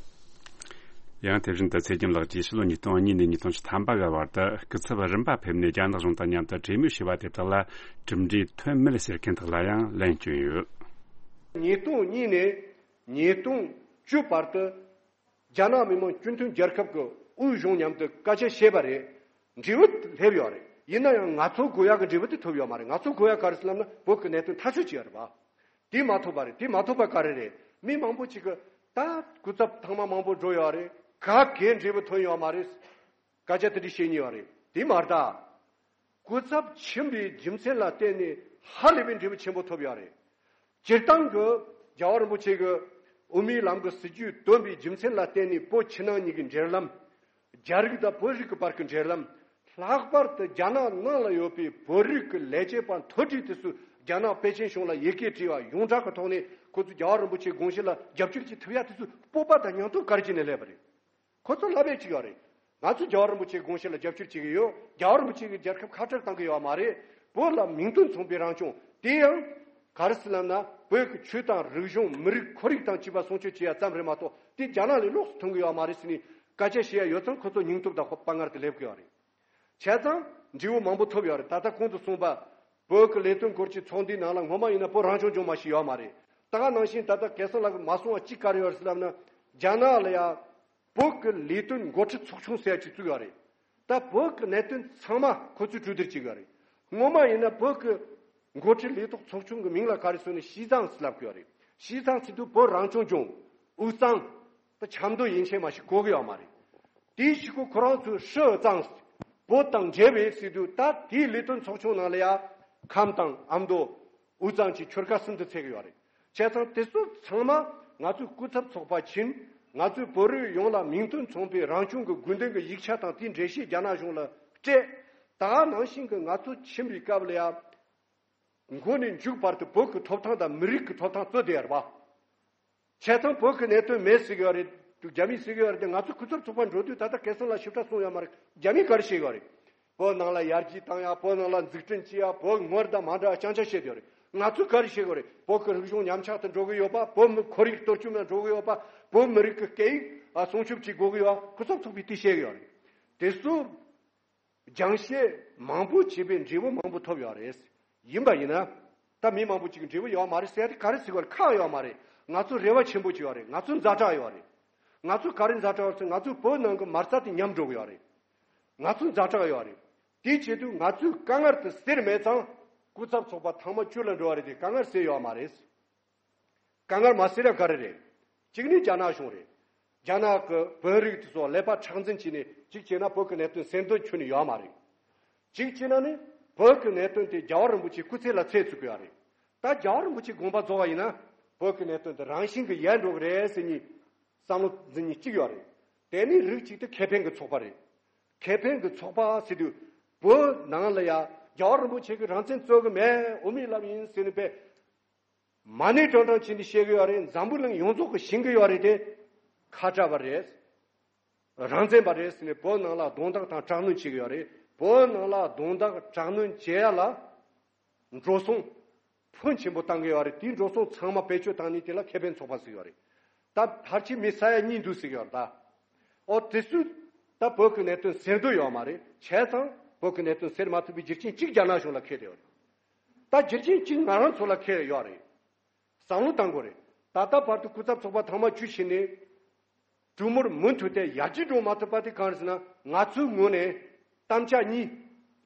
ཡང་དེ་བཞིན་དུ་ཚེ་རྒྱམ་ལགས་ཀྱིས་ཕྱི་ལོ་ཉིས་སྟོང་གཉིས་ནས་ཉིས་སྟོང་བཅུ་ཐམ་པ་བར་དུ་སྐུ་ཚབ་རིམ་པ་ཕེབས་ནས་རྒྱ་ནག་གཞུང་དང་མཉམ་དུ་གྲོས་མོལ་བྱས་པ་དེ་དག་ལ་གྲུབ་འབྲས་ཐོན་མེད་ཟེར་མཁན་དག་ལ་ཡང་ལན་བསྐྱོན་ཡོད། ཉིས་སྟོང་གཉིས་ནས་ཉིས་སྟོང་བཅུ་བར་དུ་རྒྱ་ནག་མི་དམངས་སྤྱི་མཐུན་རྒྱལ་ཁབ་ཀྱི་དབུས་གཞུང་མཉམ་དུ་སྐད་ཆ་བཤད་པ་རེད། འབྲས་བུ་སླེབས་ཡོད་རེད། ཡིན་ན་ཡང་ང་ཚོ་དགོས་ཡག་གི་འབྲས་བུ་དེ་ཐོབ་ཡོད་མ་རེད། ང་ཚོ་དགོས་ཡག་ག་རེ་ཟེར་ལབ་ན་བོད་ཀྱི་གནད་དོན་ཐག་གཅོད་བྱས་ཡོད་རེད་པ། དེ་མ་ཐོབ་པ་རེད། དེ་མ་ཐོབ་པ་ག་རེ་རེད། མི་མང་པོ་ཅིག་གིས་ད་སྐུ་ཚབ་ཐེངས་མ་མང་པོ་འགྲོ་ཡོད་རེད། ག་གེ་འབྲས་བུ་ཐོན་ཡོད་མ་རེད། སྐད་ཆ་དེ་འདྲ་བཤད་མྱོང་ཡོད་རེད། དེ་མ་རེད་ད། སྐུ་ཚབ་ཕྱིན་པའི་རྒྱུ་མཚན་ལ་བརྟེན་ནས་ཧ་ལས་པའི་འབྲས་བུ་ཆེན་པོ་ཐོབ་ཡོད་རེད། སྤྱིར་བཏང་གི་རྒྱལ་བ་རིན་པོ་ཆེ་གི་དབུ་མའི་ལམ་གྱི་སྲིད་བྱུས་བཏོན་པའི་རྒྱུ་མཚན་ལ་བརྟེན་ནས་བོད་ཕྱི་ནང་གཉིས་ཀྱི་འབྲེལ་ལམ། རྒྱ་རིགས་དང་བོད་རིགས་ཀྱི་བར་གྱི་འབྲེལ་ལམ། ལྷག་པར་དུ་རྒྱ་ནག་ནང་ལ་ཡོད་པའི་བོད་རིགས་ཀྱི་ལས་བྱེད་པ་མཐོ་གྲས་དེ་ཚོས་རྒྱ་ནག་པེ་ཅིན་གཞུང་ལ་ཡི་གེ་བྲིས་པ་ཡོངས་གྲགས་ཀྱི་ཐོག་ནས་ཁོ་ཚོས་རྒྱལ་བ་རིན་པོ་ཆེའི་དགོངས་གཞི་ལ་རྒྱབ་སྐྱོར་བྱེད་ཐུབ་ཡ་དེ་ཚོའི་སྤོབས་པ་དང་སྙིང་སྟོབས་ག་རེ་བྱས་ནས་སླེབས་པ་རེད། ཁོ་ཚོ་ལབ་ཡས་ཅིག་ཡོད་རེད། ང་ཚོ་རྒྱལ་བ་རིན་པོ་ཆེའི་དགོངས་གཞི་ལ་རྒྱབ་སྐྱོར་བྱེད་ཀྱི་ཡོད། རྒྱལ་བ་རིན་པོ་ཆེ་གིས་རྒྱལ་ཁབ་ཁ་བྲལ་བཏང་གི་ཡོད་མ་རེད། བོད་ལ་མིང་དོན་མཚུངས་པའི་རང་སྐྱོང་དེ་ཡང་ག་རེ་ཟེར་ལབ་ན། བོད་ཀྱི་ཆོས་དང་རིག་གཞུང་མི་རིགས་ཁོར་ཡུག་དང་བཅས་པ་སྲུང་སྐྱོབ་བྱེད་ཡ་ཙམ་རེད་མ་གཏོགས། དེ་རྒྱ་ནག་ལས་ལོགས་སུ་མཐོང་གི་ཡོད་མ་རེད་ཟེར་ནས་སྐད་ཆ་བཤད་ཡ་ཡོད་ཙང་ཁོ་ཚོ་སྙིང་སྟོབས་དང་དཔའ་ངར་དེ་སླེབས་ཀྱི་ཡོད་རེད། བྱས་ཙང་འབྲས་བུ་མང་པོ་ཐོབ་ཡོད་རེད། ད་ལྟ་གོང་དུ་གསུངས་པ། བོད་ཀྱི་ལས་དོན་སྐོར་གྱི་ཚོགས་འདུའི་ནང་ལ་སྔོན་མ་ཡིན་ན་བོད་རང་སྐྱོང་ལྗོངས་མ་ཞིག་ཡོད་མ་རེད། ད་ག་ནང་བཞིན་ད་ལྟ་སྐལ་བཟང་ལགས་ཀྱིས་མ་གསུངས་པ་གཅིག་ག་རེ་ཡོད་རེད་ཟེར་ལབ་ན། རྒྱ་ནག་ལ་ཡ་བོད་ཀྱི་ལས་དོན་འགོ་ཁྲིད་ཚོགས་ཆུང་ཟེར་ཡ་ཅིག་བཙུགས་ཡོད་རེད། ད་བོད་ཀྱི་གནད་དོན་ཚང་མ་ཁོ་ཚོས་གྲོས་བསྡུར་བྱེད་ཀྱི་ཡོད་རེད། སྔོན་མ་ཡིན་ན་བོད་ཀྱི་འགོ་ཁྲིད་ལས་ཐོག་ཚོགས་ཆུང་གི་མིང་ལ་ག་རེ་ཟེར་ན་西藏ཟེར་ལབ་ཀྱི་ཡོད་རེད།西藏ཟེར་དུས་བོད་རང་སྐྱོང་ལྗོངས། དབུས་གཙང་། ད་ཆབ་མདོ་ཡན་ཆད་མ་ཞིག་གོ་གི་ཡོད་མ་རེད། དེའི་གཞུག་གུ་ཁོ་རང་ཚོས་ཧྲི་ཨུ་གཙང་། བོད་དང་འབྲེལ་བའི་ཟེར་དུས། ད་དེའི་ལས་དོན་ཚོགས་ཆུང་ནང་ལ་ཡ་ཁམས་དང་ཨ་མདོ། དབུས་གཙང་གི་ཆོལ་ཁ་གསུམ་དུ་ཚད་ཀྱི་ཡོད་རེད། བྱས་ཙང་དེ་ཚོ་ཚང་མ་ང་ཚོའི་སྐུ་ཚབ་ཚོགས་པ་ཕྱིན། ང་ཚོས་བོད་རིགས་ཡོངས་ལ་མིང་དོན་མཚུངས་པའི་རང་སྐྱོང་གི་དགོས་འདུན་གྱི་ཡིག་ཆ་དང་དེའི་འགྲེལ་བཤད་རྒྱ་ནག་གཞུང་ལ་སྤྲད། ད་ག་ནང་བཞིན་གྱི་ང་ཚོ་ཕྱིན་པའི་སྐབས་ལ་ཡ། མགོ་ནས་མཇུག་བར་དུ་བོད་ཀྱི་ཐོབ་ཐང་དང་མི་རིགས་ཀྱི་ཐོབ་ཐང་རྩོད་བསྡད་ཡོད་རེད་པ། བྱས་ཙང་བོད་ཀྱི་གནད་དོན་མེད་ཟེར་གྱི་ཡོད་རེད། རྒྱ་མིས་ཟེར་གྱི་ཡོད་རེད་དེ། ང་ཚོ་སྐུ་ཚབ་ཚོགས་པ་འགྲོ་དུས་ད་ལྟ་སྐལ་བཟང་ལགས་ཞིབ་ཕྲ་གསུངས་ཡོད་མ་རེད། རྒྱ་མིས་ག་རེ་བཤད་ཀྱི་ཡོད་རེད། བོད་ནང་ལ་ཡར་རྒྱས་བཏང་ཡ། བོད་ནང་ལ་འཛུགས་སྐྲུན་བྱེད་ཡ། བོད་སྔར་དང་མ་འདྲ་བ་རྐྱང་རྐྱང་བཤད་ཡོད་རེད། ང་ཚོས་ག་རེ་བཤད་ཀྱི་ཡོད་རེད། བོད་ཀྱི་རིག་གཞུང་ཉམས་ཆག་ཏུ་འགྲོ་གི་ཡོད་པ། བོད་མི་ཁོར་ཡུག་གཏོར་བཅོམ་ལ་འགྲོ་གི་ཡོད་པ། བོད་མི་རིགས་ཀྱི་སྐད་ཡིག་ཨ་སྲུང་སྐྱོབ་བྱེད་དགོས་ཀྱི་ཡོད་པ། སྐུ་ཚབ་ཚོགས་པས་དེ་བཤད་ཀྱི་ཡོད་རེད། དེ་ཚོ་སྦྱང་བཤད་མང་པོ་བྱས་པའི་འབྲས་བུ་མང་པོ་ཐོབ་ཡོད་རེད། ཡིན་པ་ཡིན་ན། ད་མི་མང་པོ་ཅིག་གིས་འབྲས་བུ་ཡོད་མ་རེད་ཟེར་ཏེ་ག་རེ་ཟེར་བར་ཁག་ཡོད་མ་རེད། ང་ཚོ་རེ་བ་ཆེན་པོ་ཅིག་ཡོད་རེད། ང་ཚོ་ཛ་དྲག་ཡོད་རེད། ང་ཚོ་ག་རེ་ཛ་དྲག་ཡོད་ཟེར། ང་ཚོ་བོད་ནང་གི་མ་རྩ་དེ་ཉམས་འགྲོ་གི་ཡོད་རེད། ང་ཚོ་ཛ་དྲག་ཡོད་རེད། དེའི་ཆེད་དུ་ང་ཚོས་དཀའ་ངལ་དེ་སེལ་མེད་ཙང་། སྐུ་ཚབ་ཚོགས་པ་ཐེངས་མ་བཅུ་ལ་འགྲོ་བ་རེད་དེ་དཀའ་ངལ་སེལ་ཡོད་མ་རེད། དཀའ་ངལ་མ་སེལ་ཡ་ག་རེ་རེད། གཅིག་ནི་རྒྱ་ནག་གཞུང་རེད། རྒྱ་ནག་གི་བོད་རིགས་དེ་ཚོ་ཀླད་པ་མཁྲེགས་འཛིན་བྱས་ནས་གཅིག་བྱས་ན་བོད་ཀྱི་གནད་དོན་སེམས་འདུན་ཁྱོན་ནས་ཡོད་མ་རེད། གཅིག་བྱས་ན་ནི་བོད་ཀྱི་གནད་དོན་དེ་རྒྱལ་བ་རིན་པོ་ཆེའི་སྐུ་ཚེ་ལ་ཚད་བཙུགས་ཡོད་རེད། ད་རྒྱལ་བ་རིན་པོ་ཆེའི་དགོངས་པ་རྫོགས་པ་ཡིན་ན་བོད་ཀྱི་གནད་དོན་དེ་རང་བཞིན་གྱིས་ཡལ་འགྲོ་གི་རེད་ཟེར་ནས་བསམ་བློ་འཛིན་མཁན་གཅིག་ཡོད་རེད། དེ་ནི་རིགས་གཅིག་དེ་ཁེ་ཕན་གྱི་ཚོགས་པ་རེད། ཁེ་ཕན་གྱི་ཚོགས་པ་ཟེར་དུས་བོད་ནང་ལ་ཡ་རྒྱལ་བ་རིན་པོ་ཆེ་གིས་རང་བཙན་རྩོད་གི་མེད། དབུ་མའི་ལམ་ཡིན་ཟེར་ནས་པས། མ་ཎི་བགྲང་བགྲང་བྱས་ནས་བཤད་གི་ཡོད་རེད། འཛམ་བུ་གླིང་ཡོངས་རྫོགས་ཀྱིས་ཤེས་གི་ཡོད་རེད་དེ། ཁ་བྲལ་བ་རེད། རང་བཙན་པ་རེད་ཟེར་ནས་བོད་ནང་ལ་རྡུང་རྡེག་དང་དྲག་གནོན་བྱེད་གི་ཡོད་རེད། བོད་ནང་ལ་རྡུང་རྡེག་དྲག་གནོན་བྱེད་ཡ་ལ་འགྲོ་སོང་ཕོན་ཆེན་པོ་བཏང་གི་ཡོད་རེད། དེའི་འགྲོ་སོང་ཚང་མ་བེད་སྤྱོད་བཏང་ནས་དེ་ལ་ཁེ་ཕན་ཚོགས་པ་ཟེར་གི་ཡོད་རེད། ད་ཕལ་ཆེར་མི་ས་ཡ་གཉིས་འདུག་ཟེར་གི་ཡོད་རེད་ད། ཨོ་དེ་ཚོས་ད་བོད་ཀྱི་གནད་དོན་སེལ་འདོད་ཡོད་མ་རེད། བྱས་ཙང་བོད་ཀྱི་གནད་དོན་སེལ་མ་ཐུབ་པའི་རྒྱུ་རྐྱེན་གཅིག་རྒྱ་ནག་གཞུང་ལ་འཁེལ་ཡོད་རེད། ད་རྒྱུ་རྐྱེན་གཅིག་ང་རང་ཚོ་ལ་འཁེལ་ཡོད་རེད། བསམ་བློ་བཏང་དགོས་རེད། ད་ལྟ་བར་དུ་སྐུ་ཚབ་ཚོགས་པ་ཐེངས་མ་བཅུ་ཕྱིན་ནས་གྲོས་མོལ་མུ་མཐུད་དེ་ཡར་རྒྱས་འགྲོ་མ་ཐུབ་པ་དེ་གང་རེད་ཟེར་ན། ང་ཚོའི་ངོས་ནས་དམ་བཅའ་གཉིས་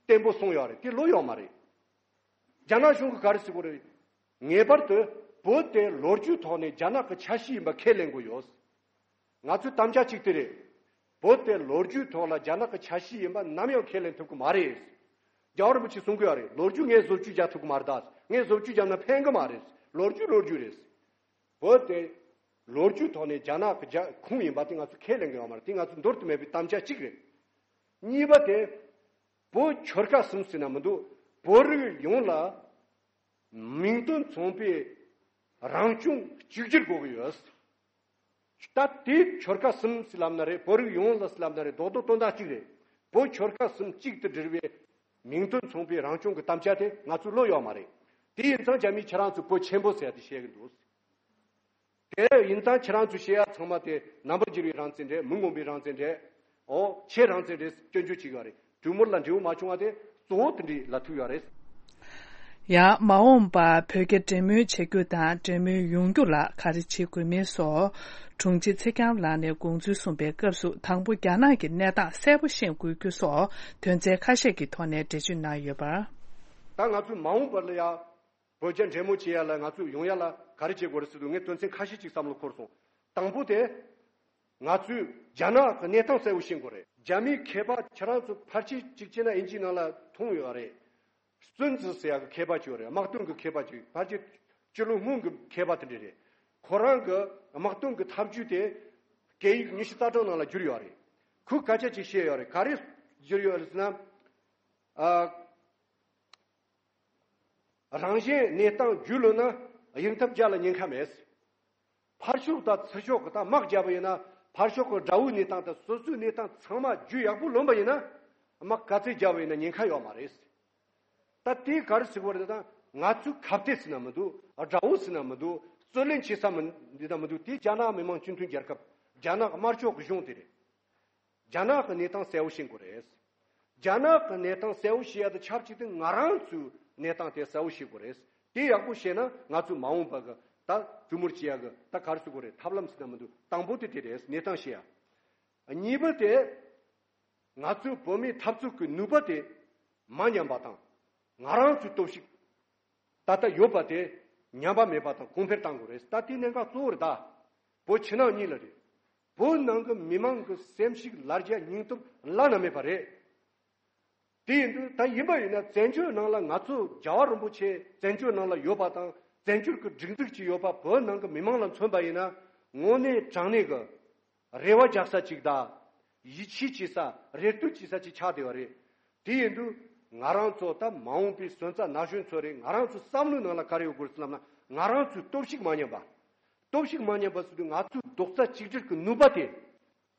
བརྟན་པོ་བཟུང་ཡོད་རེད། དེ་ལོས་ཡོད་མ་རེད། རྒྱ་ནག་གཞུང་གིས་ག་རེ་ཟེར་གྱི་རེད། ངེས་པར་དུ་བོད་དེ་ལོ་རྒྱུས་ཐོག་ནས་རྒྱ་ནག་གི་ཆ་ཤས་ཡིན་པ་ཁས་ལེན་དགོས་ཡོད། ང་ཚོའི་དམ་བཅའ་གཅིག་དེ་རེད། བོད་དེ་ལོ་རྒྱུས་ཐོག་ལ་རྒྱ་ནག་གི་ཆ་ཤས་ཡིན་པ་ནམ་ཡང་ཁས་ལེན་ཐུབ་ཀྱི་མ་རེད། རྒྱལ་བ་རིན་པོ་ཆེས་གསུང་གི་ཡོད་རེད། ལོ་རྒྱུས་ངས་བཟོ་བཅོས་རྒྱག་ཐུབ་ཀྱི་མ་རེད་ད། ངས་བཟོ་བཅོས་བརྒྱབ་ན་ཕན་གི་མ་རེད། ལོ་རྒྱུས་ལོ་རྒྱུས་རེད། བོད་དེ་ལོ་རྒྱུས་ཐོག་ནས་རྒྱ་ནག་གི་རྒྱ་ཁོངས་ཡིན་པ་དེ་ང་ཚོས་ཁས་ལེན་གི་ཡོད་མ་རེད། དེ་ང་ཚོའི་འདོར་དུ་མེད་པའི་དམ་བཅའ་གཅིག་རེད། གཉིས་པ་དེ། བོད་ཆོལ་ཁ་གསུམ་ཟེར་ན་མི་འདུག་བོད་རིགས་ཡོངས་ལ་མིང་དོན་མཚུངས་པའི་རང་སྐྱོང་གཅིག་གྱུར་དགོས་ཀྱི་ཡོད། ད་དེ་ཆོལ་ཁ་གསུམ་ཟེར་ལབ་ན་རེད། བོད་རིགས་ཡོངས་ལ་ཟེར་ལབ་ན་རེད། རྡོག་རྡོག་དོན་དག་གཅིག་རེད། བོད་ཆོལ་ཁ་གསུམ་གཅིག་ཏུ་སྒྲིལ་བའི་མིང་དོན་མཚུངས་པའི་རང་སྐྱོང་གི་དམ་བཅའ་དེ་ང་ཚོའི་བློ་ཡོད་མ་རེད། དེ་ཡིན་ཙང་རྒྱ་མིས་ཁྱེད་རང་ཚོ་བོད་ཆེན་པོ་ཟེར་ཡ་དེ་བཤད་གི་འདུག་དེ་ཡིན་ཙང་ཁྱེད་རང་ཚོས་བཤད་ཡ་ཚང་མ་དེ་རྣམ་པར་འགྱུར་བའི་རང་བཙན་རེད། མི་མངོན་པའི་རང་བཙན་རེད། ཨོ་ཁྱེད་རང་བཙན་རེད། སྐྱོན་བརྗོད་བྱེད་ཀྱི་ཡོད་རེད། གྲོས་མོལ་ལ་འབྲས་བུ་མ་བྱུང་བ་དེ་གཙོ་བོ་དེ་འདྲ་ལ་ཐུག་ཡོད་རེད། ཡང་མ་འོངས་པར་བོད་རྒྱ་འབྲེལ་མོལ་བྱ་རྒྱུ་དང་འབྲེལ་མོལ་ཡོང་རྒྱུ་ལ་ག་རེ་བྱེད་དགོས་མིན་སོགས་དྲུང་ཆེ་ཚེ་རྒྱམ་ལགས་ནས་དགོངས་ཚུལ་གསུངས་པའི་སྐབས་སུ། དང་པོ་རྒྱ་ནག་གི་གནས་སྟངས་གསལ་པོ་ཤེས་དགོས་རྒྱུ་སོགས་དོན་ཚན་ཁ་ཤས་ཀྱི་ཐོག་ནས་འགྲེལ་བརྗོད་གནང་ཡོད་པར། ད་ང་ཚོས་མ་འོངས་པ་ལ་ཡ། བོད་རྒྱ་འབྲེལ་མོལ་བྱེད་ཡ་ལ་ང་ཚོས་ཡོང་ཡ་ལ་ག་རེ་བྱེད་དགོས་རེད་ཟེར་དུས། ངས་དོན་ཚན་ཁ་ཤས་ཅིག་བསམ་བློ་འཁོར་སོང་། དང་པོ་དེ། ང་ཚོས་རྒྱ་ནག་གི་གནས་སྟངས་གསལ་བོ་ཤེས་དགོས་རེད། རྒྱ་མིའི་མཁས་པ་ཁྱེད་རང་ཚོ་ཕལ་ཆེར་གཅིག་བྱས་ན་དབྱིན་ཇིའི་ནང་ལ་མཐོང་ཡོད་རེད། སུན་ཙི་ཟེར་ཡ་གི་མཁས་པ་ཅིག་ཡོད་རེད། དམག་དོན་གྱི་མཁས་པ་ཅིག་ཕལ་ཆེར་སྤྱི་ལོ་སྔོན་གྱི་མཁས་པ་དེ་འདྲ་རེད། ཁོ་རང་གི་དམག་དོན་གྱི་ཐབས་ཇུས་དེ་སྐད་ཡིག་ཉི་ཤུ་རྩ་གྲངས་ནང་ལ་བསྒྱུར་ཡོད་རེད། ཁོས་སྐད་ཆ་ཅིག་བཤད་ཡོད་རེད། ག་རེ་བསྒྱུར་ཡོད་རེད་ཟེར་ན། ཨ། རང་གཞན་གནས་སྟངས་རྒྱུས་ལོན་ན་གཡུག་ཐབས་བརྒྱ་ལ་ཉེན་ཁ་མེད། ཕར་ཕྱོགས་དང་ཚུར་ཕྱོགས་ཀྱི་ད་དམག་བརྒྱབ་པ་ཡིན་ན། ཕར་ཕྱོགས་ཀྱི་དགྲ་བོའི་གནས་སྟངས་དང་སོ་སོའི་གནས་སྟངས་ཚང་མ་རྒྱུས་ཡག་པོ་ལོན་པ་ཡིན་ན། དམག་ག་ཚད་བརྒྱབ་པ་ཡིན་ན་ཉེན་ཁ་ཡོད་མ་རེད། ད་དེ་ག་རེ་ཟེར་དགོས་རེད། ད་ང་ཚོའི་ཁ་གཏད་ཟེར་ན་མི་འདུག་དགྲ་བོ་ཟེར་ན་མི་འདུག་རྩོད་ལེན་བྱེད་ས་མི་འདི་ན་མི་འདུག་དེ་རྒྱ་ནག་མི་དམངས་སྤྱི་མཐུན་རྒྱལ་ཁབ། རྒྱ་ནག་དམར་ཕྱོགས་ཀྱི་གཞུང་དེ་རེད། རྒྱ་ནག་གི་གནས་སྟངས་གསལ་བོ་ཤེས་དགོས་རེད། རྒྱ་ནག་གི་གནས་སྟངས་གསལ་བོ་ཤེས་ཡ་དང་ཆབས་ཅིག་ཏུ་ང་རང་ཚོའི་གནས་སྟངས་དེ་གསལ་བོ་ཤེས་དགོས་རེད། དེ་ཡག་པོ་ཤེས་ན་ང་ཚོའི་མ་འོངས་པ་གི་ད་གྲོས་མོལ་བྱེད་ཡ་གི་ད་ག་རེ་ཟེར་དགོས་རེད། ཐབས་ལམ་ཟེར་ན་མི་འདུག་དང་པོ་དེ་དེ་རེད། གནས་སྟངས་ཤེས་ཡ། གཉིས་པ་དེ། ང་ཚོའི་བོད་མིའི་འཐབ་རྩོད་ཀྱི་ནུས་པ་དེ་མ་ཉམས་པ་དང་། ང་རང་ཚོའི་སྟོབས་ཤུགས་ད་ལྟ་ཡོད་པ་དེ་ཉམས་པ་མེད་པ་དང་གོང་འཕེལ་གཏང་དགོས་རེད། ད་དེ་གནད་འགག་གཙོ་བོ་རེད། ད་བོད་ཕྱི་ནང་གཉིས་ལ་རེད། བོད་ནང་གི་མི་མང་གི་སེམས་ཤུགས་ལ་རྒྱ་སྙིང་སྟོབས་བླ་ན་མེད་པ་རེད། དེ་ཡིན་དུས་ད་ཡིན་པ་ཡིན་ན་བཙན་བྱོལ་ནང་ལ་ང་ཚོ་རྒྱལ་བ་རིན་པོ་ཆེ་བཙན་བྱོལ་ནང་ལ་ཡོད་པ་དང་བཙན་བྱོལ་གྱི་སྒྲིག་འཛུགས་ཀྱི་ཡོད་པ། བོད་ནང་གི་མི་མང་ལ་མཚོན་པ་ཡིན་ན་དངོས་གནས་དྲང་གནས་ཀྱི་རེ་བ་རྒྱག་ས་ཅིག་དང་། ཡིད་ཆེས་བྱེད་ས། རེ་ལྟོས་བྱེད་ས་ཅིག་ཆགས་བསྡད་པ་རེད། དེ་ཡིན་དུས་ང་རང་ཚོ་ད་མ་འོངས་པའི་སོན་རྩ་ན་གཞོན་ཚོ་རེད། ང་རང་ཚོའི་བསམ་བློའི་ནང་ལ་ག་རེ་ཡོད་དགོས་ཟེར་ལབ་ན། ང་རང་ཚོའི་སྟོབས་ཤུགས་མ་ཉམས་པ། སྟོབས་ཤུགས་མ་ཉམས་པ་ཟེར་དུས་ང་ཚོའི་རྡོག་རྩ་གཅིག་སྒྲིལ་གྱི་ནུས་པ་དེ་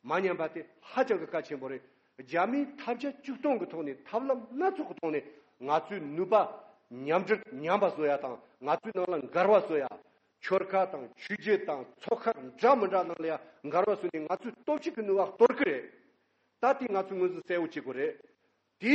མ་ཉམས་པ་དེ་ཧ་ཅང་གི་གལ་ཆེན་པོ་རེད། རྒྱ་མིའི་ཐབས་བརྒྱ་ཇུས་སྟོང་གི་ཐོག་ནས་ཐབས་ལམ་སྣ་ཚོགས་ཀྱི་ཐོག་ནས་ང་ཚོའི་ནུས་པ་ཉམས་སྒྲིལ་ཉམས་པ་བཟོ་ཡ་དང་། ང་ཚོའི་ནང་ལ་འགལ་བ་བཟོ་ཡ། ཆོལ་ཁ་དང་ཆོས་བརྒྱུད་དང་ཚོགས་ཁག་འདྲ་མི་འདྲ་ནང་ལ་ཡང་འགལ་བ་བཟོས་ནས་ང་ཚོའི་སྟོབས་ཤུགས་ཀྱི་ནུས་པ་གཏོར་གི་རེད། ད་དེ་ང་ཚོས་ངོས་འཛིན་གསལ་བོ་བྱེད་དགོས་རེད། དེ་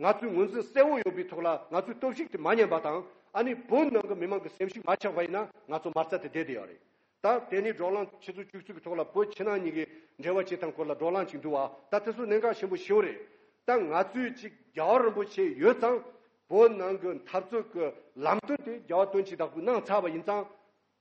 ང་ཚོས་ངོས་འཛིན་གསལ་བོ་ཡོད་པའི་ཐོག་ལ་ང་ཚོའི་སྟོབས་ཤུགས་དེ་མ་ཉམས་པ་དང་། ཨ་ནི་བོད་ནང་གི་མི་མང་གི་སེམས་ཤུགས་མ་ཆག་པ་ཡིན་ན་ང་ཚོ་མ་རྩ་དེ་བསྡད་བསྡད་ཡོད་རེད། ད་དེ་ནས་བགྲོ་གླེང་ཆུ་ཚོད་བཅུ་གཅིག་གི་ཐོག་ལ་བོད་ཕྱི་ནང་གཉིས་ཀྱི་འབྲེལ་བ་བྱེད་སྟངས་སྐོར་ལ་བགྲོ་གླེང་ཅིག་འདུག་བ། ད་དེ་ཚོ་གནད་འགག་ཆེན་པོ་ཞེ་པོ་རེད། ད་ང་ཚོས་ཅིག་རྒྱལ་བ་རིན་པོ་ཆེ་ཡོད་ཙང་། བོད་ནང་གི་འཐབ་རྩོད་ཀྱི་ལམ་སྟོན་དེ་རྒྱལ་བ་དོན་གྱི་བདག་པོས་གནང་ཚར་བ་ཡིན་ཙང་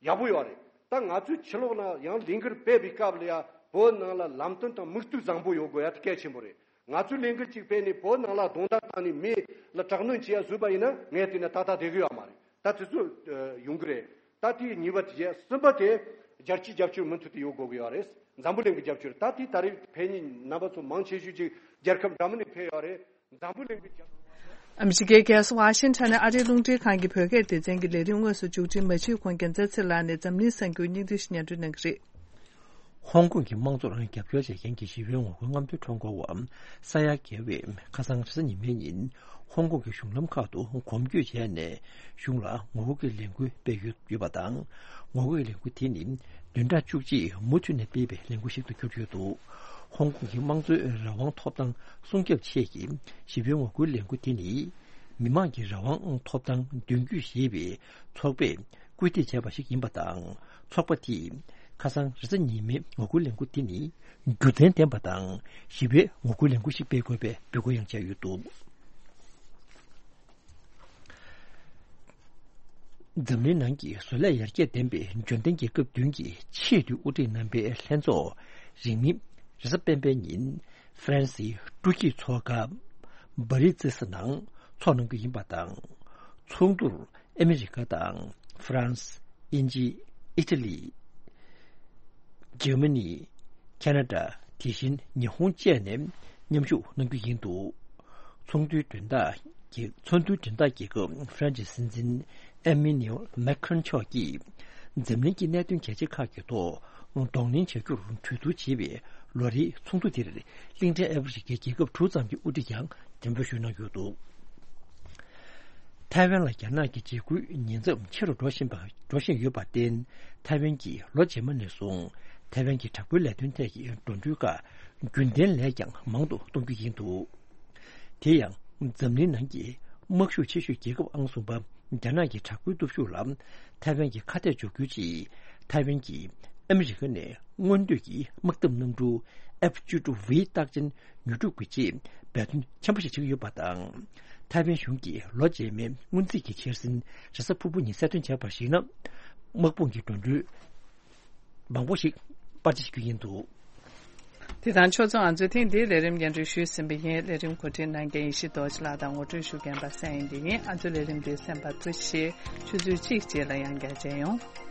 ཡག་པོ་ཡོད་རེད། ད་ང་ཚོས་ཕྱི་ལོགས་ན་ཡང་ལས་འགུལ་སྤེལ་བའི་སྐབས་ལ་ཡང་བོད་ནང་ལ་ལམ་སྟོན་དང་མིག་ལྟོས་བཟང་པོ་ཡོད་དགོས་ཡ་དེ་གལ་ཆེན་པོ་རེད། ང་ཚོས་ལས་འགུལ་གཅིག་སྤེལ་ནས་བོད་ནང་ལ་རྡུང་རྡེག་བཏང་ནས་མི་ལ་དྲག་གནོན་བྱེད་ཡ་བཟོས་པ་ཡིན་ན་ངས་བལྟས་ན་ཏག་ཏག་བསྡད་གི་ཡོད་མ་རེད། ད་དེ་ཚོ་ཡོང་གི་རེད། ད་དེ་གཉིས་པ་དེ་བྱས། གསུམ་པ་དེ་རྒྱལ་སྤྱིའི་རྒྱབ་སྐྱོར་མུ་མཐུད་དུ་ཡོད་དགོས་ཀྱི་ཡོད་རེད། འཛམ་བུ་གླིང་གི་རྒྱབ་སྐྱོར། ད་དེ་ད་རེས་ཕེབས་མཁན་རྣམ་པ་ཚོ་མང་ཆེ་ཤོས་ཅིག་རྒྱལ་ཁབ་འདྲ་མིན་ནས་ཕེབས་ཡོད་རེད། འཛམ་བུ་གླིང་གི་རྒྱབ། ཨ་མི་རི་ཀའི་རྒྱལ་ས་ཝ་ཤིང་ཊོན་ནས་ཨ་རིའི་རླུང་འཕྲིན་ཁང་གི་བོད་སྐད་སྡེ་ཚན་གྱི་ལས་རིམ་དངོས་སུ་མཇུག་སྒྲིལ། མ་བྱེད་ཁོང་རྒྱལ་མཚན་ཚེ་ལགས་ནས་འཛམ་གླིང་གསར་འགྱུར་སྙིང་བསྡུས་ཤིག་སྙན་སྒྲོན་གནང་གི་རེད། ཧོང་ཀོང་གི་དམངས་གཙོར་རྒྱབ་སྐྱོར་བྱེད་མཁན་གྱི་ཞི་བའི་ངོ་རྒོལ་རྔམ་སྟོན་ཁྲོམ་སྐོར་བ་ས་ཡ་རྒྱལ་བས་ཁ་སང་རེས་གཟའ་ཉི་མའི་ཉིན་ཧོང་ཀོང་གི་གཞུང་ལམ་ཁག་ཏུ་གོམ་བགྲོད་བྱས་ནས་གཞུང་ལ་ངོ་རྒོལ་གྱི་ལས་འགུལ་སྤེལ་ཡོད་ཡོད་པ་དང་། ངོ་རྒོལ་གྱི་ལས་འགུལ་དེ་ནི་བདུན་ཕྲག་བཅུ་གཅིག་མུ་མཐུད་ནས་སྤེལ་བའི་ལས་འགུལ་ཞིག་ཏུ་གྱུར་ཡོད་འདུག་ཧོང་ཀོང་གི་དམངས་གཙོའི་རང་དབང་ཐོབ་ཐང་སྲུང་སྐྱོབ་ཆེད་ཀྱི་ཞི་བའི་ངོ་རྒོལ་ལས་འགུལ་དེ་ནི་མི་དམངས་ཀྱི་རང་དབང་ཐོབ་ཐང་མདུན་སྐྱོད་ཞེས་པའི་ཚོགས་པས་སྐུལ་འདེད་བྱས་པ་ཞིག་ཡིན་པ་དང་། ཚོགས་པ་དེས་ཁ་སང་རེས་གཟའ་ཉི་མའི་ངོ་རྒོལ་ལས་འགུལ་དེ་ནི་རྒྱུ་མཚན་ལྡན་པ་དང་ཞི་བའི་ངོ་རྒོལ་ལས་འགུལ་ཞིག་སྤེལ་དགོས་པའི་འབོད་སྐུལ་ཡང་བྱས་ཡོད་འདུག་འཛམ་གླིང་ནང་གི་བཟོ་ལས་ཡར་རྒྱས་ལྡན་པའི་འབྱོར་ལྡན་རྒྱལ་ཁབ་བདུན་གྱི་ཆེས་མཐོའི་དབུ་ཁྲིད་རྣམ་པའི་ལྷན་ཚོགས་རིང་མིན་རེས་གཟའ་སྤེན་པའི་ཉིན་ཧྥ་རན་སིའི་ཀྲུའུ་ཀྱི་མཚོ་ཁ་བྷ་རི་ཙི་སི་ནང་ཚོགས་གནང་རྒྱུ་ཡིན་པ་དང་། ཚོགས་འདུར་ཨ་མི་རི་ཀ་དང་ཧྥ་རན་སི། དབྱིན་ཇི། ཨི་ཊ་ལི། འཇར་མ་ནི། ཁ་ན་ཌ། དེ་བཞིན་ཉི་ཧོང་བཅས་ནས་མཉམ་ཞུགས་གནང་རྒྱུ་ཡིན་འདུག་ཚོགས་འདུའི་མགྲོན་བདག་རྒྱལ་ཚོགས་འདུའི་མགྲོན་བདག་རྒྱལ་ཁབ་ཧྥ་རན་སིའི་སྲིད་འཛིན་ཨེ་མི་ནེལ་མེག་ཁོན་མཆོག་གིས་འཛམ་གླིང་གི་གནད་དོན་གལ་ཆེ་ཁག་གི་ཐོག་གདོང་ལེན་བྱ་རྒྱུར་གྲོས་བསྡུར་བྱེད་པའི་ལོ་རེའི་ཚོགས་འདུ་དེར་གླིང་ཕྲན་ཨ་ཧྥེ་རི་ཁའི་རྒྱལ་ཁབ་དྲུག་ཙམ་གྱི་དབུ་ཁྲིད་ཀྱང་འདེམས་ཐོན་ཞུགས་གནང་ཡོད་འདུག་ཐའེ་ཝན་ལ་རྒྱ་ནག་གི་འཇིགས་སྐུལ་ཉེན་ཚབས་ཆེ་རུ་འགྲོ་བཞིན་པ་འགྲོ་བཞིན་ཡོད་པར་བརྟེན། ཐའེ་ཝན་གྱིས་ལོ་རྗེས་མ་ནས་བཟུང་ཐའེ་ཝན་གྱི་དྲག་པོའི་ལས་དོན་ཐད་ཀྱི་འགྲོ་གྲོན་ཁག་རྒྱུན་ལྡན་ལས་ཀྱང་མང་དུ་གཏོང་རྒྱུ་ཡིན་འདུག་དེ་ཡང་འཛམ་གླིང་ནང་གི་དམག་ཤུགས་ཆེ་ཤོས་རྒྱལ་ཁབ་ཨང་གསུམ་པ་རྒྱ་ནག་གི་དྲག་པོའི་སྟོབས་ཤུགས་ལ་ཐའེ་ཝན་གྱིས་ཁ་གཏད་གཅོག་རྒྱུའི་ཆེད་ཐའེ་ཝན་གྱིས་ཨ་མི་རི་ཀ་ནས་མངོན་འདོད་ཀྱི་དམག་འཐབ་གནམ་གྲུ་ཨེཕ་བཅུ་དྲུག་ཝི་རྟགས་ཅན་ཉོ་སྒྲུབ་ཀྱི་ཆེད་འབད་བརྩོན་ཆེན་པོ་ཞིག་བྱེད་ཀྱི་ཡོད་པ་དང་། ཐའེ་ཝན་གཞུང་གིས་ལོ་རྗེས་མའི་སྔོན་རྩིས་ཀྱི་འཆར་ཟིན་རེས་གཟའ་ཕུར་བུ་ཉིན་གསལ་སྟོན་བྱས་པར་གཞིགས་ན། དམག་དཔུང་གི་འགྲོ་གྲོན་མང་པོ་ཞིག་སྤར་ཆ་བྱེད་རྒྱུ་ཡིན་འདུག་དེ་དང་ཕྱོགས་མཚུངས་ང་ཚོས་ཐེངས་འདིའི་ལས་རིམ་སྙན་སྒྲོན་ཞུས་ཟིན་པ་ཡིན། ལས་རིམ་གོ་སྒྲིག་གནང་མཁན་ཡེ་ཤེས་རྡོ་རྗེ་ལགས་དང་ངོ་སྤྲོད་ཞུ་མཁན་པ་སངས་དབྱངས་སྐྱིད་ཡིན། ཨ་མདོ་ལས་རིམ་འདི་གསན་པར་ཐུགས་རྗེ་ཆེ། ཆུ་ཚོད་གཅིག་རྗེས་ལ་ཡང་བསྐྱར་མཇལ་ཡོང་།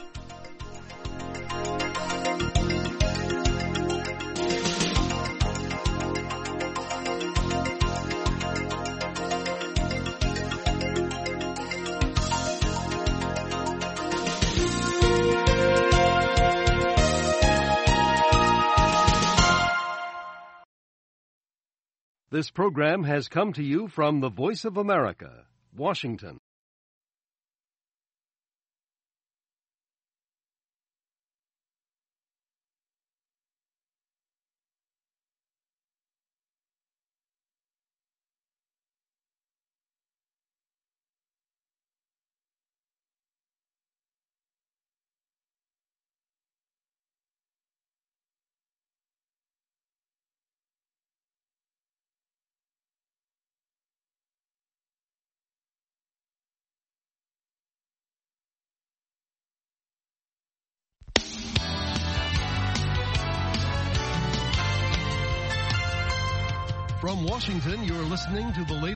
This program has come to you from the Voice of America, Washington. From Washington, you're listening to the latest